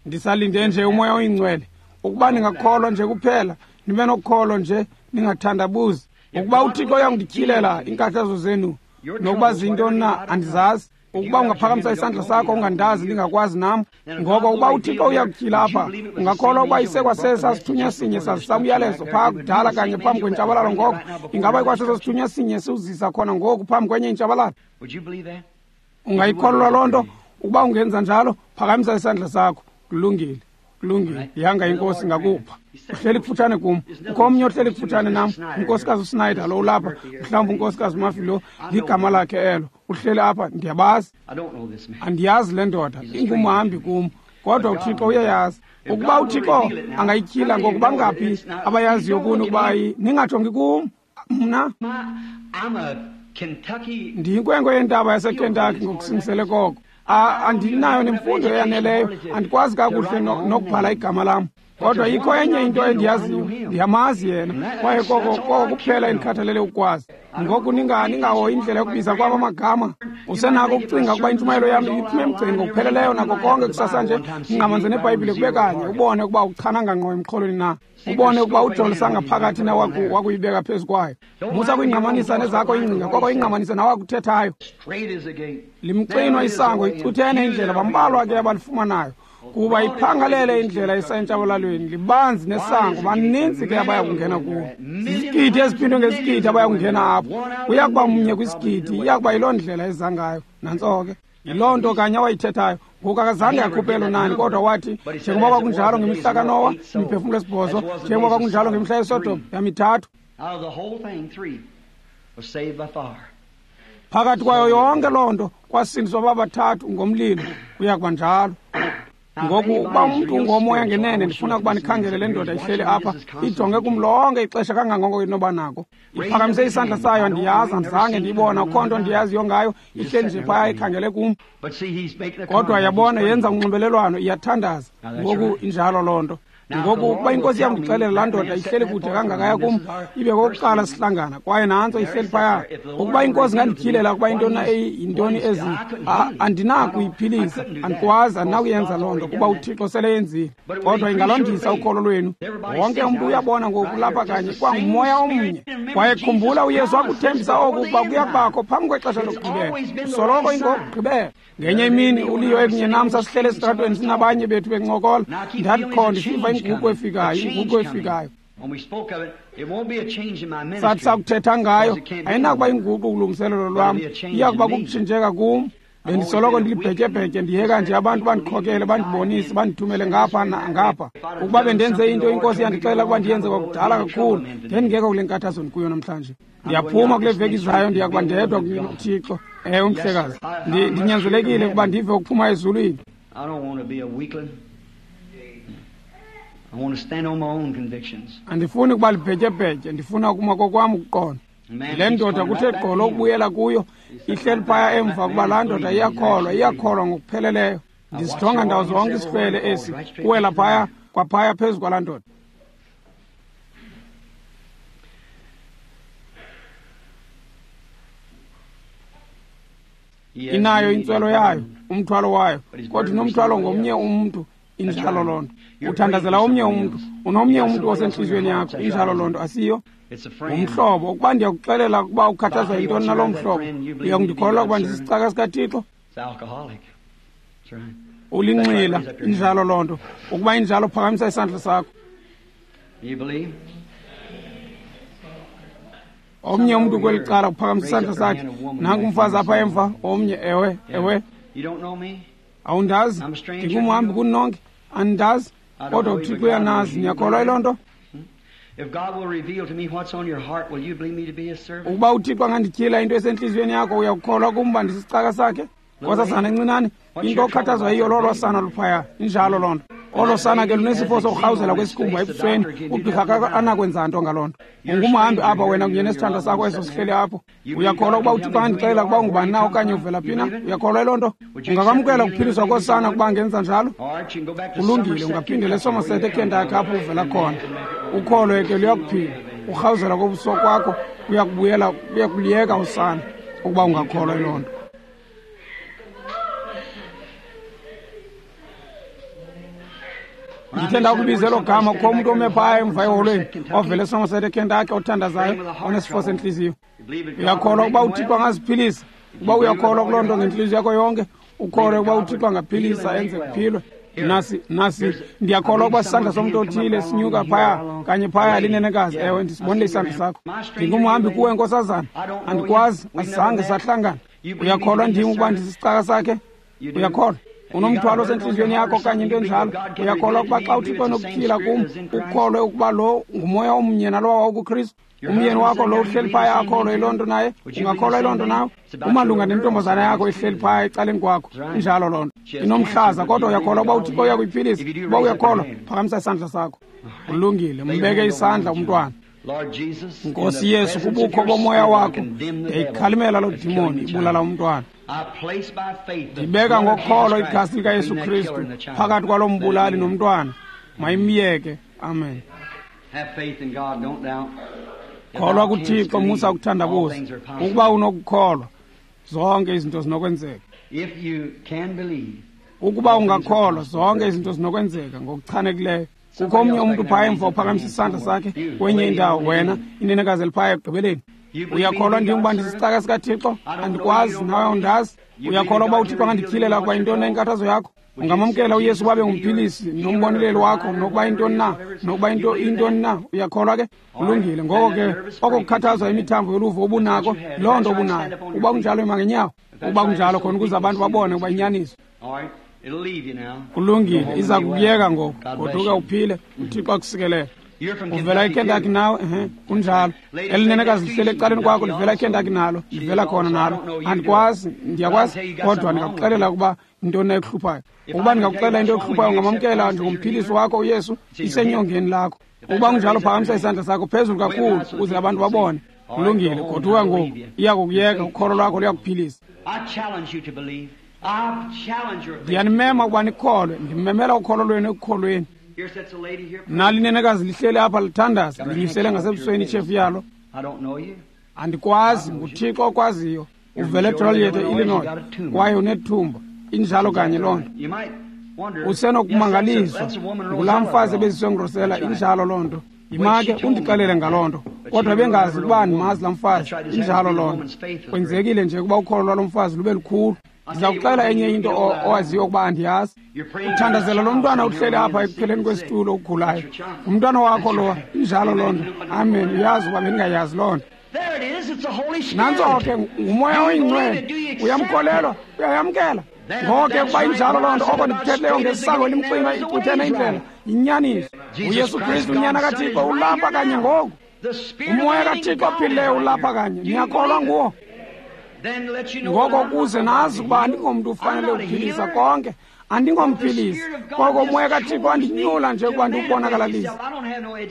Speaker 1: Ndisalinde nje umoya oyingcwele. Ukuba ningakholwa nje kuphela, nibe nokholo nje, ningathandabuzi. Ukuba uThixo uyandityhilela iinkathazo zenu, nokuba zintoni na, andizazi. Ukuba ungaphakamisa isandla sakho ungandazi, ndingakwazi nam. Ngoko ukuba uThixo uyakutyhila apha, ungakholwa ukuba isekwasesa sithunywa sinye sazisa umyalezo phaa kudala kanye phambi kwentshabalalo ngoko, ingaba ikwaseso sithunywa sinye siwuzisa khona ngoku phambi kwenye intshabalalo?
Speaker 2: Would you believe that?
Speaker 1: Ungayikholelwa loo nto? Ukuba ungenza njalo, phakamisa isandla sakho. Kulungile. Kulungile, yanga inkosi ngakupha. Uhleli kufutshane kum. Ukho omnye ohleli kufutshane nam, unkosikazi uSnyder lo ulapha, mhlawumbi unkosikazi Murphy lo, ligama lakhe elo. Uhleli apha, ndiyabazi. Andiyazi le ndoda, ingumhambi kum. Kodwa uThixo uyayazi. Ukuba uThixo angayityhila ngoku, bangaphi abayaziyo kuni ukuba ningajongi kum mna? Ndiyinkwenkwe yentaba yaseKentucky ngokusingisele koko. Andinayo nemfundo eyaneleyo, andikwazi kakuhle nokubhala igama lam. Kodwa ikho enye into endiyaziyo, ndiyamazi yena, kwaye koko koko kuphela endikhathalele ukwazi. Ngoku ningahoyi indlela yokubiza kwam amagama. Usenako ukucinga ukuba intshumayelo yam iphume emgceni ngokupheleleyo nako konke kusasa nje, ngqamanze neBhayibhile kube kanye, ubone ukuba uchananga ngqo emxholweni na, ubone ukuba ujolisa ngaphakathi na wakuyibeka phezu kwayo. Musa kuyingqamanisa nezakho ingcinga, koko ingqamanise nawakuthethayo. Limxinwa isango, icuthene indlela, bambalwa ke abalifumanayo. Kuba iphangalele indlela esentshabalalweni, libanzi nesango, baninzi ke abaya kungena kuwo. Zizigidi eziphindwe ngezigidi abaya kungena apho. Kuya kuba mnye kwisigidi, iya kuba yiloo ndlela eza ngayo. Nantso ke, yiloo nto kanye awayithethayo. Ngoku akazange akhuphe elo nani, kodwa wathi njengoba kwakunjalo ngemihla kaNowa, imiphefumlo esibhozo, njengoba kwakunjalo ngemihla yeSodom, yamithathu. Phakathi kwayo yonke loo nto kwasindiswa babathathu ngomlilo. Kuya kuba njalo. Ngoku ukuba umntu ungomoya ngenene, ndifuna ukuba nikhangele le ndoda ihleli apha, ijonge kum lonke ixesha kangangoko inoba nako. Iphakamise isandla sayo, andiyazi, andizange ndiyibona, akho nto ndiyaziyo ngayo, ihleli nje phaya ikhangele kum. Kodwa yabona, yenza unxibelelwano, iyathandaza. Ngoku injalo loo nto. Ngoku ukuba inkosi yam ndixelela laa ndoda ihleli kude kangakaya kum, ibe kokuqala sihlangana, kwaye nantso ihleli phaya. Ukuba inkosi ingandityhilela ukuba intoni yintoni ezi, andinakuyiphilisa, andikwazi, andinakuyenza loo nto, kuba uThixo sele yenzile. Kodwa ingalondisa ukholo lwenu. Wonke umntu uyabona ngoku lapha kanye kwangumoya omnye. Kwaye khumbula, uYesu wakuthembisa oku ukuba kuya kubakho phambi kwexesha lokugqibela. Soloko ingokugqibela. Ngenye imini uLeo ekunye nam sasihlele esitratweni sinabanye bethu bencokola. Ndathi ndisiva inguqu efikayo, inguqu efikayo. Sathi sakuthetha ngayo, ayinakuba inguqu kulungiselelo lwam, iya kuba kukutshintsheka kum. Bendisoloko ndilibhetyebhetye, ndiyeka nje abantu bandikhokele, bandibonise, bandithumele ngapha nangapha. Ukuba bendenze into inkosi yandixelela ukuba ndiyenze kwakudala kakhulu, ndendingekho kule nkathazo ndikuyo namhlanje. Ndiyaphuma kule veki izayo, ndiya kuba ndedwa kuThixo. Ewe, mhlekazi, ndinyanzelekile ukuba ndive ukuphuma ezulwini. Andifuni ukuba libhetyebhetye, ndifuna ukuma kokwam ukuqonda. Le ndoda kuthe gqolo ukubuyela kuyo, ihleli phaya emva kuba laa ndoda iyakholwa, iyakholwa ngokupheleleyo. Ndisijonga ndawo zonke isihlwele esi, kuwela phaya kwaphaya phezu kwalaa ndoda. Inayo intswelo yayo, umthwalo wayo, kodwa inomthwalo ngomnye umntu. Injalo loo nto. Uthandazela omnye umntu, unomnye umntu osentliziyweni yakho. Injalo loo nto, asiyo? Ngumhlobo. Ukuba ndiyakuxelela ukuba ukhathazwa yintoni naloo mhlobo, uyakundikholelwa ukuba ndisisicaka sikaThixo? Ulinxila. Injalo loo nto. Ukuba injalo, phakamisa isandla sakho. Omnye umntu kweli cala uphakamisa isandla sakhe. Nanku umfazi apha emva, omnye. Ewe, ewe. Awundazi, ndingumhambi kuni nonke, andindazi, kodwa uThixo uyanazi. Niyakholwa yiloo nto? Ukuba uThixo angandityhila into esentliziyweni yakho, uyakukholwa kum uba ndisisicaka sakhe? Nkosazana encinane, into okhathazwa yiyo lolo sana luphaya. Injalo loo nto. Olo sana ke lunesifo sokurhawuzela kwesikhumba ebusweni, ugqirha anakwenza nto ngaloo nto. Ungumhambi apha wena kunye nesithandwa sakho eso sihleli apho. Uyakholwa ukuba uThixo andixelela ukuba ungubani na okanye uvela phi na? Uyakholwa yiloo nto? Ungakwamkela ukuphiliswa kosana ukuba angenza njalo? Kulungile, ungaphindela eSomerset eKentucky apho uvela khona. Ukholo ke luyakuphila. Urhawuzela kobuso kwakho kuyakubuyela, kuyakuliyeka usana ukuba ungakholwa yiloo nto. Ndithe ndakubiza elo gama, kukho umntu ome phaya emva eholweni ovela eSomerset eKentucky othandazayo onesifo sentliziyo. Uyakholwa ukuba uThixo angaziphilisa? Ukuba uyakholwa kuloo nto ngentliziyo yakho yonke, ukholwe ukuba uThixo angaphilisa enze kuphilwe. Nasi, nasi, ndiyakholwa ukuba sisandla somntu othile sinyuka phaya kanye phaya linenekazi. Ewe, ndisibonile isandla sakho. Ndingumhambi kuwe, nkosazana, andikwazi, asizange sahlangana. Uyakholwa ndim ukuba ndisisicaka sakhe? Uyakholwa? Unomthwalo osentliziyweni yakho okanye into enjalo. Uyakholwa ukuba xa uThixo enokutyhila kum, ukholwe ukuba lo ngumoya omnye nalowa wawukuKristu? Umyeni wakho lo uhleli phaya akholwe yiloo nto naye? Ungakholwa yiloo nto nawe? Umalunga nentombazana yakho ihleli phaya ecaleni kwakho. Injalo loo nto. Inomhlaza, kodwa uyakholwa ukuba uThixo uyakuyiphilisa? Uba uyakholwa, phakamisa isandla sakho. Kulungile, mbeke isandla umntwana. Nkosi Yesu, kubukho bomoya wakho, ndiyayikhalimela loo dimoni ibulala umntwana. Ndibeka ngokholo igazi likaYesu Kristu phakathi kwalo mbulali nomntwana. Mayimyeke. Amen. Kholwa kuThixo, musa ukuthandabuza. Ukuba unokukholwa, zonke izinto zinokwenzeka. Ukuba ungakholwa, zonke izinto zinokwenzeka ngokuchanekileyo. Kukho omnye umntu phaya emva uphakamisa isandla sakhe kwenye indawo, wena inenekazi eliphaya ekugqibeleni. Uyakholwa ndim uba ndisicaka sikaThixo? Andikwazi, nawe awundazi. Uyakholwa uba uThixo angandityhilela ukuba yintoni na inkathazo yakho? Ungamamkela uYesu babe ngumphilisi nomboneleli wakho, nokuba yintoni na, nokuba into intoni na? Uyakholwa ke? Kulungile. Ngoko ke oko kukhathazwa imithambo yoluvo obunako, loo nto obunayo. Uba kunjalo, ima ngenyawo. Uba kunjalo, khona ukuze abantu babone ukuba inyaniso. Kulungile, iza kukuyeka ngoku. Goduka uphile, uThixo akusikelele. Uvela eKentucky nawe? Ehe, kunjalo. Elinenekazi lihleli ecaleni kwakho, livela eKentucky nalo, livela khona nalo. Andikwazi, ndiyakwazi, kodwa ndingakuxelela ukuba intoni na ekuhluphayo. Ukuba ndingakuxelela into ekuhluphayo, ungamamkela njengomphilisi wakho uYesu, isenyongeni lakho. Ukuba kunjalo, phakamisa isandla sakho phezulu kakhulu ukuze abantu babone. Kulungile, goduka ngoku, iya kukuyeka, ukholo lwakho luyakuphilisa. Ndiyanimema ukuba nikholwe, ndimemela ukholo lwenu ekukholweni. Nalinenekazi lihleli apha lithandaza, linyusele ngasebusweni itshefu yalo. Andikwazi, nguThixo okwaziyo. Uvele eJoliet, eIllinois, kwaye unethumba. Injalo kanye loo nto. Usenokumangaliswa ngulaa mfazi ebeziswe nguRosella. Injalo loo nto. Yima ke undixelele ngaloo nto, kodwa bengazi ukuba andimazi laa mfazi. Injalo loo nto. Kwenzekile nje ukuba ukholo lwalo mfazi lube lukhulu. Ndiza kuxela enye into owaziyo ukuba andiyazi. Uthandazela lo mntwana uhleli apha ekupheleni kwesitulo ugulayo. Ngumntwana wakho lowa. Injalo loo nto. Amen. Uyazi ukuba bendingayazi loo nto. Nantso ke, ngumoya oyingcwele. Uyamkholelwa? Uyayamkela? Ngoko ke ukuba injalo loo nto, oko ndikuthethileyo ngesango elimxinwa icuthene indlela, yinyaniso. UYesu Kristu unyana kaThixo ulapha kanye ngoku. Umoya kaThixo ophilileyo ulapha kanye. Niyakholwa nguwo? Ngoko kuze nazi ukuba andingomntu ufanele ukuphilisa konke, andingomphilisi. Koko umoya kaThixo andinyula nje ukuba ndiwubonakalise.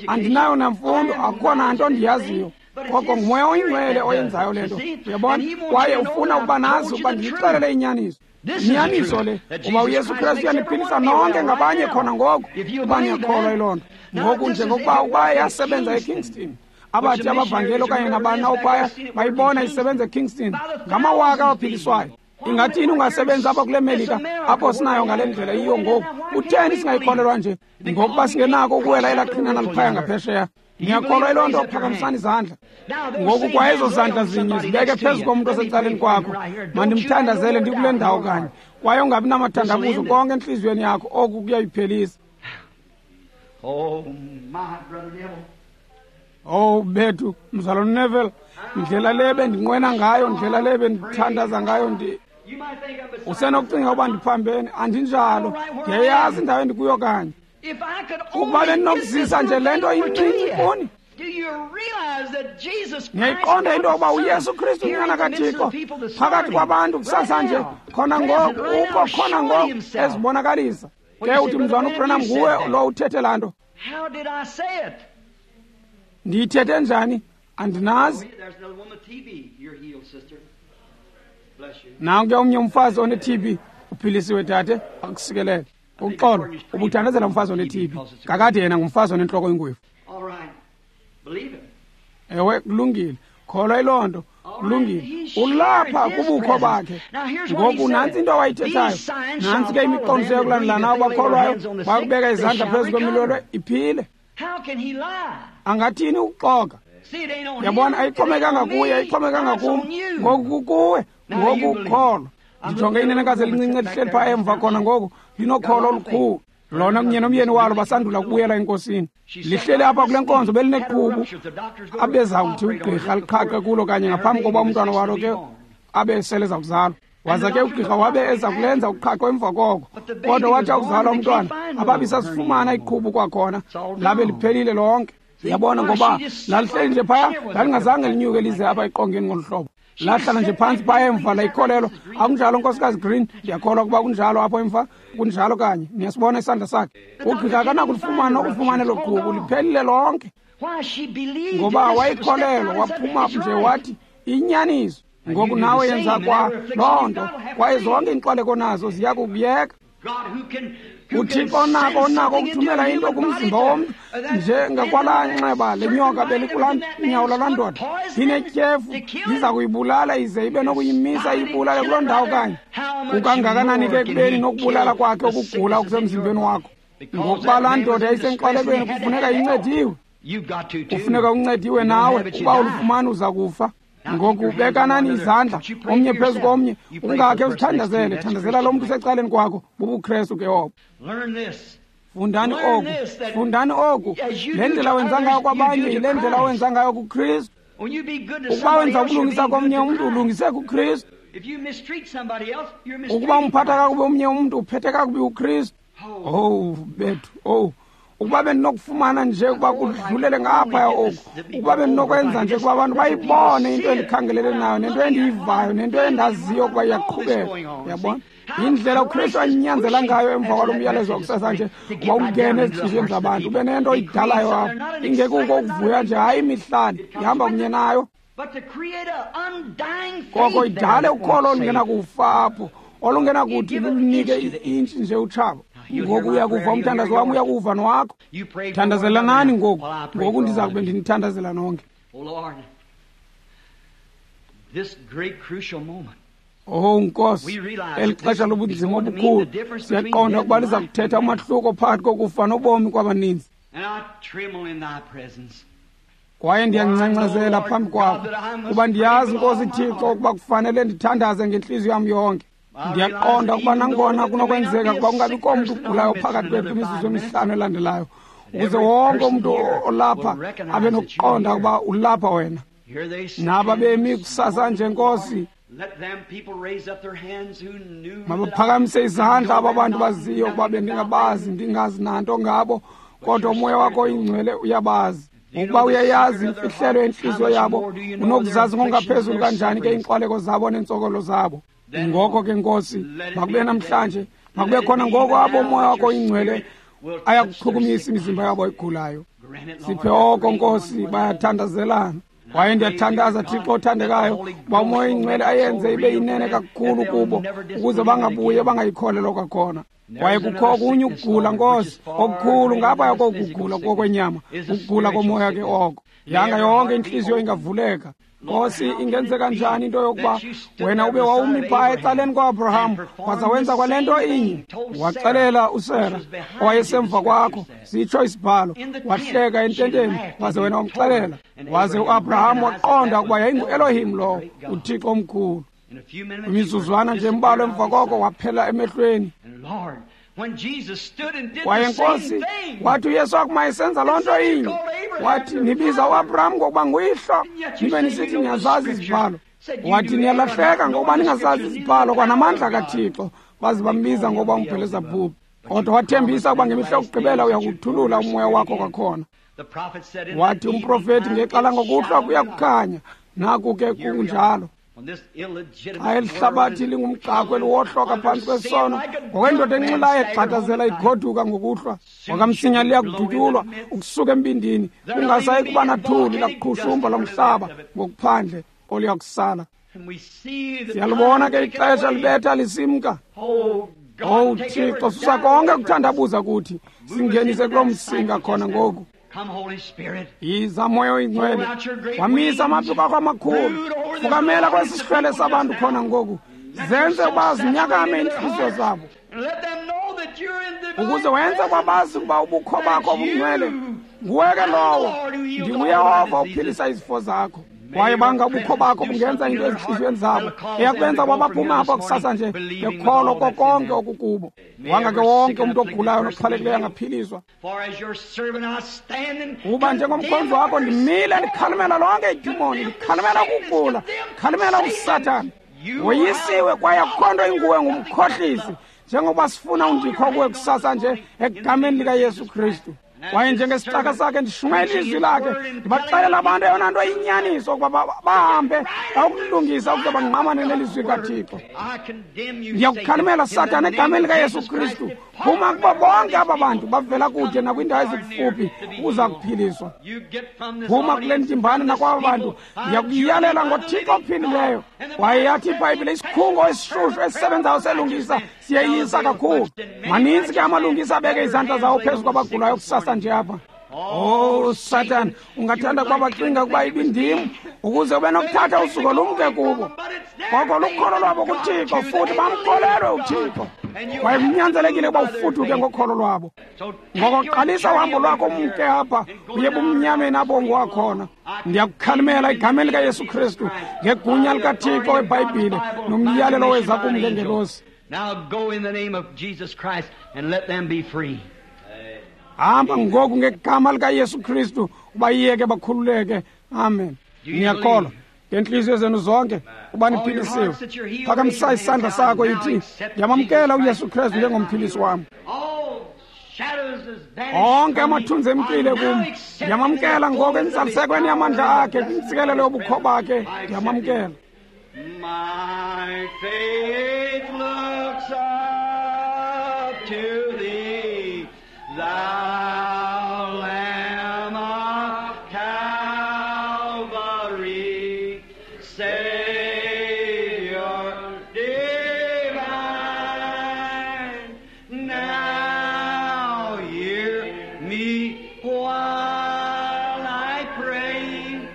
Speaker 1: Andinayo namfundo, akukho nanto ndiyaziyo. Koko ngumoya oyingcwele oyenzayo le nto, uyabona? Kwaye ufuna ukuba nazi ukuba ndiyixelele inyaniso. Inyaniso le, uba uYesu Kristu uyaniphilisa nonke ngabanye khona ngoku, uba niyakholwa yiloo nto. Ngoku njengokuba ukuba yasebenza eKingston, abathi abavangeli okanye nabani na uphaya bayibona isebenza eKingston, ngamawaka abaphiliswayo. Ingathini ungasebenzi apha kule Melika apho sinayo ngale ndlela iyiyo ngoku? Kutheni singayikholelwa nje? Ngokuba singenako ukuwela elaa qhinana liphaya ngaphesheya. Niyakholwa yiloo nto? Phakamisani izandla. Ngoku kwa ezo zandla zinye zibeke phezu komntu osecaleni kwakho. Mandimthandazele ndikule ndawo kanye. Kwaye ungabi namathandabuzo konke entliziyweni yakho, oku kuyayiphelisa. Oh bethu, mzalwane Neville, ndlela le bendinqwena ngayo, ndlela le bendithandaza ngayo, ndi usenokucinga ukuba ndiphambene. Andinjalo. Ndiyayazi indawo endikuyo kanye. Ukuba bendinokuzisa nje le nto incinci kuni. Niyayiqonda into yokuba uYesu Kristu unyana kaThixo phakathi kwabantu kusasa nje, khona ngoku, ukho khona ngoku ezibonakalisa. Ke uthi, mzalwane uBranham, nguwe lo uthethe laa nto. Ndiyithethe njani? Andinazi. Nanku ke omnye umfazi one-T B, uphilisiwe dade, akusikelele. Uxolo, ubuthandazela umfazi one-T B. Kakade yena ngumfazi onentloko engwevu. Ewe, kulungile. Kholwa yiloo nto. Kulungile. Ulapha kubukho bakhe. Ngoku nantsi into awayithethayo. Nantsi ke imiqondiso yokulandelana abakholwayo, bakubeka izandla phezu kwemilolo iphile. Angathini ukuxoka? Yabona, ayixhomekanga kuye, ayixhomekanga kum. Ngoku kukuwe, ngoku ukholwa. Ndijonge inenekazi elincinci elihleli phaa emva khona ngoku, linokholo olukhulu. Lona kunye nomyeni walo basandula ukubuyela enkosini. Lihleli apha kule nkonzo belineqhubu abeza kuthi ugqirha liqhaqhe kulo kanye ngaphambi kokuba umntwana walo ke abe sele eza kuzalwa. Waza ke ugqirha wabe eza kulenza uqhaqho emva koko, kodwa wathi akuzalwa umntwana ababi sasifumana iqhubu kwakhona, labe liphelile lonke. Yabona, ngoba lalihleli nje phaya, lalingazange linyuke lize apha eqongeni ngolu hlobo. Lahlala nje phantsi phaya emva layikholelwa. Akunjalo, Nkosikazi Green? Ndiyakholwa ukuba kunjalo apho emva. Kunjalo kanye. Niyasibona isandla sakhe. Ugqirha akanakulifumana nokulifumana elo qhubu, liphelile lonke. Ngoba wayikholelwa, waphuma nje wathi inyaniso. Ngoku nawe yenza kwa loo nto, kwaye zonke iinxwaleko nazo ziya kukuyeka. UThixo onako onako ukuthumela into kumzimba womntu njengakwalaa nxeba lenyoka belikulaa nyawo lalaa ndoda inetyhefu, iza kuyibulala ize ibe nokuyimisa iyibulale kuloo ndawo kanye. Kukangakanani ke ekubeni nokubulala kwakhe ukugula okusemzimbeni wakho? Ngokuba laa ndoda yayisenkxwalekweni, kufuneka incediwe. Kufuneka uncediwe nawe, uba ulufumana uza kufa. Ngoku bekanani izandla omnye phezu komnye, ungakhe uzithandazele. Thandazela lo mntu usecaleni kwakho, bubuKrestu ke obo. Fundani oku, fundani oku. Le ndlela wenza ngayo kwabanye yile ndlela wenza ngayo kuKristu. Ukuba wenza ubulungisa komnye umntu, ulungise kuKristu. Ukuba umphatha kakubi omnye umntu, uphethe kakubi uKristu. Owu bethu, owu. Ukuba bendinokufumana nje ukuba kudlulele ngaphaya oku, ukuba bendinokwenza nje ukuba abantu bayibone into endikhangelele nayo nento endiyivayo nento endaziyo ukuba iyaqhubeka. Uyabona indlela uKristu anyanzela ngayo emva kwalo myalezo wakusasa nje uba ungene ezintliziyweni zabantu, ube nento oyidalayo apho, ingekuko ukuvuya nje, hayi imihlali ihamba kunye nayo, koko idale ukholo olungenakufa apho, olungenakuthi lulunike i-intshi nje utshaba. Ngoku uyakuva umthandazo wam, uyakuva nowakho. Thandazelanani ngoku. Ngoku ndiza kube ndinithandazela nonke. Oh Nkosi, eli xesha lobunzima obukhulu, siyaqonda ukuba liza kuthetha umahluko phakathi kokufa nobomi kwabaninzi. Kwaye ndiyangcangcazela phambi kwakho, kuba ndiyazi, Nkosi Thixo, ukuba kufanele ndithandaze ngentliziyo yam yonke. Ndiyaqonda ukuba nangona kunokwenzeka ukuba kungabikho mntu ugulayo phakathi kwethu kwimizuzu emihlanu elandelayo, ukuze wonke umntu olapha abe nokuqonda ukuba ulapha wena. Naba bemi kusasa nje, Nkosi, mabaphakamise izandla aba bantu baziyo ukuba bendingabazi, ndingazi nanto ngabo, kodwa umoya wakho oyingcwele uyabazi. Ngokuba uyayazi imfihlelo yentliziyo yabo, unokuzazi ngokungaphezulu kanjani ke iinxwaleko zabo neentsokolo zabo. Ngoko ke Nkosi, makube namhlanje, makube khona ngoko abo umoya wakho oyingcwele ayakuchukumisa imizimba yabo egulayo. Siphe oko, Nkosi, bayathandazelana. Kwaye ndiyathandaza, Thixo othandekayo, uba umoya oyingcwele ayenze ibe yinene kakhulu kubo, ukuze bangabuye bangayikholelwa kwakhona. Kwaye kukho okunye ukugula, Nkosi, okukhulu ngaphaya kokugula kokwenyama, ukugula komoya ke oko. Yanga yonke intliziyo ingavuleka. Nkosi, ingenzeka njani into yokuba wena ube wawumi phaa ecaleni kwa-Abraham, waza wenza kwale nto inye? Waxelela uSara owayesemva kwakho, sitsho isibhalo, wahleka ententeni, waze wena wamxelela. Waze uAbraham waqonda ukuba yayinguElohim lowo, uThixo omkhulu. Imizuzwana nje embalwa emva koko waphela emehlweni. Kwaye Nkosi, wathi uYesu akuma esenza loo nto inye, wathi nibiza uAbraham ngokuba nguyihlo, nibe nisithi niyazazi izibhalo. Wathi niyalahleka ngokuba ningazazi izibhalo kwanamandla kaThixo, baze bambiza ngokuba umbhelezabhubhu. Kodwa wathembisa ukuba ngemihla yokugqibela uyakuthulula umoya wakho kwakhona. Wathi umprofethi ngexa ngokuhlwa kuya kukhanya, naku ke kunjalo. Xa eli hlabathi lingumxhako eliwohloka phantsi kwesono, ngokwendoda enxilayo egxadazela igoduka ngokuhlwa, wakamsinya liya kudutyulwa ukusuka embindini, kungasayi kuba nathuli lakuqhushumba lomhlaba ngokuphandle oluya kusala. Siyalibona ke ixesha libetha lisimka. Owu Thixo, susa konke ukuthandabuza kuthi, singenise kuloo msinga khona ngoku. Yiza moya oyingcwele, wamisa amaphiko akho amakhulu, fukamela kwesi sihlwele sabantu khona ngoku, zenze uba zinyakame iintliziyo zabo, ukuze wenze kwabazi ukuba ubukho bakho obungcwele nguwe ke lowo. NdinguYehova uphilisa izifo zakho. Kwaye banga ubukho bakho bungenza into ezintliziyweni zabo eyakubenza uba baphume apha kusasa nje bekholwa kokonke okukubo. Wanga ke wonke umntu ogulayo noxhwalekileyo angaphiliswa. Kuba njengomkhonzi wakho ndimile ndikhalimela lonke idimoni, ndikhalimela ukugula, ndikhalimela uSathana. Woyisiwe kwaye akukho nto inguwe, ngumkhohlisi, njengoba sifuna undikho kuwe kusasa nje egameni likaYesu Kristu. Kwaye njengesicaka sakhe ndishumayela ilizwi lakhe, ndibaxelela abantu eyona nto iyinyaniso ukuba bahambe bayokulungisa ukuze bangqamane nelizwi likaThixo. Ndiyakukhalimela, Sathana, egameni likaYesu Kristu, phuma kubo bonke aba bantu bavela kude nakwiindawo ezikufuphi ukuza kuphiliswa. Phuma kule ntimbano nakwaba bantu, ndiyakuyalela ngoThixo ophilileyo. Kwaye yathi iBhayibhile, isikhungo esishushu esisebenzayo selungisa siyeyisa kakhulu. Maninzi ke amalungisa abeke izandla zawo phezu kwabagulayo kusasa nje apha. Oh, Satan, ungathanda ukuba bacinga ukuba ibindim ukuze ube nokuthatha usuko lumke kubo. Koko lukholo lwabo kuThixo, futhi bamkholelwe uThixo. Kwaye kunyanzelekile ukuba ufuduke ngokholo lwabo. Ngoko qalisa uhambo lwakho umke apha, uye bumnyameni apho ungowakhona. Ndiyakukhalimela egameni likaYesu Kristu, ngegunya likaThixo weBhayibhile nomyalelo weza kum ngengelosi.
Speaker 2: Now go in the name of Jesus Christ and let them be free.
Speaker 1: Hamba ngoku ngegama likaYesu Kristu, ubayeke bakhululeke. Amen. Niyakholwa ngentliziyo zenu zonke uba niphilisiwe. Phakamisa isandla sakho ithi, ndiyamamkela uYesu Kristu njengomphilisi wam. Onke amathunzi emkile kum, ndiyamamkela ngoku enzalisekweni yamandla akhe, kwintsikelelo yobukho bakhe, ndiyamamkela.
Speaker 2: My faith looks up to thee, thou Lamb of Calvary, Savior divine. Now hear me while I pray.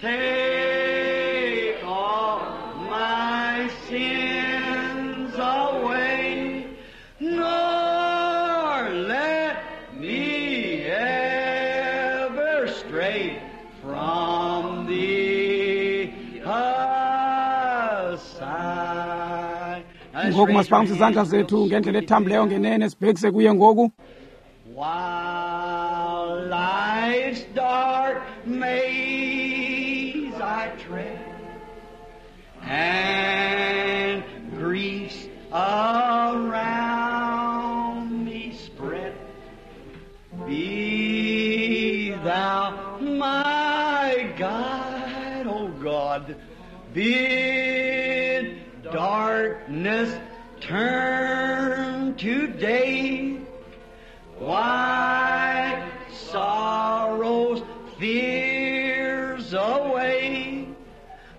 Speaker 2: Take all my sins away, nor let me ever stray from thee aside.
Speaker 1: Ngoku masiphakamise izandla zethu ngendlela ethambileyo ngenene, sibhekise kuye ngoku.
Speaker 2: While life's dark maze I tread, and griefs around me spread, be thou my guide, O God. Bid darkness turn to day, wipe sorrows, fears away,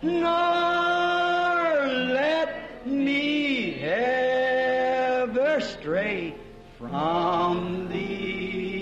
Speaker 2: nor let me ever stray from thee.